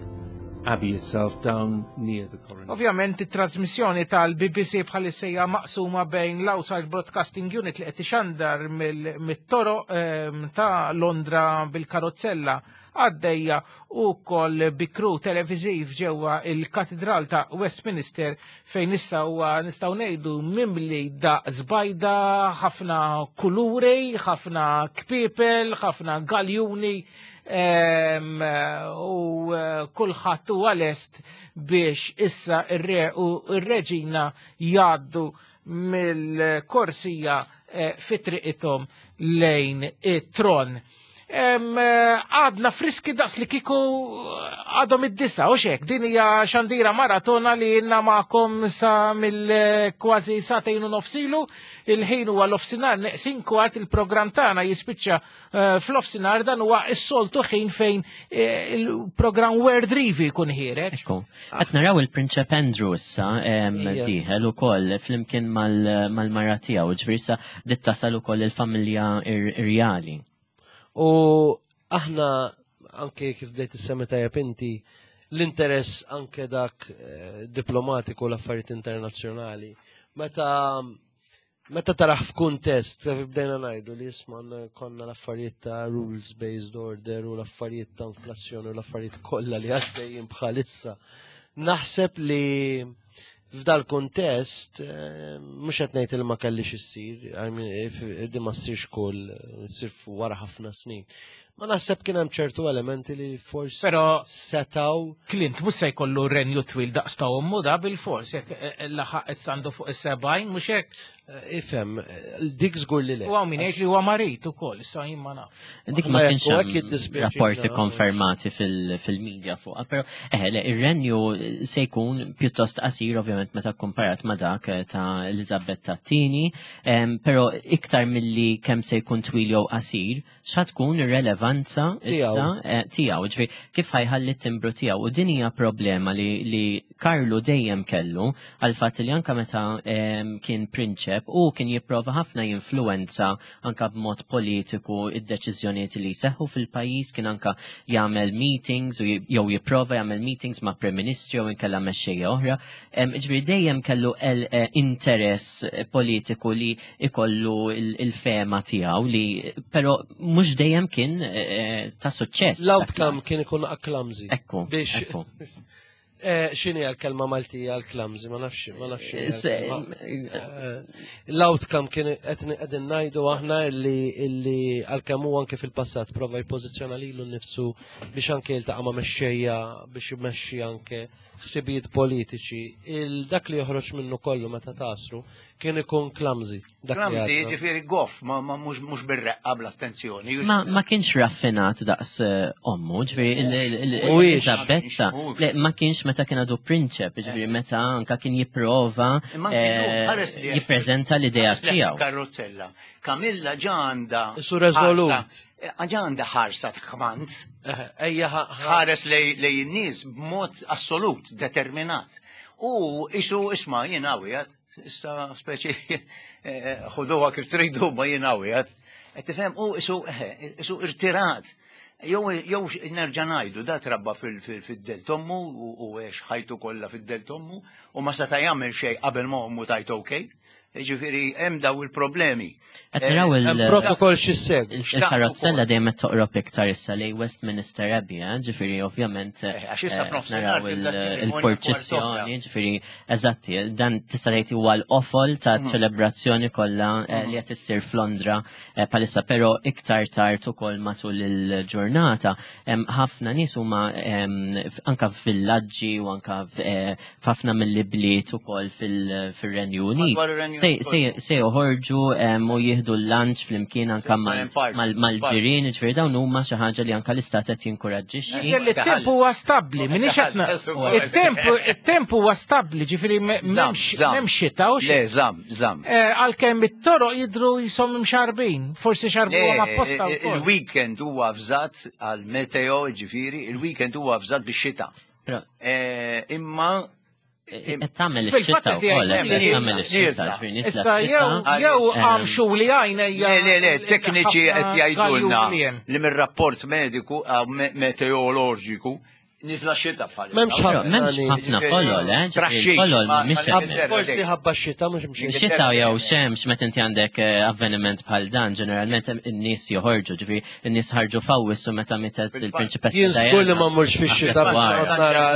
Abbey itself down near the coronation. Ovvjament it-trasmissjoni tal-BBC bħalissa hija maqsuma bejn l-Outside Broadcasting Unit li qed ixandar mit-toroq ehm, ta' Londra bil-karozzella għaddejja u wkoll bi crew televiżiv ġewwa il-Katidral ta' Westminster fejn issa huwa nistgħu ngħidu mimli daqs bajda, ħafna kuluri, ħafna kpiepel, ħafna galjuni ehm, u eh, kulħadd huwa lest biex issa ir-re u r-reġina jgħaddu mill-korsija eh, fi triqithom lejn it-tron. Eh, għadna friski daqs li kiku eh, għadhom id-disa, u xek, din hija xandira maratona li jenna ma'kom sa mill-kważi satejn u nofsilu, il-ħin huwa l-ofsinar neqsin kwart il-programm tagħna jispiċċa eh, fl-ofsinar dan huwa s-soltu ħin fejn il-programm Word Review jkun ħireġ. Ekku. Qed naraw il-Prinċep Andrew issa dieħel ukoll flimkien mal-mara tiegħu, ġifieri issa bdiet tasal ukoll il-familja irjali. U aħna anke kif bdejt issemmi tajjeb inti, l-interess anke dak eh, diplomatiku l-affarijiet internazzjonali. Meta meta taraħ f'kuntest, kif bdejna ngħidu li jisma' konna l-affarijiet ta' rules based order u l-affarijiet ta' inflazzjoni u l-affarijiet kollha li għaddejjin bħalissa. Naħseb li F'dal kuntest, eh, mhux qed ngħid li ma kellix issir, di ma ssirx kull, ssir wara ħafna snin. Ma naħseb kien hemm ċertu elementi li forsi Però setaw. Clint mhux se jkollu renju twil daqs ta' ommu da bil-fors, jekk eh, eh, laħaq issa għandu fuq is-70 mhux hekk. Ifhem, dik żgur li le. U hawn min jgħid li huwa marid ukoll, issa jien ma naf. Dik ma kienx hemm rapporti konfermati fil-media fuqha, però eh, le, ir-renju se jkun pjuttost qasir ovvjament meta komparat ma dak eh, ta' Elizabeth tat-tieni, però iktar milli kemm se jkun twil jew qasir, xa tkun ir-relevanza issa eh, tiegħu, ġifieri kif ħajħalli t-timbru tiegħu u din hija problema li, li Karlu dejjem kellu għal fatt li anka meta kien prinċep u kien jipprova ħafna jinfluwenza anka b'mod politiku id-deċiżjonijiet li jseħħu fil-pajjiż kien anka jagħmel meetings u jew jipprova jagħmel meetings ma' Prim Ministri jew inkella mexxejja oħra. Ġifieri dejjem kellu eh, interess politiku li ikollu il-fema tiegħu li però mhux dejjem kien eh, ta' suċċess. L-outcome kien ikun clumsy. Ekku. Biex Eh, xini għal-kelma Maltija għal-clumsy, ma nafx, ma nafx. Eh, l-outcome kien qed ngħidu aħna illi għal-kemm hu anke fil-passat prova jpożizzjona lilu nnifsu biex anke jiltaqa' ma' mexxejja biex imexxi anke ħsibijiet politiċi. Il-dak li joħroġ minnu kollu meta tasru kien ikun clumsy. Clumsy, ġifieri goff, ma mhux bir-reqqa bl-attenzjoni. Ma kienx raffinat daqs eh, ommu, ġifieri Elisabetta, ma kienx meta kien għadu prinċep, ġifieri meta anka kien jipprova eh, jippreżenta l-idea tiegħu. Karrozzella. Kamilla ġa għandha. Su reżolut. Eh, ġa għandha ħarsa ta' kmand. Ejja ħares lej in-nies b'mod assolut, determinat. U isu isma' jien għawjat, issa speċi eh, ħuduha kif tridu ma jien għawjat. Qed tifhem u isu eh, isu irtirat. Jew jew nerġa' ngħidu da trabba fid-del tommu u għex ħajtu kollha fid-del tommu u ma seta' jagħmel xejn qabel ma ommu tajt okej. Ġifieri hemm daw il-problemi. Qed naraw il- Hemm protokoll x'issegwi. Il-karozzella dejjem qed toqrob iktar issa lejn Westminster Abbey, eh? ġifieri ovvjament għax issa f'nofsinhar naraw tibda ċerimonja il-purċissjoni, ġifieri eżatti, dan tista' tgħid huwa l-qofol ta' ċelebrazzjoni kollha li qed issir f'Londra bħalissa, però iktar tard ukoll matul il-ġurnata hemm ħafna nies huma anka f'villaġġi u anka f'ħafna mill-ibliet ukoll fil-Renju Unit Madwar ir-Renju Unit se joħorġu u jieħdu l-lunch flimkien anka mal-ġirien, ġifieri dawn huma xi ħaġa li anka l-istat qed jinkoraġġixxi. Jidher li t-temp huwa stabbli, minix qed it-temp huwa stabbli, ġifieri m'hemmx xita u Le, żamm, żamm. Għalkemm it-toroq jidhru jisom imxarbin, forsi xarbuhom apposta wkoll. Il-weekend huwa avżat għal meteo, ġifieri, il-weekend huwa avżat bix-xita. Imma Qed tagħmel ix-xita wkoll, qed tagħmel ix-xita, ġifieri Issa jew jew għamxu li għajnejja. Le, le, le, tekniċi qed jgħidulna li mir-rapport mediku meteoroloġiku niżla xita bħal. M'hemmx ħafna. M'hemmx ħafna folol, eh? Folol mhix hemm. Forsi ħabba x-xita mhux mxi. Xita jew xemx meta inti għandek avveniment bħal dan, ġeneralment in-nies joħorġu, ġifieri in-nies ħarġu f'Awwissu meta mietet il-Prinċipessa Jien Diana. żgur li ma mmurx fix-xita nara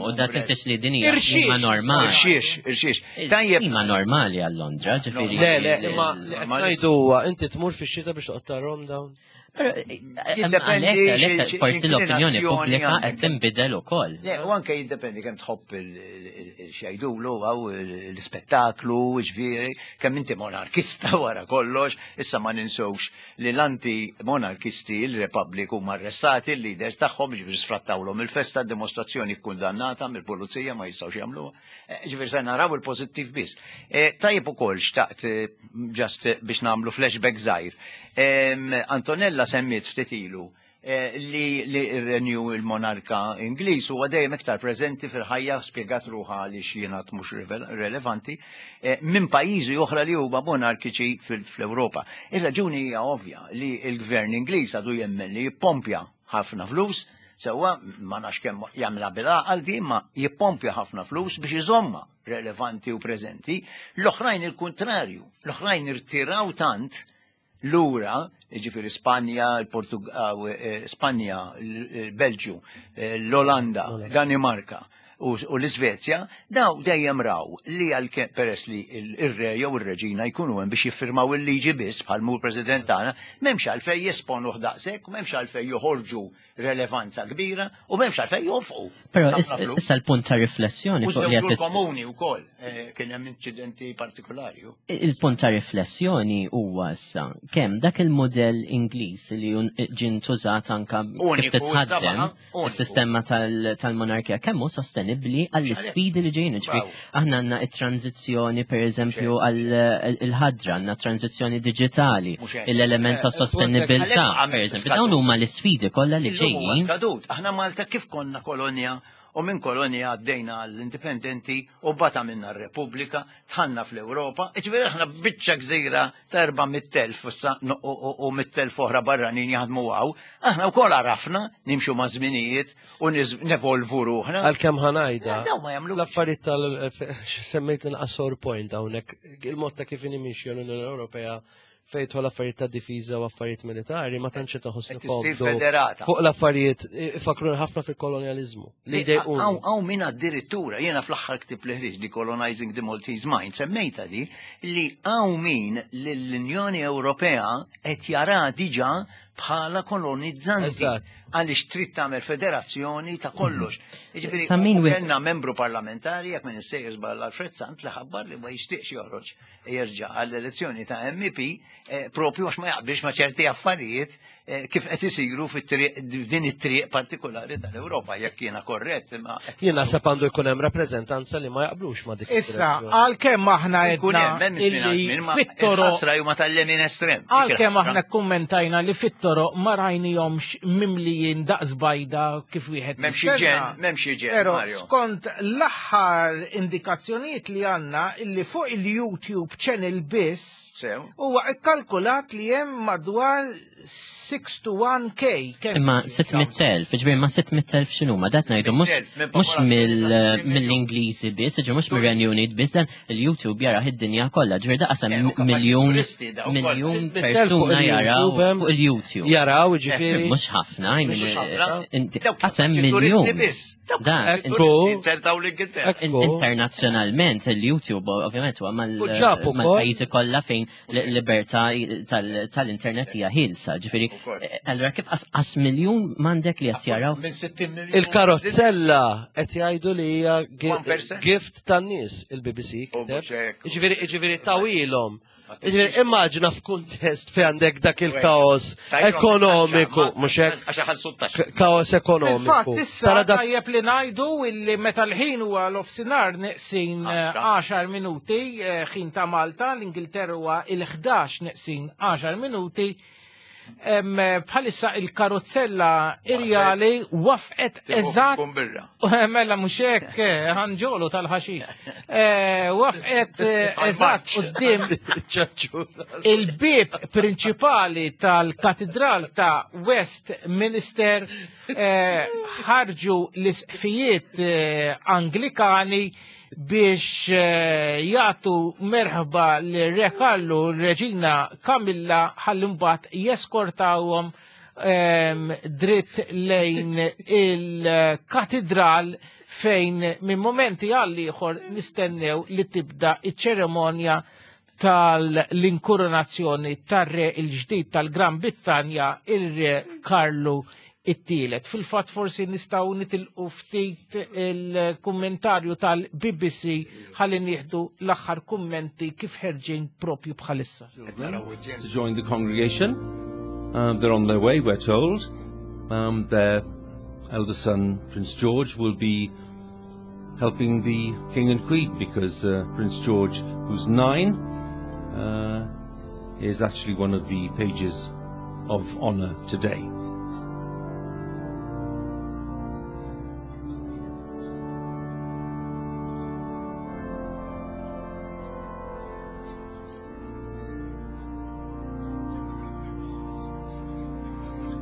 U da tinsiex li din hija klima normali. Irxiex, irxiex. Tajjeb. Klima normali għal Londra, ġifieri. Le, le, imma li qed ngħidu huwa inti tmur fix-xita biex toqgħod tarahom dawn. Għalhekk forsi l-opinjoni pubblika qed tinbidel ukoll. Le, u anke jiddependi kemm tħobb il-xajdulu għaw l-ispettaklu, ġifieri, kemm inti monarkista wara kollox, issa ma ninsewx li l-anti monarkisti, il-Republic huma arrestati, il-leaders tagħhom, ġifieri sfrattawlhom il-festa, dimostrazzjoni kkundannata mill-pulizija ma jistgħux jagħmluha. Ġifieri se naraw il-pożittiv biss. Tajjeb ukoll xtaqt just biex nagħmlu flashback żgħir. Antonella semmiet ftit ilu li r-renju il-monarka Ingliż huwa dejjem iktar preżenti fil-ħajja spjegat ruħha għaliex jingħad mhux relevanti minn pajjiżi oħra li huma monarkiċi fl-Ewropa. Ir-raġuni hija ovvja li l-gvern Ingliż għadu jemmen li jippompja ħafna flus, sewwa ma nafx kemm jagħmilha bil-għaqal di, imma jippompja ħafna flus biex iżommha relevanti u preżenti. L-oħrajn il-kuntrarju, l-oħrajn irtiraw tant lura, jiġifieri Spanja, Spanja, il-Belġju, l-Olanda, Danimarka u l-Iżvezja, daw dejjem raw li għalkemm peress li r-re jew ir-reġina jkunu hemm biex jiffirmaw il-liġi biss bħal mhu l-President tagħna, m'hemmx għalfejn jesponuh daqshekk, m'hemmx għalfejn joħorġu relevanza kbira u m'hemmx għalfejn jonfqu. Però issa l-punt ta' riflessjoni fuq li qed komuni wkoll eh, kien hemm inċidenti partikolari. Il-punt ta' riflessjoni huwa issa kemm dak il-modell Ingliż li ġie ntużat anka kif titħaddem is-sistema tal-monarkija kemm hu sostenibbli għall-isfidi li ġejjin. Ġifieri aħna għandna it-tranzizzjoni pereżempju għall-ħadra, għandna tranzizzjoni diġitali, l-element ta' sostenibilità, pereżempju. Dawn huma l-isfidi kollha li ġejjin. Skadut, aħna Malta kif konna kolonja u minn kolonja għaddejna għall-indipendenti u bata minna r-Repubblika, tħanna fl-Ewropa, ġifieri aħna biċċa gżira ta' 400,000 issa u 100,000 oħra barranin jaħdmu hawn, aħna wkoll għarafna nimxu ma' żminijiet u nevolvu ruħna. Għalkemm ħanajda. L-affarijiet tal semmejt nqasor point hawnhekk, il-mod ta' kif inhi l-Unjoni Ewropea fejn tħol affarijiet ta' difiża u affarijiet militari ma tantx taħoss federata. Fuq l-affarijiet ifakru ħafna fil-kolonjaliżmu. Li jdejquni. Hawn min addirittura jiena fl-aħħar ktieb li ħriġ di Colonizing the Maltese Mind semmejta di li hawn min l-Unjoni Ewropea qed jara diġà bħala kolonizzanti għaliex trid tagħmel federazzjoni ta' kollox. Jiġifieri Ta' min wieħed- kellna membru parlamentari jekk minn issejjer żball Alfred Sant li ħabbar li ma jixtieqx joħroġ jerġa' għall-elezzjoni ta' MEP eh, propju għax ma jaqbilx ma' ċerti affarijiet eh, kif qed isiru fit-triq din it-triq partikolari tal-Ewropa jekk jiena korrett imma Jien naħseb għandu jkun hemm rappreżentanza li ma jaqblux ma' dik. Issa, għalkemm aħna Ikun edna hemm hemm illi minn ma fit-toroq il-ħasra huma tal-lemin estrem. Dik Għalkemm il-ħasra. aħna kummentajna li fit-toroq ma rajnihomx mimlijin daqs bajda kif wieħed M'hemmx jistenna. iġen, m'hemmx iġen, Pero Mario. skont l-aħħar indikazzjonijiet li għandna illi fuq il-YouTube channel biss Sew. huwa ikkalkulat li hemm madwar 61K. kemm Imma 600.000, ġifieri ma 600.000 x'inhuma, dat ngħidu mhux 600,000 mhux mill-Ingliżi biss, ġifieri mhux mir-Renju Unit biss, dan il-YouTube jarah id-dinja kollha, ġifieri daqas hemm Eh, u kapaċi miljun turisti daw ukoll. miljun 600,000 fuq persuna jaraw il-YouTube, hemm. fuq il-YouTube. Jaraw, ġifieri. Mhux ħafna, I mean, Mhux ħafna. inti- Dawk qas hemm kapaċi turisti miljun. biss. Dawk Dan, kapaċi Ekku. turisti inzertaw l-Ingilterra. Ekku. Internazzjonalment il-YouTube ovvjament huwa mal- U ġab ukoll. mal-pajjiżi kollha fejn l-libertà tal-internet hija ħielsa. Ġifieri, Ukoll. allura kif qas miljun m'għandek li qed jaraw Minn 60 miljun. Il-karozzella qed jgħidu li hija 1%. gift tan-nies il-BBC U kiteb. mhux hekk. Ġifieri ġifieri tawilhom. Ġifieri immaġina f'kuntest fejn għandek dak il-kaos ekonomiku, mhux hekk? Għax ħalsu t-taxxa. Kaos ekonomiku. Fil-fatt, issa Tara dak tajjeb li ngħidu illi meta l-ħin huwa l-ofsinar neqsin Għaxra. 10 minuti, ħin ta' Malta, l-Ingilterra huwa il-11 neqsin 10 minuti. Bħalissa il-karozzella irjali wafqet eżatt Tkun birra. Mela mhux hekk, ħanġolu tal-ħaxix. Wafqet eżatt quddiem ċaċċu. il-bib prinċipali tal-katedral ta' Westminster ħarġu l-isqfijiet Anglikani biex jagħtu merħba l-Re Karlu u r-Reġina Kamilla ħalli mbagħad jeskortawhom dritt lejn il-katedral fejn minn momenti għal ieħor nistennew li tibda iċ-ċeremonja tal-inkoronazzjoni tar-re il-ġdid tal-Gran Brittanja, il-Re Karlu it-tielet. Fil-fatt forsi nistgħu nitilqu ftit il-kummentarju tal-BBC ħalli nieħdu l-aħħar kummenti kif ħerġin propju bħalissa. To join the congregation. They're on their way, we're told. Their elder son, Prince George, will be helping the King and Queen because Prince George, who's 9, is actually one of the pages of honour today.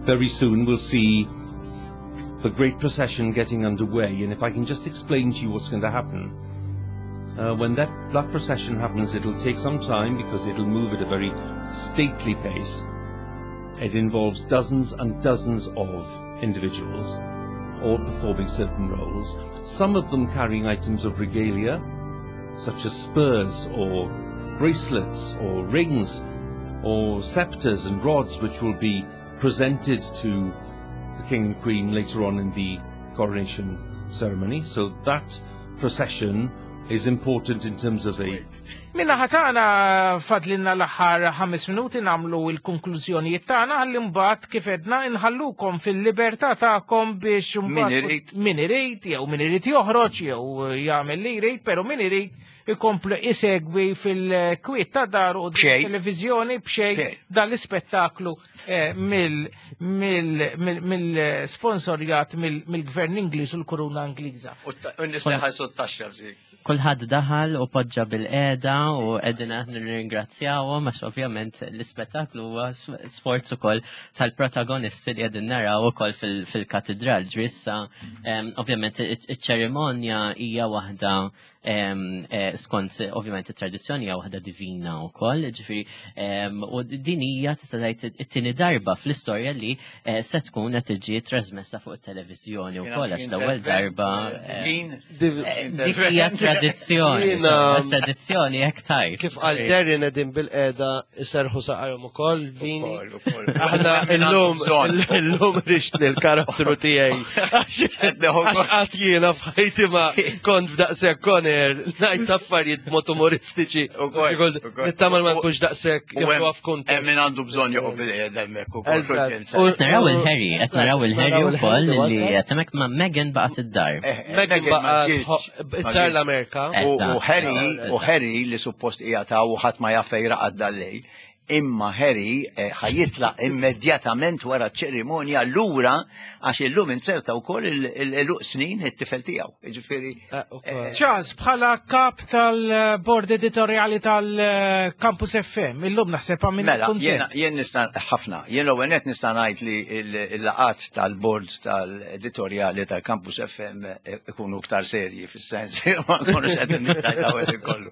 Very soon we'll see the great procession getting underway, and if I can just explain to you what's going to happen. When that procession happens, it'll take some time because it'll move at a very stately pace. It involves dozens and dozens of individuals, all performing certain roles, some of them carrying items of regalia, such as spurs or bracelets or rings or scepters and rods, which will be presented to the King and Queen later on in the coronation ceremony. So that procession is important in terms of a... Minna ħatana fadlinna l-aħħar 5 minuti namlu il-konklużjonijiet tagħna ħalli mbagħad kif edna inħallukom fil-libertà tagħkom biex Min mbagħad irid. min irid jew min irid joħroġ jew jagħmel li jrid, però min irid ikomplu isegwi fil-kwiet ta' dar u B'xejn. televizjoni b'xejn B'xejn. dan l-ispettaklu mill-sponsorjat mill-Gvern Ingliż u l-Kuruna Ingliża. U n-nies li ħalsu t-taxxa f'zik. Kulħadd daħal u poġġa bil-qeda u qegħdin aħna nirringrazzjawhom għax ovvjament l-ispettaklu huwa sforz ukoll tal-protagonisti li qegħdin naraw ukoll fil-katedral. Ġifieri issa, ovvjament iċ-ċerimonja hija waħda skont ovvjament it-tradizzjoni hija waħda divina wkoll, ġifieri, u din hija tista' tgħid it-tieni darba fl-istorja li se tkun qed tiġi trasmessa fuq it-televiżjoni wkoll għax l-ewwel darba, Divin. dik hija tradizzjoni, Jiena- insomma, tradizzjoni hekk tajt. Kif qal Darren qegħdin bil-qeda iserħu saqajhom ukoll, Vini. Ukoll, ukoll. Aħna Min għandu illum bżonn. illum rixtni l-karattru tiegħi. Għax qatt jiena f'ħajti ma kont f'daqshekk koner ngħid affarijiet b'mod umoristiċi. Ukoll, Because ukoll. Nittamal ma nkunx daqshekk U hemm- jieħdu f'kuntest. Hemm min għandu bżonn joqgħod bil-qeda hemmhekk ukoll. Eżatt. xorta. Qed naraw il-Harry, qed naraw il-Harry Naraw ukoll il-Harry li wasal. qed hemmhekk ma' Meghan baqgħet id-dar. Meghan ma baqgħet ġietx. Ma id-dar ġietx. l-Amerika. U Eżatt. Harry, u Harry li suppost qiegħed hawn u ħadd ma jaf fejn raqad dal-lejl, Imma Harry eh, ħa jitlaq immedjatament wara ċ-ċerimonja lura għax illum inzerta wkoll il-għeluq snin it-tifel tiegħu. Jiġifieri eh, eh, Charles, bħala kap tal-bord editorjali tal-Campus FM, illum naħseb għamil Mela, jien nista' ħafna. Jien l-ewwel nett nista' ngħid li l-laqat tal-bord tal-editorjali tal-Campus FM ikunu iktar serji fis-sens ma nkunux qed nittajtaw kollu.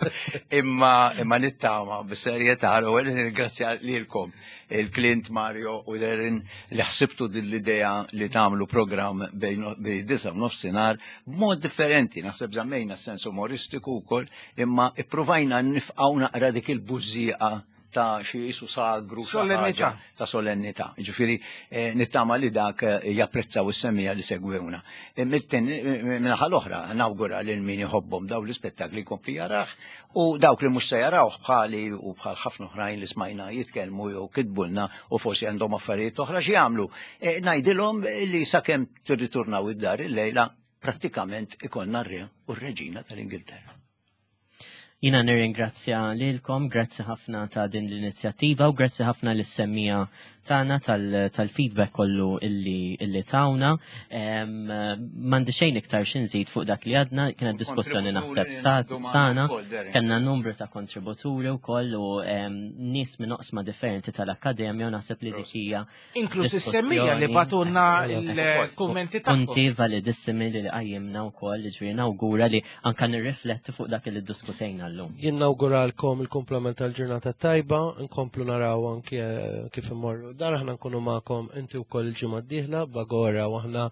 Imma imma nittama bis-serjetà l-ewwel nirringrazzja lilkom il-Clint Mario u Darren li ħsibtu din l-idea li tagħmlu programm bejn disa u nofsinhar b'mod differenti, naħseb żammejna s-sens umoristiku wkoll, imma ippruvajna nifqgħu naqra dik il-bużieqa ta' xi jisu sagru solennità ta' solennità. Ġifieri eh, nittama li dak eh, japprezzaw is-semija li segwewna. Eh, minnaħa l-oħra nawgura lil min iħobbhom daw l-ispettakli jkompli jarah u dawk li mhux se jarawh bħali u bħal ħafna oħrajn li smajna jitkellmu jew kitbulna u forsi għandhom affarijiet oħra xi jagħmlu. Ngħidilhom li sakemm tirriturnaw id-dar illejla prattikament ikollna r-re u r-reġina tal-Ingilterra. Jina nirringrazzja lilkom, grazzi ħafna ta' din l-inizjattiva u grazzi ħafna lis-semmija tagħna tal-feedback kollu illi, illi tawna. M'għandi xejn iktar xi nżid fuq dak li għadna, kienet diskussjoni naħseb sana, kellna numru ta' kontributuri wkoll u nies minn oqsma differenti tal-akkademja u naħseb li dik hija Inkluż is-semmija li batunna l-kummenti tagħhom. Punti validissimi li qajjimna wkoll, ġifieri nawgura li anka nirriflettu fuq dak li ddiskutejna llum. Jien nawguralkom il-kumplament tal-ġurnata tajba, nkomplu naraw anki eh, kif immorru. Dar aħna nkunu magħkom inti wkoll il-ġimgħa d-dieħla bagora u aħna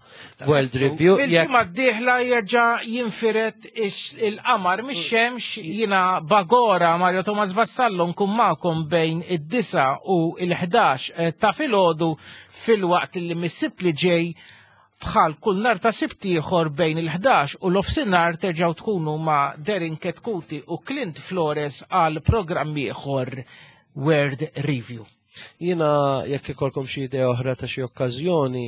World Review. Il-ġimgħa d-dieħla jerġa' jinfiret il-qamar mix-xemx jiena bagora Mario Thomas Vassallo nkun magħkom bejn id-9 u l-11 eh, ta' filgħodu filwaqt li mis-Sibt li ġej bħal kull nar ta' Sibt ieħor bejn il-11 u l-ofsinhar terġgħu tkunu ma' Derin Ketkuti u Clint Flores għal programm ieħor World Review. Jiena jekk ikolkom xi idea oħra ta' xi okkażjoni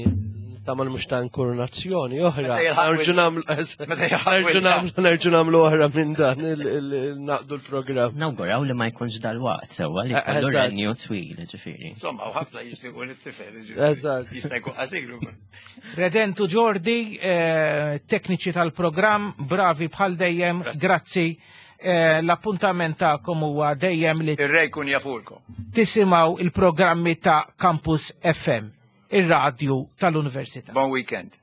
tagħmel mhux ta' inkurnazzjoni oħra. Nerġu nagħmlu nerġu nagħmlu oħra minn dan naqdu l-programm. Nawguraw li ma jkunx dal-waqt sewwa li jkollu renju twil, ġifieri. Insomma, u ħafna jixtiequ lit-tifel. Eżatt. Jista' jkun qasir ukoll. Redentu Ġordi, eh, tekniċi tal-programm, bravi bħal dejjem, grazzi. Eh, l-appuntament tagħkom huwa dejjem li Ir-re jkun jafulkom. Tisimgħu il-programmi ta' Campus FM, ir-radju tal-Università. Bon weekend.